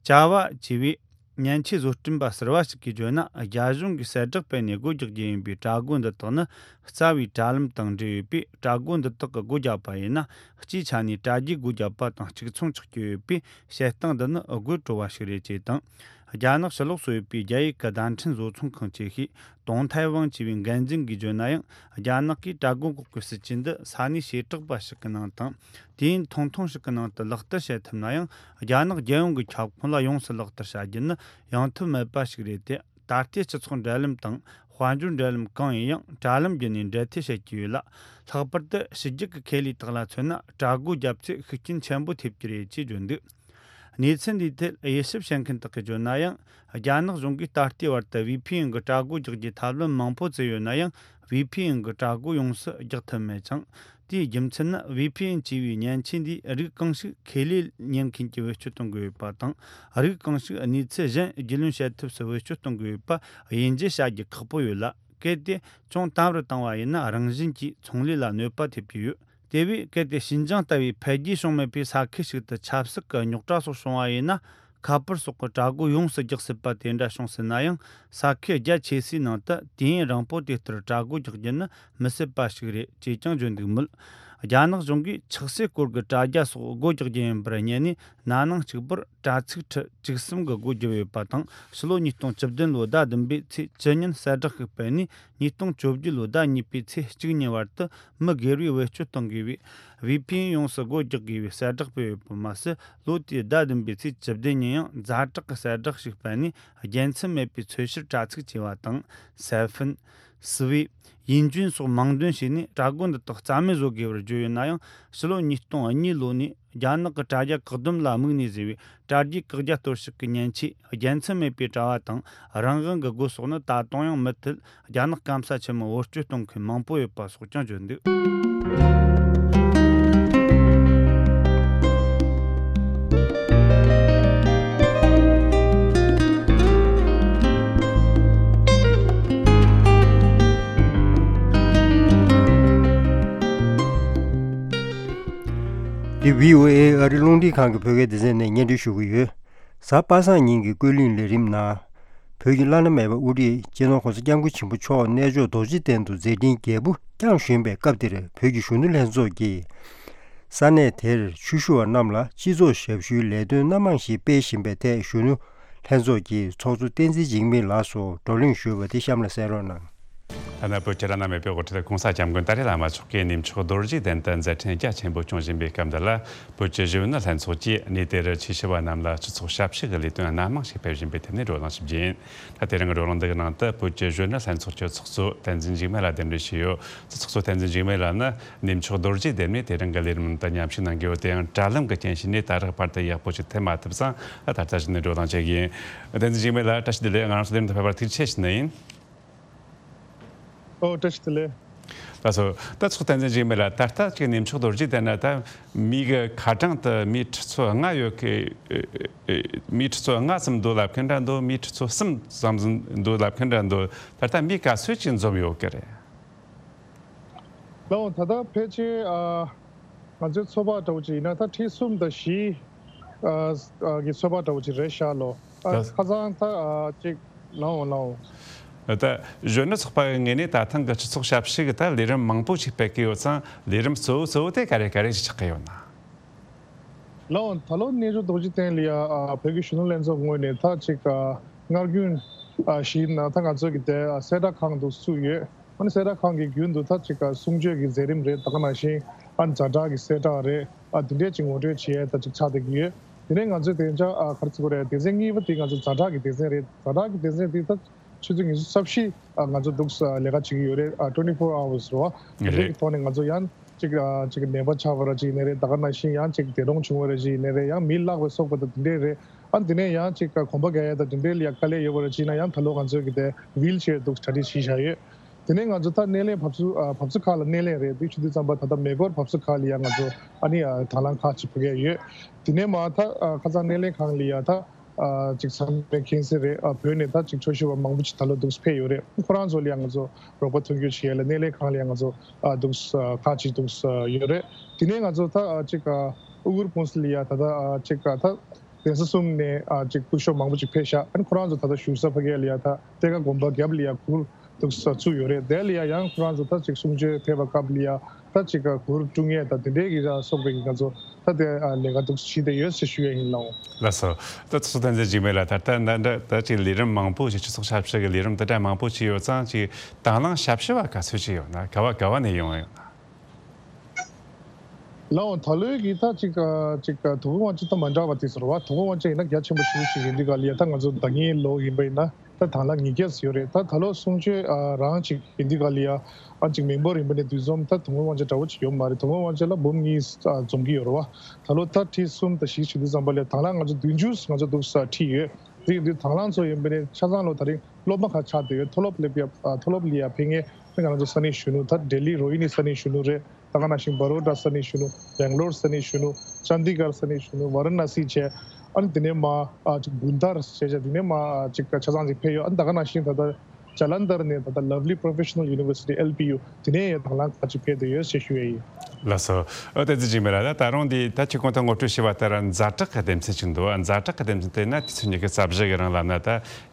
ཅཱ་བ་ཅེས་པའི་མཉེན་ཆས་བཟོ་སྐྲུན་པ་ཟུར་པ་ཞིག་གིས་བརྗོད་ན། རྒྱ་གཞུང་གིས་གསལ་བསྒྲགས་སྤེལ་ནས་སྒོ་རྒྱག་རྒྱུ་ཡིན་པའི་དྲ་སྒོ་འདི་དག་ནི་རྩ་བའི་དྲ་ལམ་དང་འབྲེལ་ཡོད་པས། དྲ་སྒོ་འདི་དག་གི་སྒོ་བརྒྱབ་པ་ཡིན་ན། སྤྱིའི་ཆ་ནས་དྲ་རྒྱའི་སྒོ་བརྒྱབ་པ་དང་གཅིག་མཚུངས་ཆགས་ཀྱི་ཡོད་པས། བཤད་སྟངས་འདི་ནི་དགོད་བྲོ་བ་ཞིག་རེད་ཅེས་དང་། རྒྱ་ནག་ཕྱི་ལོགས་སུ་ཡོད་པའི་རྒྱ་ཡིག་གི་བརྡ་འཕྲིན་བཟོ་ཚོང་ཁང་ཆེ་ཤོས་ཏུང་ཐའེ་ཝང་ཅེས་པའི་འགན་འཛིན་གྱིས་བརྗོད་ན་ཡང་། རྒྱ་ནག་གིས་དྲ་སྒོ་འགོག་པའི་སྲིད་ཇུས་འདི་ས་གནས་བྱེ་བྲག་པ་ཞིག་གི་ནང་དང་། དུས་ཡུན་ཐུང་ཐུང་ཞིག་གི་ནང་དུ་ལག་བསྟར་བྱེད་ཐུབ་ན་ཡང་། རྒྱ་ནག་རྒྱལ་ཡོངས་ཀྱི་ཁྱབ་ཁོངས་ལ་ཡོངས་སུ་ལག་བསྟར་བྱ་རྒྱུ་ནི་ཡང་ཐབས་མེད་པ་ཞིག་རེད་དེ། ད་ལྟའི་སྤྱི་ཚོགས་འབྲེལ་ལམ་དང་། དཔལ་འབྱོར་འབྲེལ་ལམ་གང་ཡིན་ཡང་དྲ་ལམ་བརྒྱུད་ནས་འབྲེལ་མཐུད་བྱེད་ཀྱི་ཡོད་ལ། ལྷག་པར་དུ་ཕྱི་རྒྱལ་གྱི་ཁེ་ལས་དག་ལ་མཚོན་ན། དྲ་སྒོ་བརྒྱབ་ཚེ་ཤུགས་རྐྱེན་ཆེན་པོ་ཐེབས་ཀྱི་རེད་ཅེས་བརྗོད་འདུག། གནས་ཚུལ་འདིའི་ཐད་དབྱེ་ཞིབ་བྱེད་མཁན་དག་གིས་བརྗོད་ན་ཡང་། རྒྱ་ནག་གཞུང་གིས་ད་ལྟའི་བར་དུ་ཝི་པི་ཨེན་གྱི་དྲ་སྒོ་རྒྱག་རྒྱུའི་ཐབས་ལམ་མང་པོ་བཙལ་ཡོད་ན་ཡང་། ཝི་པི་ཨེན་གྱི་དྲ་སྒོ་ཡོངས་སུ་རྒྱག་ཐུབ་མེད་ཅིང་། དེའི་རྒྱུ་མཚན་ནི། ཝི་པི་ཨེན་ཅེས་པའི་མཉེན་ཆས་འདིས་རིགས་གང་ཞིག་ཁེ་ལས་གཉེར་མཁན་གྱིས་བེད་སྤྱོད་གཏོང་གི་ཡོད་པ་དང་། རིགས་གང་ཞིག་གནས་ཚུལ་གཞན་རྒྱུས་ལོན་བྱེད་ཐབས་སུ་བེད་སྤྱོད་གཏོང་གི་ཡོད་པ་དབྱེ་འབྱེད་བྱ་རྒྱུ་ཁག་པོ་ཡོད་ལ། གལ་ཏེ་ཅུང་དམ་རུ་བཏང་བ་ཡིན་ན། རང་བཞིན་གྱིས་ཚོང་ལས་ལ་གནོད་པ་ཐེབས་ཀྱི་ཡོད། དེ་བས་གལ་ཏེ་ཞིན་ཅང་ལྟ་བུའི་འཕེལ་རྒྱས་བྱུང་མེད་པའི་ས་ཁུལ་ཞིག་ཏུ་ཆབ་སྲིད་ཀྱི་རྙོག་དྲ་སོགས་བྱུང་བ་ཡིན་ན། ཁ་པར་སོགས་ཀྱི་དྲ་སྒོ་ཡོངས་སུ་རྒྱག་སྲིད་པ་དེ་འདྲ་བྱུང་སྲིད་ན་ཡང་། ས་ཁུལ་རྒྱ་ཆེ་སའི་ནང་དུ་དུས་ཡུན་རིང་པོ་དེ་ལྟར་དྲ་སྒོ་རྒྱག་རྒྱུ་ནི་མི་སྲིད་པ་ཞིག་རེད་ཅེས་ཀྱང་བརྗོད་འདུག་མོད། རྒྱ་ནག་གཞུང་གིས་ཆགས་སྲེད་སྐོར་གྱི་དྲ་རྒྱ་སོགས་སྒོ་རྒྱག་རྒྱུ་ཡིན་པར་བསྙད་ནས། ན་ནིང་གཅིག་པུར་དྲ་ཚིགས་ཁྲི་བཅུ་གསུམ་གྱི་སྒོ་བརྒྱབ་ཡོད་པ་དང་། ཕྱི་ལོ་ཉིས་སྟོང་བཅུ་བདུན་ལོའི་ཟླ་བདུན་པའི་ཚེས་བཅུ་ཉིན་གསལ་བསྒྲགས་ཤིག་སྤེལ་ནས། ཉིས་སྟོང་བཅོ་བརྒྱད་ལོའི་ཟླ་གཉིས་པའི་ཚེས་གཅིག་ཉིན་བར་དུ་མི་སྒེར་བས་བེད་སྤྱོད་གཏོང་དགོས་པའི་ཝི་པི་ཨེན་ཡོངས་སུ་སྒོ་རྒྱག་དགོས་པའི་གསལ་བསྒྲགས་སྤེལ་ཡོད་པ་མ་ཟད། ལོ་དེའི་ཟླ་བདུན་པའི་ཚེས་བཅུ་བདུན་ཉིན་ཡང་ཛ་དྲག་གི་གསལ་བསྒྲགས་ཤིག་སྤེལ་ནས། རྒྱལ་མཚམས་མེད་པའི་འཚོལ་བཤེར་དྲ་ཚིགས་ཅེས་པ་དང་། སེ་ཧྥིན། སི་ཝི། ཡིན་ཅུན་སོགས་མིང་འདོན་བྱས་ནས། དྲ་སྒོ་འདི་དག་རྩ་མེད་བཟོ་དགོས་པར་བརྗོད་ཡོད་ན་ཡང་། ཕྱི་ལོ་ཉིས་སྟོང་གཉིས་ལོ་ནས་རྒྱ་ནག་གི་དྲ་རྒྱ་བཀག་སྡོམ་ལ་དམིགས་ནས་བཟོས་པའི་དྲ་རྒྱའི་བཀག་རྒྱ་གཏོར་བཤིག་གི་མཉེན་ཆས། རྒྱལ་མཚམས་མེད་པའི་དྲ་བ་དང་རང་དབང་གི་སྒོ་སོགས་ནི་ད་དུང་ཡང་མུ་མཐུད་རྒྱ་ནག་སྐམ་ས་ཆེན་མོར་བེད་སྤྱོད་གཏོང་མཁན་མང་པོ་ཡོད་པ་སོགས་ཀྱང་བརྗོད་འདུག། འདི་བྷི་ཨོ་ཨེ་ཨ་རི་རླུང་འཕྲིན་ཁང་གི་བོད་སྐད་སྡེ་ཚན་ནས་སྙན་སྒྲོན་ཞུ་གི་ཡོད། གཟའ་པ་སངས་ཉིན་གྱི་ཀུན་གླེང་ལས་རིམ་ནང་། བོད་ཀྱི་བླ་ན་མེད་པ་དབུ་ཁྲིད་སྤྱི་ནོར་༸གོང་ས་༸སྐྱབས་མགོན་ཆེན་པོ་མཆོག་གནས་མཆོག་རྡོ་རྗེ་གདན་དུ་མཛད་འཕྲིན་རྒྱས་པོ་བསྐྱངས་བཞིན་པའི་སྐབས་འདིར། བོད་ཀྱི་གཞོན་ནུ་ལྷན་ཚོགས་ཀྱིས་ས་གནས་དེར་ཆོས་ཞུ་བ་རྣམས་ལ་སྤྱི་ཚོགས་ཞབས་ཞུའི་ལས་དོན་སྣ་མང་ཞིག་སྤེལ་བཞིན་པའི་ཐད། གཞོན་ནུ་ལྷན་ཚོགས་ཀྱི་ཚོགས་གཙོ་བསྟན་འཛིན་འཇིགས་མེད་ལགས་སུ་བགྲོ་གླེང་ཞུས་པ་དེ་གཤམ་ལ་གསན་རོགས་གནང་། ཐ་ན་བོད་ཀྱི་བླ་ན་མེད་པའི་དབུ་ཁྲིད་༸གོང་ས་༸སྐྱབས་མགོན་ཏཱ་ལའི་བླ་མ་མཆོག་གིས་གནས་མཆོག་རྡོ་རྗེ་གདན་དུ་མཛད་འཕྲིན་རྒྱ་ཆེན་པོ་སྐྱོང་བཞིན་པའི་སྐབས་འདི་ལ། བོད་ཀྱི་གཞོན་ནུ་ལྷན་ཚོགས་ཀྱིས་གནས་དེར་ཆོས་ཞུ་བ་རྣམས་ལ་སྤྱི་ཚོགས་ཞབས་ཞུ་གི་ལས་དོན་སྣ་མང་ཞིག་སྤེལ་བཞིན་པའི་ཐད་ནས་བགྲོ་གླེང་ཞིག་བྱས་ཡིན། ད་དེ་རིང་གི་བགྲོ་གླེང་འདི་གི་ནང་དུ་བོད་ཀྱི་གཞོན་ནུ་ལྷན་ཚོགས་ཀྱི་ཚོགས་གཙོ་བསྟན་འཛིན་འཇིགས་མེད་ལགས་གདན་འདྲེན་ཞུས་ཡོད། ཚོགས་གཙོ་བསྟན་འཛིན་འཇིགས་མེད་ལགས་ནི་གནས་མཆོག་རྡོ་རྗེ་གདན་ནས་དེ་རིང་གི་ལས་རིམ་དུ་མཉམ་ཞུགས་གནང་གི་ཡོད་དེ་ཡང་དྲ་ལམ་གྱི་རྐྱེན་བྱས་ནས་ད་རེས་བར་དུ་ཡག་པོ་ཞིག་ཐེབས་མ་ཐུབ་ཙང་། ད་ལྟ་གཞི་ནས་བགྲོ་གླེང་བྱེད་ཀྱི་ཡིན། བསྟན་འཛིན་འཇིགས་མེད་ལགས་བཀྲ་ཤིས་བདེ་ལེགས། ང་རང་ཚོ་ལས་རིམ་དུ་ཕེབས་པར་ཐུགས་རྗེ་ཆེ་ཞུ་ནི་ཡིན། ཨོ་བཀྲ་ཤིས་བདེ་ལེགས། ལགས་སོ། ད་ཚོགས་གཙོ་བསྟན་འཛིན་འཇིགས་མེད་ལགས། ད་ལྟ་ཅིག་གནས་མཆོག་རྡོ་རྗེ་གདན་ན་ད་མི་གི་ཁ་གྲངས་དུ་མི་ཁྲི་ཚོ་ལྔ་ཡོད་ཀི། མི་ཁྲི་ཚོ་ལྔ་ཙམ་འདུག་ལབ་མཁན་འདྲ་འདུག་མི་ཁྲི་ཚོ་གསུམ་ཙམ་འདུག་ལབ་མཁན་འདྲ་འདུག་ད་ལྟ་མི་ག་ཚོད་ཅིག་འཛོམས་ཡོད་ཀི་རེད། ལགས་འོང་། ད་ལྟ་ཕལ་ཆེར་ཨ། ང་ཚོའི་ཚོད་དཔག་འདྲ་བོ་ཅིག་ཡིན་ན་ད་ཁྲི་གསུམ་དང་བཞི་ཨ་ཨ་གི་ཚོད་དཔག་འདྲ་བོ་ཅིག་རེད་ཤག་ལོ། ཨ། ད་ཁ་སང་ད་ཨ་ཅིག་ལགས་འོང་། ལགས་འོང་། ད་གཞོན་ནུ་ཚོགས་པ་གི་ངོས་ནས་ད་ཐེངས་ཀྱི་སྤྱི་ཚོགས་ཞབས་ཞུ་གི་ད་ལས་རིམ་མང་པོ་ཞིག་སྤེལ་གི་ཡོད་ཙང་། ལས་རིམ་གཙོ་བོ་གཙོ་བོ་དེ་ག་རེ་ག་རེ་ཞིག་ཆགས་ཀྱི་ཡོད་ན། ལགས་འོང་། ད་ལོ་གནས་མཆོག་རྡོ་རྗེ་གདན་ལ་ཡ་ཨ་བོད་ཀྱི་གཞོན་ནུ་ལྷན་ཚོགས་ངོས་ནས་ད་ཅིག་ཨ་སྔར་རྒྱུན་ཨ་བཞིན་ད་ང་ཚོ་གི་དེ་ཨ་གསལ་བསྒྲགས་ཁང་དུ་བཙུགས་ཡོད། ཨ་ནི་གསལ་བསྒྲགས་ཁང་གི་རྒྱུན་དུ་ད་ཅིག་གསུང་ཆོས་ཀྱི་མཛད་རིམ་རེད། ད་ག་ནང་བཞིན་ཨ་ཛ་དྲག་གི་གསལ་བསྒྲགས་རེད། ཨ་དེ་འདྲས་ཅིག་ངོ་སྤྲོད་བྱེད་ཡས་ད་ཅིག་ཆགས་བསྡད་ཀྱི་ཡོད། དེ་ནས་ང་ཚོའི་དེང་སང་ཨ་ག་རེ་ཟེར་དགོས་རེད། སྡེ་ཚན་གཉིས་པ་དེ་ང་ཚོ་ཛ་དྲག་གི་སྡེ་ཚན་རེད། ཛ་དྲག་གི་སྡེ་ཚན་དེ་ད་ཆུ་ཚོད་ཉི་ཤུ་རྩ་བཞི་ཨ་ང་ཚོ་འདུག་ལས་ཀ་བྱེད་ཀྱི་ཡོད་རེད། ཨ་twenty four hours རེད་བ། དེ་འདྲས་ཀྱི་ཐོག་ནས་ང་ཚོ་ཡང་ཅིག་ཨ་ཅིག་ནད་པ་ཆགས་པ་ར་ཅིག་ཡིན་ནའི་རེད། ད་ག་ནང་བཞིན་ཡང་ཅིག་འདས་གྲོངས་བྱུང་བ་ར་ཅིག་ཡིན་ནའི་རེད། ཡང་མི་བརླག་པའི་སོགས་པ་ད་དེ་འདྲས་རེད། ཨ་དེ་ནས་ཡང་ཅིག་གོམ་པ་རྒྱག་ཡས་ད་དེ་འདྲས་ལ་ཡ་དཀའ་ལས་ཡོད་པ་ར་ཅིག་ན་ཡང་ད་ལོ་ང་ཚོའི་གི་དེ་ཝིལ་ཆེར་འདུག་གྲ་སྒྲིག་བྱས་བཞག་ཡོད། དེ་ནས་ང་ཚོ་ད་སྣེ་ལེན་བབས་ཚུགས་ཨ་བབས་ཚུགས་ཁག་ལ་སྣེ་ལེན་རེད། དེ་ཆུ་དུས་ཙམ་པ་ད་ལྟ་མེ་འཁོར་བབས་ཚུགས་ཁག་ལ་ཡ་ང་ཚོ་ཨ་ནི་ཨ་དང་བླངས་ཁག་ཅིག་ཕུལ་གྱི་ཡོད། དེ་ནས་མ་ད་ཨ་ཁ་སང་སྣེ་ལེན་ཁང་ལ་ཡ་ད་ཨ་ཅིག་ཚང་མས་མཁྱེན་གསལ་རེད། ཨ་བོད་ནས་ད་ཅིག་ཆོས་ཞུ་བ་མང་པོ་ཅིག་ད་ལོ་འདུག་ཕེབས་ཡོད་རེད། ཁོ་རང་ཚོ་ལ་ཡ་ང་ཚོ་རོགས་པ་མཐུན་འགྱུར་བྱེད་ཡས་ལ་སྣེ་ལེན་ཁང་ལ་ཡ་ང་ཚོ་ཨ་འདུག་ཁག་ཅིག་འདུག་ཡོད་རེད། དེ་ནས་ང་ཚོ་ད་ཨ་ཅིག་ཨ་ཨུ་གུར་ཀུང་སི་ལ་ཡ་ད་ད་ཨ་ཅིག་ཨ་ད་གདན་ས་གསུམ་ནས་ཨ་ཅིག་སྐུ་ཞབས་མང་པོ་ཅིག་ཕེབས་ཤག་ཨ་ནི་ཁོ་རང་ཚོ་ད་ལྟ་བཞུགས་ས་ཕ་གི་ལ་ཡ་ད་གཏེར་ཁ་དགོན་པ་རྒྱབ་ལ་ཡ་གུར་འདུག་ས་བཙུགས་ཡོད་རེད། དེ་ལ་ཡ་ཡང་ཁོ་རང་ཚོ་ད་ཅིག་གསུང་ཆོས་ཕེབས་པ་སྐབས་ལ་ཡ་ད་ཅིག་གུར་དཀྲུག་ཡས་ད་དེ་འདྲའི་གི་ཡ་སོགས་པའི་གི་ང་ཚོ་ད་དེ་ཨ་ལས་ཀ་འདུག་བྱས་བསྡད་ཡོད་ཅེས་ཞུ་ཡས་ཡིན། ལགས་འོང་། ལགས་སོ། ད་ཚོགས་གཙོ་བསྟན་འཛིན་འཇིགས་མེད་ལགས། ད་ལྟ་འདི་འདྲ་ད་ཅིག་ལས་རིམ་མང་པོ་ཞིག་སྤྱི་ཚོགས་ཞབས་ཞུ་གི་ལས་རིམ་དེ་འདྲ་མང་པོ་ཞིག་ཡོད་ཙང་། ཅིག་དང་བླངས་ཞབས་ཞུ་བ་ག་ཚོད་ཅིག་ཡོད་ན། ག་བ་ག་བ་ནས་ཡོང་ཡོད་ན། ལགས་འོང་། ད་ལོའི་གི་ད་ཅིག་ཨ་ཅིག་ཨ་དོ་དགོང་དབང་ཆེན་ད་མ་འདྲ་བ་དེ་ཟེར་བ། དོ་དགོང་དབང་ཆེན་ཡིན་ན་རྒྱ་ཆེན་པོ་ཞེ་པོ་ཅིག་ཡིན་དུས་ག་ལ་ཡ་ད་ང་ཚོ་ཟླ་ཉིན་ལོ་ཡིན་པ་ཡིན་ན་ད་དང་བླངས་ཉིས་བརྒྱ་ཙམ་ཡོད་རེད། ད་ད་ལོ་གསུང་ཆོས་ཨ་རང་ཅིག་ཡིན་དུས་ག་ལ་ཡ་ཨ་ཅིག་མི་འབོར་ཡིན་པ་ནས་འདུ་འཛོམས་ད་དོ་དགོང་དབང་ཆེན་འདྲ་བོ་ཅིག་ཡོད་མ་རེད། དོ་དགོང་དབང་ཆེན་ལ་འབུམ་གཉིས་ཨ་འཛོམས་ཀྱི་ཡོད་རེད་བ། ད་ལོ་ད་ཁྲི་གསུམ་དང་བཞི་བྱེད་དུས་ཙམ་པ་ལ་དང་བླངས་ང་ཚོ་བདུན་ཅུ་ང་ཚོ་འདུག་ས་ཁྲིད་ཡོད། དེ་ཡིན་དུས་དང་བླངས་ཚོ་ཡིན་པ་ནས་ཆ་ཚང་ལོ་ད་རིང་སློབ་མ་ཁག་ཆགས་བསྡད་ཡོད། མཐོ་སློབ་སླེབས་ཡ་ཨ་མཐོ་སློབ་ལ་ཡ་ཕེབས་མཁན་ང་ཚོ་ས་གནས་གཞོན་ནུ་ད་ལྡི་ལི་རོ་ཧི་ནི་ས་གནས་གཞོན་ནུ་རེད། ད་ག་ནང་བཞིན་བ་རོ་ཌ་ས་གནས་གཞོན་ནུ། སྦེང་ལོར་ས་གནས་གཞོན་ནུ། ཅན་དི་གར་ས་གནས་གཞོན་ནུ། ཝ་ར་ཎ་སི་བྱས། ཨ་ནི་དེ་ནས་མ་ཨ་ཅིག་གུན་དར་བྱས་བྱས། དེ་ནས་མ་ཨ་ཅིག་ཆ་ཚང་ཅིག་ཕེབས་ཡོད། ཨ་ནི་ད་ག་ནང་བཞིན་ད་ལྟ་ཇ་ལན་དར་ནས་ད་ལྟ་ལབ་ལི་པོ་རོ་ཕེ་ཤ་ནལ་ཡུ་ནི་ཝར་སི་ཊི་ཨེལ་པི་ཡུ་དེ་ནས་ཡང་དང་བླངས་ཁག་ཅིག་ཕེབས་བསྡད་ཡོད་ཅེས་ཞུ་ཡས་ཡིན། ལགས་སོ། ཨོ་བསྟན་འཛིན་འཇིགས་མེད་ལགས། ད་ད་རུང་འདི་ད་ཁྱེད་ཁོང་ད་ངོ་སྤྲོད་ཞུས་པ་ལྟར་ཛ་དྲག་གི་སྡེ་ཚན་ཅིག་འདུག་ཛ་དྲག་གི་སྡེ་ཚན་དེ་ན་དུས་ཚོད་ཉི་ཤུ་རྩ་བཞི་གི་རིང་ལབ་ན་ད་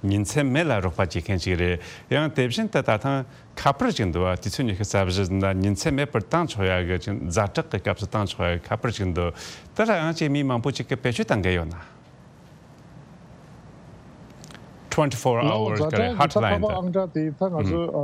ཉིན་མཚན་མེད་ལ་རོགས་པ་བྱེད་མཁན་ཅིག་རེད། ཡང་དེ་བཞིན་དུ་ད་ཐེངས་ཁ་པར་ཅིག་འདུག་དུས་ཚོད་ཉི་ཤུ་རྩ་བཞི་ན་ཉིན་མཚན་མེད་པར་བཏང་ཆོག་ཡ་གི་ཅིག་ཛ་དྲག་གི་སྐབས་སུ་བཏང་ཆོག་ཡ་གི་ཁ་པར་ཅིག་འདུག་དེ་ལ་ཡང་ཅིག་མི་མང་པོ་ཅིག་གིས་བེད་སྤྱོད་བཏང་གི་ཡོད་ན། twenty four hours ལའོ་ཛ་དྲག་གི་ད་ཁ་པར་ཧོཊ་ལ་ཡིན་དེ། ཨང་གྲངས་དེ་ད་ང་ཚོ་ཨ་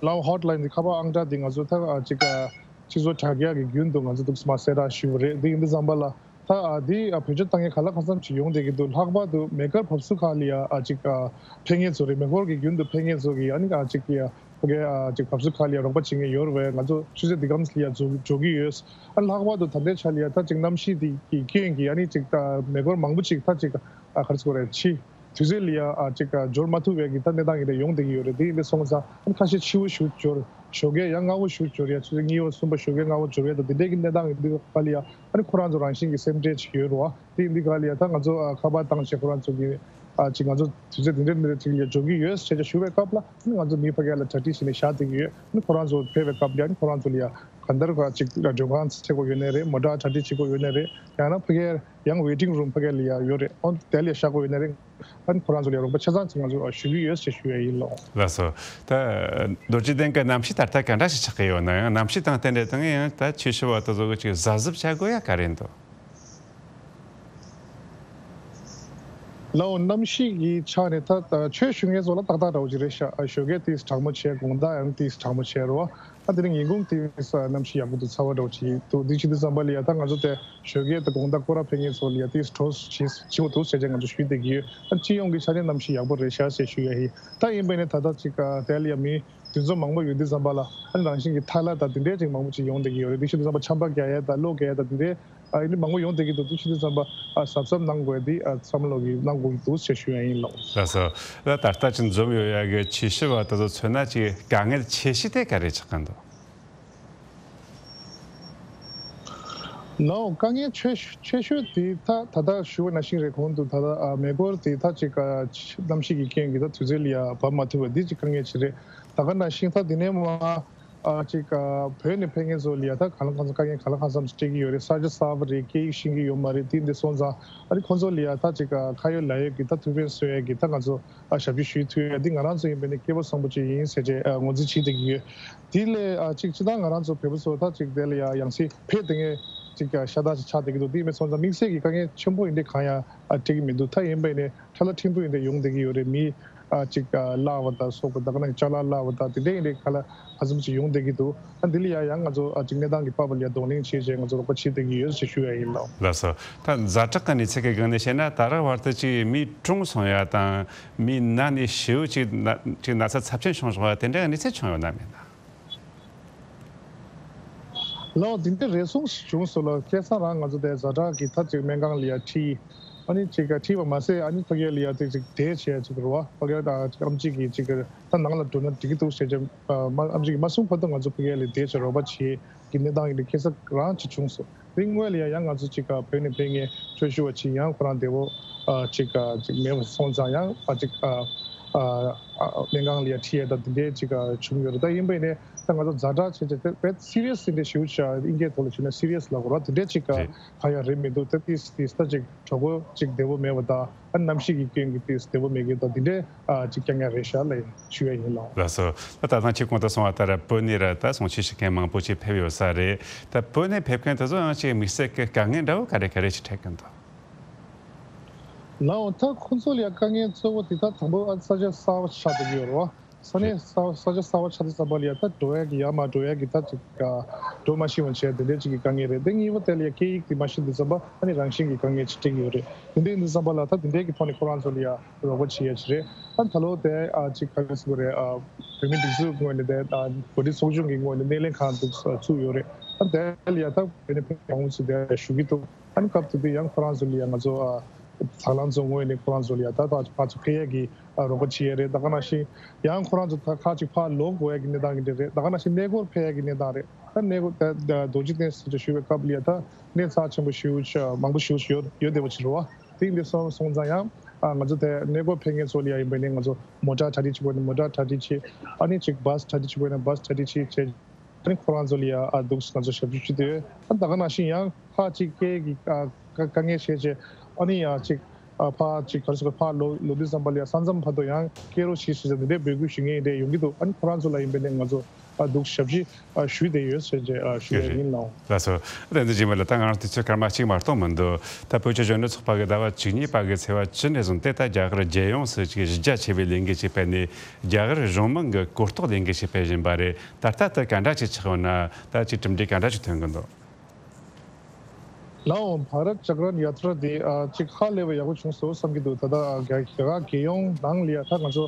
ལའོ་ཧོཊ་ལ་ཡིན་དེ་ཁ་པར་ཨང་གྲངས་དེ་ང་ཚོ་ད་ཨ་ཅིག་ཨ་སྤྱི་ཚོགས་དྲ་རྒྱ་གི་རྒྱུན་དུ་ང་ཚོ་འདུག་སེ་མར་གསལ་བསྒྲགས་ཞུས་པ་རེད། དེ་ཡིན་དུས་ཙམ་པ་ལ་ད་ཨ་དེ་ཨ་བེད་སྤྱོད་བཏང་མཁན་ག་ལ་གང་འཚམ་ཅིག་ཡོང་བསྡད་ཀྱི་འདུག་ལྷག་པར་དུ་མེ་འཁོར་བབས་ཚུགས་ཁག་ལ་ཡ་ཨ་ཅིག་ཨ་ཕེབས་མཁན་ཚོ་རེད། མེ་འཁོར་གྱི་རྒྱུན་དུ་ཕེབས་མཁན་ཚོ་གི་ཨ་ནི་ཨ་ཅིག་ཡ་ཕ་གི་ཨ་ཅིག་བབས་ཚུགས་ཁག་ལ་ཡ་རོགས་པ་བྱེད་མཁན་ཡོད་རེད་པས། ང་ཚོ་ཆུ་ཚོད་འདི་གམ་ལ་ཡ་འགྲོ་འགྲོ་གི་ཡོད། ཨ་ལྷག་པར་དུ་ད་ལྟའི་ཆ་ལ་ཡ་ད་ཅིག་གནམ་གཤིས་འདི་གི་རྐྱེན་གྱིས་ཨ་ནི་ཅིག་ད་མེ་འཁོར་མང་པོ་ཅིག་ད་ཅིག་ཨ་ག་རེ་ཟེར་དགོས་རེད། ཕྱི་དུས་ཚོད་ལ་ཡ་ཨ་ཅིག་འབྱོར་མ་ཐུབ་པའི་གི་ད་གནས་སྟངས་ཡིན་ད་ཡོང་བསྡད་ཀྱི་ཡོད་རེད། དེ་ཡིན་དུས་སོང་ཙང་ཨ་ནི་ཁ་ཤས་ཕྱི་པོ་ཞིག་འབྱོར། ཞོགས་ཀས་ཡང་སྔ་པོ་ཞིག་འབྱོར་ཡ། ཆུ་ཚོད་གཉིས་པ་གསུམ་པ་ཞོགས་ཀས་སྔ་པོ་འབྱོར་ཡ་ད་དེ་འདྲའི་གི་གནས་སྟངས་ཡིན་དུས་ག་ལ་ཡ་ཨ་ནི་ཁོ་རང་ཚོ་རང་བཞིན་གྱི་སེམས་ཁྲལ་ཅིག་ཡོད་རེད་བ། དེ་ཡིན་དུས་ག་ལ་ཡ་ད་ང་ཚོ་ཨ་ཁ་པར་བཏང་བྱས་ཁོ་རང་ཚོ་གི་ཨ་ཅིག་ང་ཚོ་དུས་ཚོད་དེ་འདྲའི་འདི་འདྲ་ཅིག་ལ་འབྱོར་གྱི་ཡོད་ཟེར་བྱས་ཞུ་བའི་སྐབས་ལ་ཨ་ནི་ང་ཚོ་མི་ཕ་གི་ལ་གྲ་སྒྲིག་བྱས་ནས་བཞག་བསྡད་ཀྱི་ཡོད། ཨ་ནི་ཁོ་རང་ཚོ་ཕེབས་པའི་སྐབས་ལ་ཨ་ནི་ཁོ་རང་ཚོ་ལ་ཡ་གང་ལྟར་ག་ཅིག་མགྲོན་ཁང་བཙལ་དགོས་ཡོད་ནའི་རེད། མོ་ཊ་གྲ་སྒྲིག་བྱེད་དགོས་ཡོད་ནའི་རེད། ཡང་ན་ཕ་གིར་ཡང་ཝེ་ཊིང་རུམ་ཕ་གི་ལ་ཡ་ཡོད་རེད། ཨོ་དེ་ལ་ཡ་བཞག་དགོས་ཡོད་ནའི་རེད། ཨ་ནི་ཁོ་རང་ཚོ་ལ་ཡ་རོགས་པ་ཆ་ཚང་ཅིག་ང་ཚོ་ཞུ་གི་ཡོད་ཅེས་ཞུ་ཡ་ཡིན། ལགས་འོང་། ལགས་སོ། ད་རྡོ་རྗེ་གདན་གྱི་གནམ་གཤིས་ད་ལྟ་ག་འདྲ་ཞིག་ཆགས་ཀྱི་ཡོད་ན། ཡང་གནམ་གཤིས་དང་རྟེན་འབྲེལ་དང་ཡང་ད་ཆོས་ཞུ་བ་དེ་ཚོ་གི་ཅིག་གཟབ་གཟབ་བྱ་དགོས་ཡ་ག་རེ་འདུག་ལའོ་གནམ་གཤིས་ཀྱི་ཆ་ནས་ད་ད་ཆོས་ཞུ་མཁན་ཚོ་ལ་ཏག་ཏག་འདྲ་བོ་ཅིག་རེད་ཤག་ཨ་ཞོགས་ཀས་ཏིས་གྲང་མོ་བྱས། དགོང་དག་ཡང་ཏིས་གྲང་མོ་བྱས་རོ། ཨ་དེ་རིང་ཉིན་གུང་ཏིས་གནམ་གཤིས་ཡག་པོ་འདུག་ཚ་བ་འདྲ་བོ་ཅིག་འདུག་དེ་བྱེད་དུས་ཙམ་པ་ལ་ཡ་ད་ང་ཚོ་དེ་ཞོགས་ཀས་དང་དགོང་དག་སྐོར་ར་ཕེབས་མཁན་ཚོ་ལ་ཡ་ཏིས་གྲོགས་བྱེད་བྱེད་དགོས་འདུག་ཟེར་བྱས་ང་ཚོ་ཞུས་བསྡད་ཀྱི་ཡོད། ཨ་སྤྱི་ཡོངས་ཀྱི་ཆ་ནས་གནམ་གཤིས་ཡག་པོ་རེད་ཤག་ཟེར་ཞུ་ཡ་ཡིན། ད་ཡིན་པ་ནས་ད་ལྟ་ཅིག་དེ་ལ་ཡ་མི་དེ་ཚོ་མང་པོ་ཡོད་དུས་ཙམ་པ་ལ་ཨ་ནི་རང་བཞིན་གྱི་ཐལ་བ་དང་དེ་འདྲས་ཅིག་མང་པོ་ཅིག་ཡོང་བསྡད་ཀྱི་ཡོད་རེད། དེ་བྱེད་དུས་ཙམ་པ་ཆམ་པ་རྒྱག་ཡ་དང་གློ་རྒྱག་ཡ་དང་དེ་འདྲས་ཨ་ཡིན་འདི་མང་པོ་ཡོང་བསྡད་ཀྱི་འདུག་དེ་བྱེད་དུས་ཙམ་པ་ཨ་གཟབ་གཟབ་གནང་དགོས་འདི་ཨ་བསམ་བློ་གི་གནང་དགོས་ཀྱི་འདུག་ཞེས་ཞུ་ཡ་ཡིན་ལགས། ལགས་སོ། ད་ད་ལྟ་ཅིག་འཛོམས་ཡོད་ཡ་གི་ཆེ་ཤོས་བ་དེ་ཚོ་མཚོན་ན་ཅིག་དཀའ་ངལ་ཆེ་ཤོས་དེ་ག་རེ་ཆགས་ཀྱི་འདུག་ལའོ་དཀའ་ངལ་ཆེ་ཤོས་ཆེ་ཤོས་དེ་ད་ད་ལྟ་ཞུ་བ་ནང་བཞིན་རེད། གོང་དུ་ད་ལྟ་ཨ་མེ་འཁོར་དེ་ད་ཅིག་ཨ་གནམ་གཤིས་ཀྱི་རྐྱེན་གྱིས་ད་དུས་ཚོད་ལ་ཡ་བབས་མ་ཐུབ་པ་འདི་ཅིག་དཀའ་ངལ་ཅིག་རེད། ད་ག་ནང་བཞིན་ད་དེ་ནས་མ་ཨ་ཅིག་ཨ་བོད་ནས་ཕེབས་མཁན་ཚོ་ལ་ཡ་ད་གང་ལ་གང་འཚམ་དཀའ་ངལ་གང་ལ་གང་འཚམ་ཅིག་འཕྲད་ཀྱི་ཡོད་རེད། ས་ཆ་གསར་པ་རེད། སྐད་ཡིག་ཤེས་ཀྱི་ཡོད་མ་རེད། དེ་འདི་སོང་ཙང་ཨ་ནི་ཁོང་ཚོ་ལ་ཡ་ད་ཅིག་ཨ་ཁ་ཡོད་ལག་ཡོད་ཀྱི་ད་ཐུགས་ཕན་གསོས་ཡ་གི་ད་ང་ཚོ་ཨ་ཞབས་ཕྱི་ཞུ་ཐུབ་ཡ་འདི་ང་རང་ཚོ་ཡིན་པ་ནི་སྐལ་བ་བཟང་པོ་ཅིག་ཡིན་ཟེར་བྱས་ཨ་ངོས་འཛིན་བྱེད་བསྡད་ཀྱི་ཡོད། དེ་ལས་ཨ་ཅིག་སྤྱིར་བཏང་ང་རང་ཚོ་བོད་པ་ཚོ་ད་ཅིག་དེ་ལ་ཡ་ཡང་སེ་ཕེབས་བསྡད་མཁན་ཅིག་ཤ་སྟག་ཅིག་ཆགས་བསྡད་ཀྱི་འདུག་དེ་མིན་སོང་ཙང་དམིགས་བསལ་གྱི་དཀའ་ངལ་ཆེན་པོ་ཡིན་དེ་གང་ཡང་ཨ་འཕྲད་ཀྱི་མི་འདུག་ད་ཡིན་པ་ནི་ཁྲ་ལ་ཕྲན་བུ་ཡིན་དེ་ཡོང་བསྡད་ཀྱི་ཡོད་རེད། མི་ཨ་ཅིག་ཨ་བརླག་པ་དང་སོགས་པ་ད་ག་ནང་ཅ་ལག་བརླག་པ་དང་དེ་འདྲ་ཡིན་དེ་ག་ལ་ག་ཚོད་ཅིག་ཡོང་བསྡད་ཀྱི་འདུག་ཨ་འདི་ལ་ཡ་ཡང་ང་ཚོ་ཨ་ཅིག་གནས་སྟངས་ཀྱི་པར་བ་ལ་ཡ་གདོང་ལེན་བྱས་བྱས་ང་ཚོ་རོགས་པ་བྱེད་བསྡད་ཀྱི་ཡོད་ཞེས་ཞུ་ཡ་ཡིན་ལགས། ལགས་སོ། ད་ཛ་དྲག་གི་གནས་ཚུལ་གྱི་སྒང་ནས་བཤད་ན་ད་རག་བར་དུ་ཅིག་མི་གྲོངས་སོང་ཡ་དང་མི་ན་ནས་ཤི་བོ་ཅིག་ན་ཅིག་ན་ཚ་ཚབས་ཆེན་བྱུང་སོང་བ་དེ་འདྲ་གི་གནས་ཚུལ་བྱུང་ཡོད་ན་མེད་ན། ལགས་འདི་འདྲ་རེ་ཟུང་ཞིག་བྱུང་སོང་ལགས། ཁ་སང་རང་ང་ཚོ་དེ་ཛ་དྲག་གི་ད་ཅིག་སྨན་ཁང་ལ་ཡ་ཁྲིད། ཨ་ནི་ཅིག་ཁྲིད་པ་མ་ཟད་ཨ་ནི་ཕ་གི་ལ་ཡ་དེ་ཅིག་བསྡད་བྱས་ཅིག་རེད་བ། ཕ་གི་ད་ཅིག་ཨམ་ཆི་གི་ཅིག་ད་ནང་ལ་འགྲོ་ན་འགྲིག་གི་འདུག་ཟེར་བྱས་ཨ་མ་ཨམ་ཆི་གིས་མ་གསུངས་བར་དུ་ང་ཚོ་ཕ་གི་ལ་བསྡད་བྱས་རོགས་པ་བྱེད་ཀྱི་གནས་སྟངས་ཡིན་དེ་ཁ་སང་རང་ཅིག་བྱུང་སོང་། དེ་སྔོན་ལ་ཡ་ཡང་ང་ཚོ་ཅིག་བོད་ནས་ཕེབས་མཁན་ཆོས་ཞུ་བ་ཅིག་ཡང་ཁོ་རང་བདེ་པོ་ཨ་ཅིག་ཨ་ཅིག་མེད་པ་སོང་ཙང་ཡང་ཨ་ཅིག་ཨ་ཨ་ཨ་སྨན་ཁང་ལ་ཡ་ཁྲིད་ཡ་ད་དེ་འདྲའི་ཅིག་ཨ་བྱུང་ཡོད་རེད། ད་ཡིན་པ་ཡིན་ནའི་ད་ང་ཚོ་ཛ་དྲག་བྱས་བྱས་དཔེ་སི་རི་ཡ་སི་འདྲ་ཞེ་པོ་ཅིག་ཨ་དབྱིན་སྐད་ཐོག་ལ་བྱས་ན་སི་རི་ཡ་སི་ལབ་དགོས་རེད་བ། དེ་འདྲའི་ཅིག་ཨ་རེད། གང་ཡང་རེད་མི་འདུག་ད་ཏིས་ཏིས་ད་ཅིག་གྲོད་ཁོག་ཅིག་བདེ་པོ་མེད་པ་དང་ཨ་གནམ་གཤིས་ཀྱི་རྐྱེན་གྱིས་ཏིས་བདེ་པོ་མེད་མཁན་དང་དེ་འདྲའི་ཨ་ཅིག་རྐྱང་རྐྱང་རེད་ཤག་ལབ་ཞུ་ཡ་ཡིན་ལགས། ལགས་སོ། ད་ད་ཐེངས་ཁྱེད་གོང་དུ་གསུངས་པ་ལྟར་བོད་ནས་ར་ད་གསུང་ཆོས་ཞུ་མཁན་མང་པོ་ཅིག་ཕེབས་ཡོད་ས་རེད། ད་བོད་ནས་ཕེབས་མཁན་དེ་ཚོ་ཡང་ཅིག་དམིགས་བསལ་གྱི་དཀའ་ངལ་འདྲ་བོ་ག་རེ་ག་རེ་ཅིག་འཕྲད་ཀྱི་འདུག་ལའོ་ད་ཁོང་ཚོ་ལ་ཡ་དཀའ་ངལ་གཙོ་བོ་དེ་ད་དང་པོ་ཨ་ས་ཆ་གསར་པ་ཆགས་བསྡད་ཀྱི་ཡོད་རེད་བ། ས་གནས་གསར་ས་ཆ་གསར་པ་ཆགས་དུས་ཙམ་པ་ལ་ཡ་ད་འགྲོ་ཡ་གི་ཡར་མར་འགྲོ་ཡ་གི་ད་ཅིག་ཨ་འགྲོ་མ་ཤེས་པ་བྱས་དེ་འདྲའི་ཅིག་གི་དཀའ་ངལ་རེད། དེ་གཉིས་པ་དེ་ལ་ཡ་སྐད་ཡིག་དེ་མ་ཤེས་དུས་ཙམ་པ་ཨ་ནི་རང་བཞིན་གྱི་དཀའ་ངལ་ཅིག་འཕྲད་ཀྱི་ཡོད་རེད། དེ་འདྲ་ཡིན་དུས་ཙམ་པ་ལ་ད་དེ་འདྲའི་གི་ཐོག་ནས་ཁོ་རང་ཚོ་ལ་ཡ་རོགས་པ་བྱེད་ཡ་ཅིག་རེད། ཨ་ད་ལོ་དེ་ཨ་ཅིག་ག་རེ་ཟེར་དགོས་རེད། ཨ་བོད་མི་སྒྲིག་འཛུགས་ངོས་ནས་དེ་ཨ་བོད་རིགས་ཚོགས་ཆུང་གི་ངོས་ནས་སྣེ་ལེན་ཁང་འདུག་བཙུགས་ཡོད་རེད། ཨ་དེ་ལ་ཡ་ད་བོད་ནས་ཕེབས་མང་པོ་ཅིག་དེ་ཞུ་གི་འདུག་ཨ་ནི་སྐབས་དེ་དུས་ཡང་ཁོ་རང་ཚོ་ལ་ཡང་ང་ཚོ་ཨ་དང་བླངས་ཚོ་ངོས་ནས་ཁོ་རང་ཚོ་ལ་ཡང་ད་ཕར་ཕར་ཚུར་ཕེབས་ཡས་ཀྱི་ཨ་རོགས་པ་བྱེད་ཡས་རེད། ད་ག་ནང་བཞིན་ཡང་ཁོ་རང་ཚོ་ད་ཁ་ཅིག་ཕར་ལོག་དགོས་ཡས་ཀྱི་གནས་སྟངས་ཀྱི་འདྲ་རེད། ད་ག་ནང་བཞིན་གནས་སྐོར་ཕེབས་ཡས་ཀྱི་གནས་སྟངས་རེད། ད་གནས་སྐོར་ད་ད་རྡོ་རྗེ་གདན་ཟེར་ཅིག་ཞུ་བའི་སྐབས་ལ་ཡང་ད་གནས་རྩ་ཆེན་པོ་ཞེ་པོ་ཅིག་མང་པོ་ཞེ་པོ་ཅིག་ཡོད་ཡོད་བསྡད་པ་ཅིག་རེད་བ། དེ་འདི་སོང་སོང་ཙང་ཡང་ཨ་ང་ཚོ་དེ་གནས་སྐོར་ཕེབས་མཁན་ཚོ་ལ་ཡང་ཡིན་པ་ནས་ང་ཚོ་མོ་ཊ་གྲ་སྒྲིག་བྱེད་དགོས་ན་མོ་ཊ་གྲ་སྒྲིག་བྱེད། ཨ་ནི་ཅིག་བྷ་སི་གྲ་སྒྲིག་བྱེད་དགོས་ན་བྷ་སི་གྲ་སྒྲིག་བྱེད་བྱས། ཨ་ནི་ཁོ་རང་ཚོ་ལ་ཡ་ཨ་འདུག་ང་ཚོ་ཞབས་ཞུ་ཞུ་དེ་ཡོད། ཨ་ད་ག་ནང་བཞིན་ཡང་ཕར་ཅིག་སྐད་ཀྱི་ཨ་དཀའ་དཀའ་ངལ་བྱས་བྱས། ཨ་ནི་ཡ་ཅིག་ཨ་ཕར་ཅིག་ག་རེ་ཟེར་དགོས། ཕར་ལོག་ལོག་དུས་ཙམ་པ་ལ་ཡ་ས་མཚམས་བར་དུ་ཡང་སྐྱེལ་རོགས་བྱེད་ཟེར་ཟེར་འདི་འདྲའི་འབོད་སྐུལ་ཞུ་མཁན་འདྲ་ཡོང་གི་འདུག་ཨ་ནི་ཁོ་རང་ཚོ་ལ་ཡིན་པ་ནས་ང་ཚོ་ཨ་འདུག་ཞབས་ཕྱི་ཨ་ཞུས་བསྡད་ཡོད་ཟེར་བྱས་ཨ་ཞུ་ཡ་ཡིན་ལགས། ལགས་སོ། ཨ་དེ་འདི་རྗེས་མ་ལ་ད་ང་རང་དུས་ཚོད་སྐར་མ་གཅིག་མ་གཏོགས་མི་འདུག་ད་བོད་ཀྱི་གཞོན་ནུ་ཚོགས་པ་གི་ཟླ་བ་བཅུ་གཉིས་པ་གི་ཚེས་པ་བཅུ་ནས་བཟུང་སྟེ་ད་རྒྱ་གར་རྒྱལ་ཡོངས་སུ་ཅིག་གཞི་རྒྱ་ཆེ་བའི་ལས་འགུལ་ཅིག་སྤེལ་ནས། རྒྱ་གར་གཞུང་མང་གི་གོ་རྟོགས་ལས་འགུལ་ཞིག་སྤེལ་བཞིན་པ་རེད། ད་ལྟ་ད་ག་འདྲ་ཅིག་ཆགས་ཡོད་ན། ད་ཅིག་གྲུབ་འབྲས་ག་འདྲ་ཅིག་ཐོན་གི་འདུག་ལའོ་བྷ་རཏ་ཅག་རན་ཡ་ཏྲ་དེ་ཨ་ཅིག་ཧ་ལས་པ་ཡག་པོ་བྱུང་སོང་བསམ་གྱི་འདུག་ད་ལྟ་ཨ་རྒྱ་རྒྱ་གར་རྒྱལ་ཡོངས་ནང་ལ་ཡ་ད་ང་ཚོ་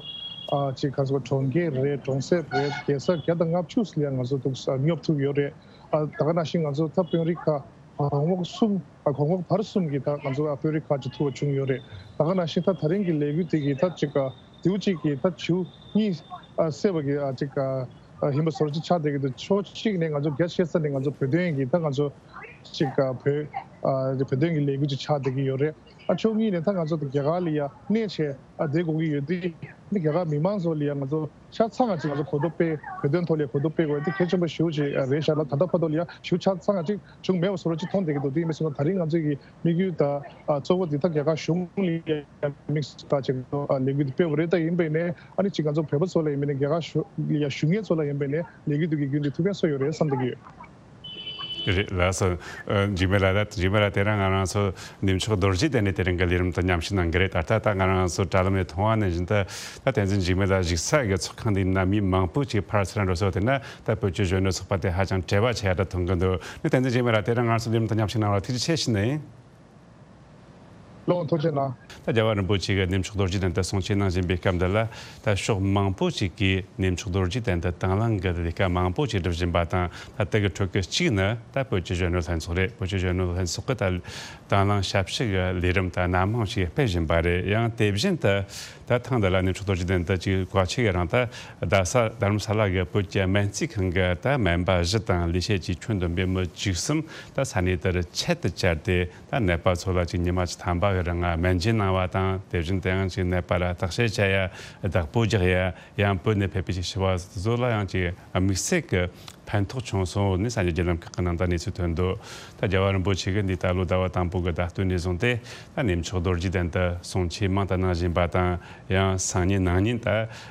ཨ་ཅིག་ག་ཚོད་གྲོང་ཁྱེར་རེད། གྲོང་གསེབ་རེད། རྒྱལ་ས་བརྒྱ་དང་ལྔ་བཅུ་ལ་ཡ་ང་ཚོ་འདུག་ཨ་སྙོབ་ཐུབ་ཡོད་རེད། ཨ་ད་ག་ནང་བཞིན་ང་ཚོ་ད་དཔོན་རིགས་ཁག་གོང་འོག་གསུམ། ཨ་གོང་འོག་བར་གསུམ་གྱི་ད་ང་ཚོ་ཨ་དཔོན་རིགས་ཁག་ཅིག་ཐུག་པ་བྱུང་ཡོད་རེད། ད་ག་ནང་བཞིན་ད་ད་རིང་གི་ལས་འགུལ་དེ་གི་ད་ཅིག་ཨ་དེའུ་གཅིག་གི་ད་བྱིའུ་གཉིས་ཨ་བསད་པ་གི་ཨ་ཅིག་ཨ་ཨ་ཡིན་པ་བཟོ་འདྲ་ཅིག་ཆགས་བསྡད་ཀྱི་འདུག་ཕྱོགས་གཅིག་ནས་ང་ཚོ་རྒྱ་ཆེ་ས་ནས་ང་ཚོ་བོད་དོན་གྱི་ད་ང་ཚོ་ཅིག་ཨ་བོད་ཨ་བོད་དོན་གྱི་ལས་འགུལ་ཅིག་ཆགས་བསྡད་ཀྱི་ཡོད་རེད། ཨ་ཕྱོགས་གཉིས་ནས་ད་ང་ཚོ་ད་རྒྱ་གར་ལ་ཡ་གནས་བྱས་ཨ་བསྡད་དགོས་ཀྱི་ཡོད་དུས། འདི་རྒྱ་གར་མི་མང་ཚོ་ལ་ཡང་ང་ཚོ་ཆ་ཚང་ང་ཅིག་ང་ཚོ་གོ་རྟོགས་སྤེལ། བོད་དོན་ཐོག་ལ་གོ་རྟོགས་སྤེལ་དགོས་འདི་གལ་ཆེན་པོ་ཞེ་པོ་ཅིག་རེད་ཤག་ལ། ད་ལྟ་བར་དུ་ལ་ཡང་ཞེ་པོ་ཆ་ཚང་ང་ཅིག་བྱུང་མེད་པ་བཟོ་འདྲ་ཅིག་མཐོང་བསྡད་ཀྱི་འདུག་དེ་ཡིན་པ་སོང་ན་ད་རིང་ང་ཚོ་གི་དམིགས་ཡུལ་ད་ཨ་གཙོ་བོ་འདི་ད་རྒྱ་གར་གཞུང་ལ་ཡང་དམིགས་སུ་བཏང་བྱས་ང་ཚོ་ཨ་ལས་འགུལ་འདི་སྤེལ་བ་རེད། ད་ཡིན་པ་ཡིན་ནའི་ཨ་ནི་ཅིག་ང་ཚོ་བོད་པ་ཚོ་ལ་ཡིན་པ་ཡིན་ནའི་རྒྱ་གར་གཞུང་ལ་ཡང་ཞུ་མཁན་ཚོ་ལ་ཡིན་པ་ཡིན་ནའི་ལས་འགུལ་འདི་གི་བརྒྱུད་འདི་ཐུགས་ཕན་གསོས་ཡོད་རེད་བསམ་བསྡད་ཀྱི་ཡོད། རེད་ལགས་སོ། ཨ། འཇིགས་མེད་ལགས། ད་འཇིགས་མེད་ལགས་དེ་རིང་ང་རང་ཚོ་གནས་མཆོག་རྡོ་རྗེ་གདན་ནས་དེ་རིང་གི་ལས་རིམ་དང་མཉམ་ཞུགས་གནང་གི་རེད། ད་ལྟ་ད་ང་རང་ཚོ་དྲ་ལམ་ནས་མཐོང་བ་ནང་བཞིན་དུ་ད་བསྟན་འཛིན་འཇིགས་མེད་ལགས་བཞུགས་ས་གི་ཚོགས་ཁང་འདི་ན་མི་མང་པོ་ཅིག་ཕར་ཚུར་འགྲོ་སོང་། དེ་ན་ད་བོད་ཀྱི་གཞོན་ནུ་ཚོགས་པ་དེ་ཧ་ཅང་བྲེལ་བ་ཆེ་ཡ་འདྲ་མཐོང་གི་འདུག་ནི་བསྟན་འཛིན་འཇིགས་མེད་ལགས་དེ་རིང་ང་རང་ཚོ་ལས་རིམ་དང་མཉམ་ཞུགས་གནང་བར་ཐུགས་རྗེ་ཆེ་ཞུ་ནི་ཡིན། ལོ་ཐུགས་རྗེ་གནང་། ད་རྒྱལ་བ་རིན་པོ་ཆེ་གིས་གནས་མཆོག་རྡོ་རྗེ་གདན་དུ་གསུང་ཆོས་གནང་བཞིན་པའི་སྐབས་འདི་ལ། ད་ཕྱོགས་མང་པོ་ཞིག་གིས་གནས་མཆོག་རྡོ་རྗེ་གདན་དུ་དང་བླངས་ཀྱི་ལས་ཀ་མང་པོ་ཞིག་སྒྲུབ་བཞིན་པ་དང་། ད་དེ་གི་ཁྲོད་ཀྱི་གཅིག་ནི་ད་བོད་ཀྱི་གཞོན་ནུ་ལྷན་ཚོགས་རེད། བོད་ཀྱི་གཞོན་ནུ་ལྷན་ཚོགས་ཀྱིས་ད་དང་བླངས་ཞབས་ཕྱི་གི་ལས་རིམ་ད་སྣ་མང་ཞིག་སྤེལ་བཞིན་པ་རེད། ཡང་དེ་བཞིན་དུ་ད་ཐེངས་འདི་ལ་གནས་མཆོག་རྡོ་རྗེ་གདན་དུ་ཅིག་བཀའ་ཆོས་ཀྱི་རིང་ད་རྡ་ས་རྡ་རམ་ས་ལ་གི་བོད་ཀྱི་སྨན་རྩིས་ཁང་གི་ད་སྨན་པ་བཞི་དང་ལས་བྱེད་ཀྱི་ཁྱོན་བསྡོམས་པའི་མི་བཅུ་གསུམ་ད་ས་གནས་དེར་ཆེད་དུ་བཅར་ཏེ། ད་ནད་པ་ཚོ་ལ་ཅིག་ཉི་མ་བཅུ་ཐམ་པ་གི་རིང་ང་སྨན་བཅོས་གནང་བ་དང་། དེ་བཞིན་དུ་ཡང་ཅིག་ནད་པ་ལ་བརྟག་དཔྱད་བྱ་ཡ། བདག་པོ་རྒྱག་ཡ། ཡང་བོད་ནས་ཕེབས་པའི་ཅིག་ཞི་བ་ཚོ་ལ་ཡང་ཅིག་དམིགས་བསལ་གྱི་ཕན་ཐོགས་བྱུང་སོང་ནི་གསར་འགྱུར་བརྒྱུད་ལམ་ཁག་གི་ནང་ད་གནས་ཚུལ་ཐོན་འདུག་ད་རྒྱལ་བ་རིན་པོ་ཆེ་གིས་འདི་ད་ལོ་ཟླ་བ་དང་པོ་གི་ཟླ་སྟོད་ནས་བཟུང་སྟེ་ད་གནས་མཆོག་རྡོ་རྗེ་གདན་དུ་གསུང་ཆོས་མང་དུ་གནང་བཞིན་པ་དང་། ཡང་སང་ཉིན་གནངས་ཉིན་ད་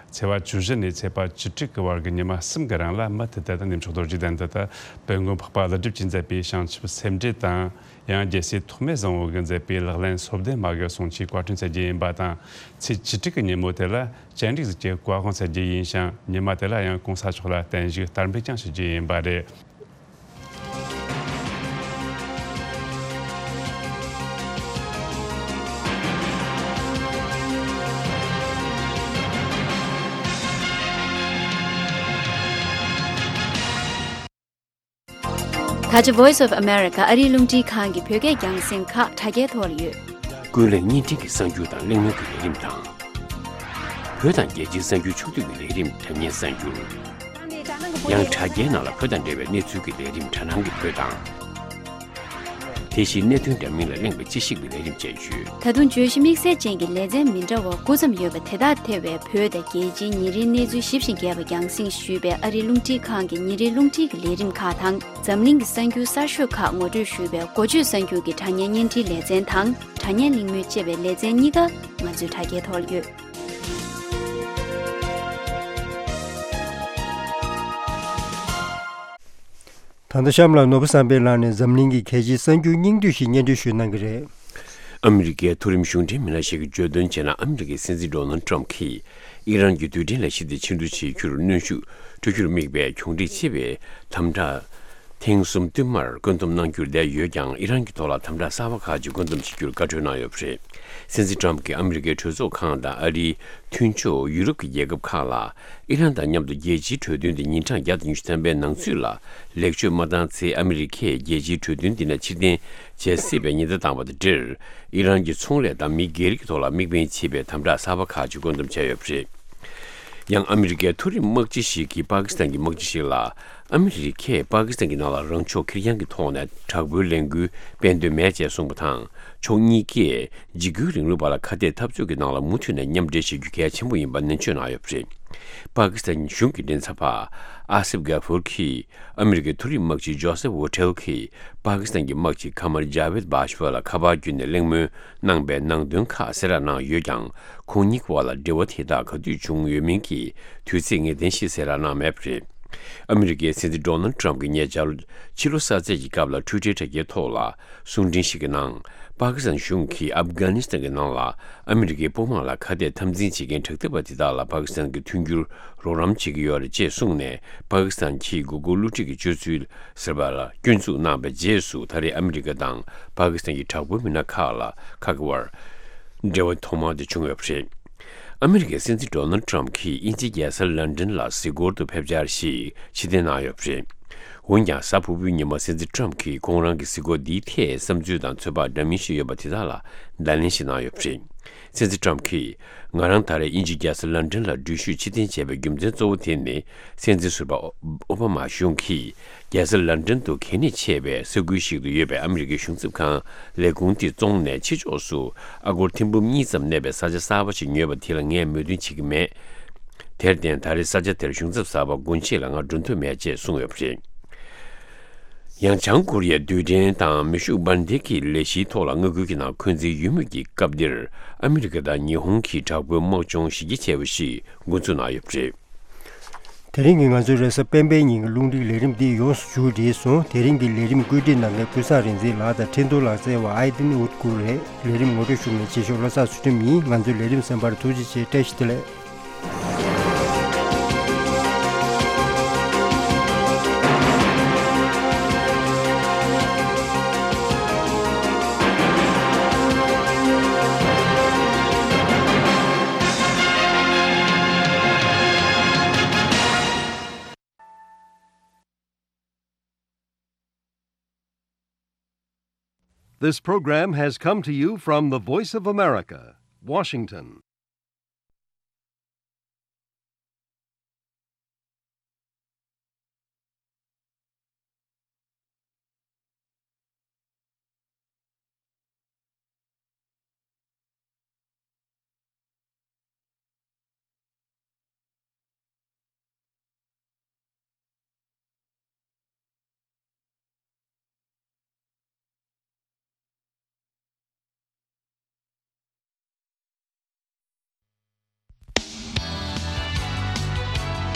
ཚེས་པ་བཅུ་བཞི་ནས་ཚེས་པ་བཅུ་དྲུག་གི་བར་གྱི་ཉི་མ་གསུམ་གྱི་རིང་ལ་མུ་མཐུད་དུ་ད་གནས་མཆོག་རྡོ་རྗེ་གདན་དུ་ད་དཔལ་མགོན་འཕགས་པ་ཀླུ་སྒྲུབ་ཀྱིས་མཛད་པའི་བྱང་ཆུབ་སེམས་འགྲེལ་དང་། ཡང་རྒྱལ་སྲས་ཐོགས་མེད་བཟང་པོ་གིས་མཛད་པའི་ལག་ལེན་སོ་བདུན་མ་གི་གསུང་ཆོས་བཀའ་དྲིན་སྩལ་རྒྱུ་ཡིན་པ་དང་། ཚེས་བཅུ་དྲུག་གི་ཉིན་མོ་དེ་ལ་སྤྱན་རས་གཟིགས་ཀྱི་བཀའ་དབང་སྩལ་རྒྱུ་ཡིན་ཞིང་། ཉི་མ་དེ་ལ་ཡང་གོང་ས་མཆོག་ལ་བརྟན་བཞུགས་དར་འབུལ་ཀྱང་ཞུ་རྒྱུ་ཡིན་པ་རེད། ད་ཆ་Voice of America ཨ་རིའི་རླུང་འཕྲིན་ཁང་གི་བོད་སྐད་རྒྱང་སྲིང་ཁག་དྲ་རྒྱའི་ཐོག་ལ་ཡོད། ཀུན་གླེང་བརྙན་འཕྲིན་གྱི་གསར་འགྱུར་དང་གླེང་མོལ་གྱི་ལས་རིམ་དང་། བོད་དང་རྒྱལ་སྤྱིའི་གསར་འགྱུར་ཕྱོགས་བསྡུས་ཀྱི་ལས་རིམ་དྲ་བརྙན་གསར་འགྱུར། ཡང་དྲ་རྒྱའི་ནང་ལ་བོད་དང་འབྲེལ་བའི་གནས་ཚུལ་གྱི་ལས་རིམ་དྲ་སྣང་གི་བོད་དང་། དེ་བཞིན་གནད་དོན་འདྲ་མིན་ལ་གླེང་བའི་དཔྱད་ཞིབ་ཀྱི་ལས་རིམ་བཅས་ཡོད། ད་དུང་བརྗོད་གཞི་དམིགས་བསལ་ཅན་གྱི་ལེ་ཚན་མི་འདྲ་བ་དགུ་ཙམ་ཡོད་པ་དེ་དག་ཐེ་བའི་བོད་དང་རྒྱལ་སྤྱིའི་ཉིན་རེའི་གནས་ཚུལ་ཞིབ་ཅིང་རྒྱས་པ་རྒྱང་སྲིང་ཞུས་པའི་ཨ་རིའི་རླུང་འཕྲིན་ཁང་གི་ཉིན་རེའི་རླུང་འཕྲིན་གྱི་ལས་རིམ་ཁག་དང་། འཛམ་གླིང་གི་གསར་འགྱུར་གསར་ཤོས་ཁག་ངོ་སྤྲོད་ཞུས་པའི་འགོ་བརྗོད་གསར་འགྱུར་གྱི་དྲ་བརྙན་བརྙན་འཕྲིན་ལེ་ཚན་དང་། དྲ་བརྙན་གླེང་མོལ་ཅེས་པའི་ལེ་ཚན་གཉིས་ཀ་ང་ཚོའི་དྲ་རྒྱའི་ཐོག་ལ་ཡོད། ད་ལྟ་གཤམ་ལ་ནོར་བུ་བསམ་འཕེལ་ལགས་ནས་འཛམ་གླིང་གི་གལ་ཆེའི་གསར་འགྱུར་སྙིང་བསྡུས་ཤིག་སྙན་སྒྲོན་ཞུ་གནང་གི་རེད། ཨ་མི་རི་ཀའི་མཐོ་རིམ་གཞུང་འབྲེལ་མི་སྣ་ཞིག་གིས་བརྗོད་དོན་བྱས་ན། ཨ་མི་རི་ཀའི་སྲིད་འཛིན་ཌོ་ནལ་ཊམ་གྱིས་ཨི་རན་གྱི་རྡུལ་ཕྲན་ལས་གཞི་དེ་ཕྱིར་བསྡུ་བྱེད་རྒྱུར་གནོན་ཤུགས་སྤྲོད་རྒྱུར་དམིགས་པའི་གྱོང་འགྲིག་ཆེ་བའི་དམ་དྲག་ཐེངས་གསུམ་བསྟུད་མར་བཀོད་འདོམས་གནང་རྒྱུར་བསྡད་ཡོད་ཀྱང་། ཨི་རན་གྱི་ཐོག་ལ་དམ་དྲག་གསར་པ་ཁག་ཅིག་བཀོད་འདོམས་བྱེད་རྒྱུར་བཀའ་འཁྲོལ་གནང་ཡོད་པ་རེད། སྲིད་འཛིན་ཊམ་གྱིས་ཨ་མི་རི་ཀའི་གྲོས་ཚོགས་ཁང་དང་ཨ་རིའི་མཐུན་ཕྱོགས་ཡུ་རོབ་ཀྱི་རྒྱལ་ཁབ་ཁག་ལ། ཨི་རན་དང་མཉམ་དུ་རྒྱལ་སྤྱིའི་གྲོས་མཐུན་དེ་ཉིན་གྲངས་བརྒྱ་དང་ཉི་ཤུ་ཐམ་པའི་ནང་ཚུད་ལ་ལེགས་བཅོས་མ་བཏང་ཚེ། ཨ་མི་རི་ཀས་རྒྱལ་སྤྱིའི་གྲོས་མཐུན་འདི་ནས་ཕྱིར་འཐེན་བྱེད་སྲིད་པའི་ཉེན་བརྡ་བཏང་བ་དང་འབྲེལ། ཨི་རན་གྱི་ཚོང་ལས་དང་མི་སྒེར་གྱི་ཐོག་ལ་དམིགས་འབེན་བྱེད་པའི་དམ་དྲག་གསར་པ་ཁག་ཅིག་བཀོད་འདོམས་བྱས་ཡོད་པ་རེད། ཡང་ཨ་མི་རི་ཀའི་མཐོ་རིམ་དམག་སྤྱི་ཞིག་གིས་པ་ཀི་སི་ཐན་གྱི་དམག་སྤྱི་ཞིག་ལ། ཨ་མི་རི་ཀས་པ་ཀི་སི་ཐན་གྱི་ནང་ལ་རང་ཕྱོགས་ཁེར་རྐྱང་གི་ཐོག་ནས་དྲག་པོའི་ལས་འགུལ་སྤེལ་འདོད་མེད་ཅེས་གསུངས་པ་དང་། ཕྱོགས་གཉིས་ཀས་འཇིགས་སྐུལ་རིང་ལུགས་པ་ལ་ཁ་གཏད་འཐབ་རྩོད་ཀྱི་ནང་ལ་མུ་མཐུད་ནས་མཉམ་འབྲེལ་བྱེད་རྒྱུ་གལ་ཆེན་པོ་ཡིན་པ་ནན་བརྗོད་གནང་ཡོད་པ་རེད། པ་ཀི་སི་ཐན་གཞུང་གི་མགྲིན་ཚབ་པ་ཨ་སིབ་གྷ་ཧྥུར་གྱིས། ཨ་མི་རི་ཀའི་མཐོ་རིམ་དམག་སྤྱི་ཇོ་སེབ་ཝོ་ཊེལ་གྱིས་པ་ཀི་སི་ཐན་གྱི་དམག་སྤྱི་ཁ་མར་ཇཱ་ཝེད་བྷ་ཤ་ཝ་ལ་ཁ་པར་བརྒྱུད་ནས་གླེང་མོལ་གནང་པའི་ནང་དོན་ཁག་གསལ་བསྒྲགས་གནང་ཡོད་ཀྱང་། ཁོང་གཉིས་བར་ལ་འབྲེལ་བ་དེ་དག་ག་དུས་བྱུང་ཡོད་མིན་གྱི་དུས་ཚིགས་ངེས་གཏན་ཞིག་གསལ་བསྒྲགས་གནང་མེད་པ་རེད། ཨ་མི་རི་ཀའི་སྲིད་འཛིན་ཌོ་ནལ་ཊམ་གྱིས་ཉེ་ཆར་ཕྱི་ལོ་གསར་ཚེས་ཀྱི་སྐབས་ལ་ཊུའི་ཊར་དྲ་རྒྱའི་ཐོག་ལ། གསུང་འཕྲིན་ཞིག་གི་ནང་། པ་ཀི་སི་ཐན་གཞུང་གིས་ཨབ་གྷ་ནི་སི་ཐན་གྱི་ནང་ལ་ཨ་མི་རི་ཀའི་དཔུང་དམག་ལ་ཁ་གཏད་འཐབ་འཛིང་བྱེད་མཁན་དྲག་འཐབ་པ་དེ་དག་ལ་པ་ཀི་སི་ཐན་གྱིས་མཐུན་འགྱུར་རོགས་རམ་བྱེད་ཀྱི་ཡོད་རེད་ཅེས་གསུངས་ནས། པ་ཀི་སི་ཐན་གྱིས་མགོ་སྐོར་བསླུ་བྲིད་ཀྱི་སྤྱོད་ཚུལ་ཟེར་བ་ལ་སྐྱོན་འཛུགས་གནང་བའི་རྗེས་སུ། ད་རེས་ཨ་མི་རི་ཀ་དང་པ་ཀི་སི་ཐན་གྱི་དྲག་པོའི་མི་སྣ་ཁག་ལ་ཁག་གི་བར་འབྲེལ་བ་ཐོག་མ་དེ་བྱུང་ཡོད་པ་རེད། ཨ་མི་རི་ཀའི་སྲིད་འཛིན་ཌོ་ནལ་ཊམ་གྱིས་དབྱིན་ཇིའི་རྒྱལ་ས་ལན་ཌན་ལ་གཟིགས་སྐོར་དུ་ཕེབས་འཆར་ཞིག་ཕྱིར་འཐེན་གནང་ཡོད་པ་རེད། འོན་ཀྱང་། གཟའ་ཕུར་བུའི་ཉིན་མ་སྲིད་འཛིན་ཊམ་གྱིས་ཁོང་རང་གི་གཟིགས་སྐོར་འདིའི་ཐད་བསམ་ཚུལ་དང་ཚོད་དཔག་འདྲ་མིན་ཞིག་ཡོད་པ་དེ་དག་ལ་བརྡ་ལན་ཞིག་གནང་ཡོད་པ་རེད། སྲིད་འཛིན་ཊམ་གྱིས། ང་རང་ད་རེས་དབྱིན་ཇིའི་རྒྱལ་ས་ལན་ཌན་ལ་འགྲུལ་བཞུད་ཕྱིར་འཐེན་བྱས་པའི་རྒྱུ་མཚན་གཙོ་བོ་དེ་ནི། སྲིད་འཛིན་ཟུར་པ་ཨོ་བྷ་མ་གཞུང་གིས། རྒྱལ་ས་ལན་ཌན་དུ་གལ་གནད་ཆེ་བའི་ས་ཁུལ་ཞིག་ཏུ་ཡོད་པའི་ཨ་མི་རི་ཀའི་གཞུང་ཚབ་ཁང་ལས་ཁུངས་དེ་བཙོངས་ནས། ཕྱི་ཕྱོགས་སུ་ཨ་སྒོར་ཐེར་འབུམ་གཉིས་ཙམ་གནས་པའི་ས་ཆ་གསར་པ་ཞིག་ཉོས་པ་དེ་ལ་ངས་མོས་མཐུན་བྱེད་ཀྱི་མེད། དེར་བརྟེན། ད་རེས་ས་ཆ་དེར་གཞུང་ཚབ་གསར་པ་དགོངས་བཞེས་ལ་ང་འགྲོ་འདོད་མེད་ཅེས་གསུངས་ཡོད་པ་རེད། ཡང་། བྱང་ཀོ་རི་ཡའི་རྡུལ་ཕྲན་དང་མེ་ཤུགས་འབར་མདེལ་གྱི་ལས་གཞིའི་ཐོག་ལ་མངའ་ཁུལ་གྱི་ནང་འཁོན་འཛིན་ཡོད་མུས་ཀྱི་སྐབས་འདིར། ཨ་མི་རི་ཀ་དང་ཉི་ཧོང་གི་དྲག་པོའི་དམག་སྦྱོང་གཞི་རྒྱ་ཆེ་བ་ཞིག་འགོ་འཛུགས་གནང་ཡོད་པ་རེད། དེ་རིང་གི་ང་ཚོའི་རེས་གཟའ་སྤེན་པའི་ཉིན་གྱི་རླུང་འཕྲིན་ལས་རིམ་འདི་ཡོངས་སུ་མཇུག་བསྒྲིལ་སོང་། དེ་རིང་གི་ལས་རིམ་བཀོད་སྒྲིག་གནང་མཁན་ཀུན་བཟང་རིག་འཛིན་ལགས་དང་འཕྲིན་གཏོང་ལག་རྩལ་བ་ཨའི་ཏིན་ཨུད་ཀུར་རེད། ལས་རིམ་ངོ་སྤྲོད་ཞུ་མཁན་ཆེ་ཤོས་བློ་བཟང་ཚུལ་ཁྲིམས་ཡིན། ང་ཚོའི་ལས་རིམ་གསན་པར་ཐུགས་རྗེ་ཆེ། བཀྲ་ཤིས་བདེ་ལེགས། This program has come to you from the Voice of America, Washington.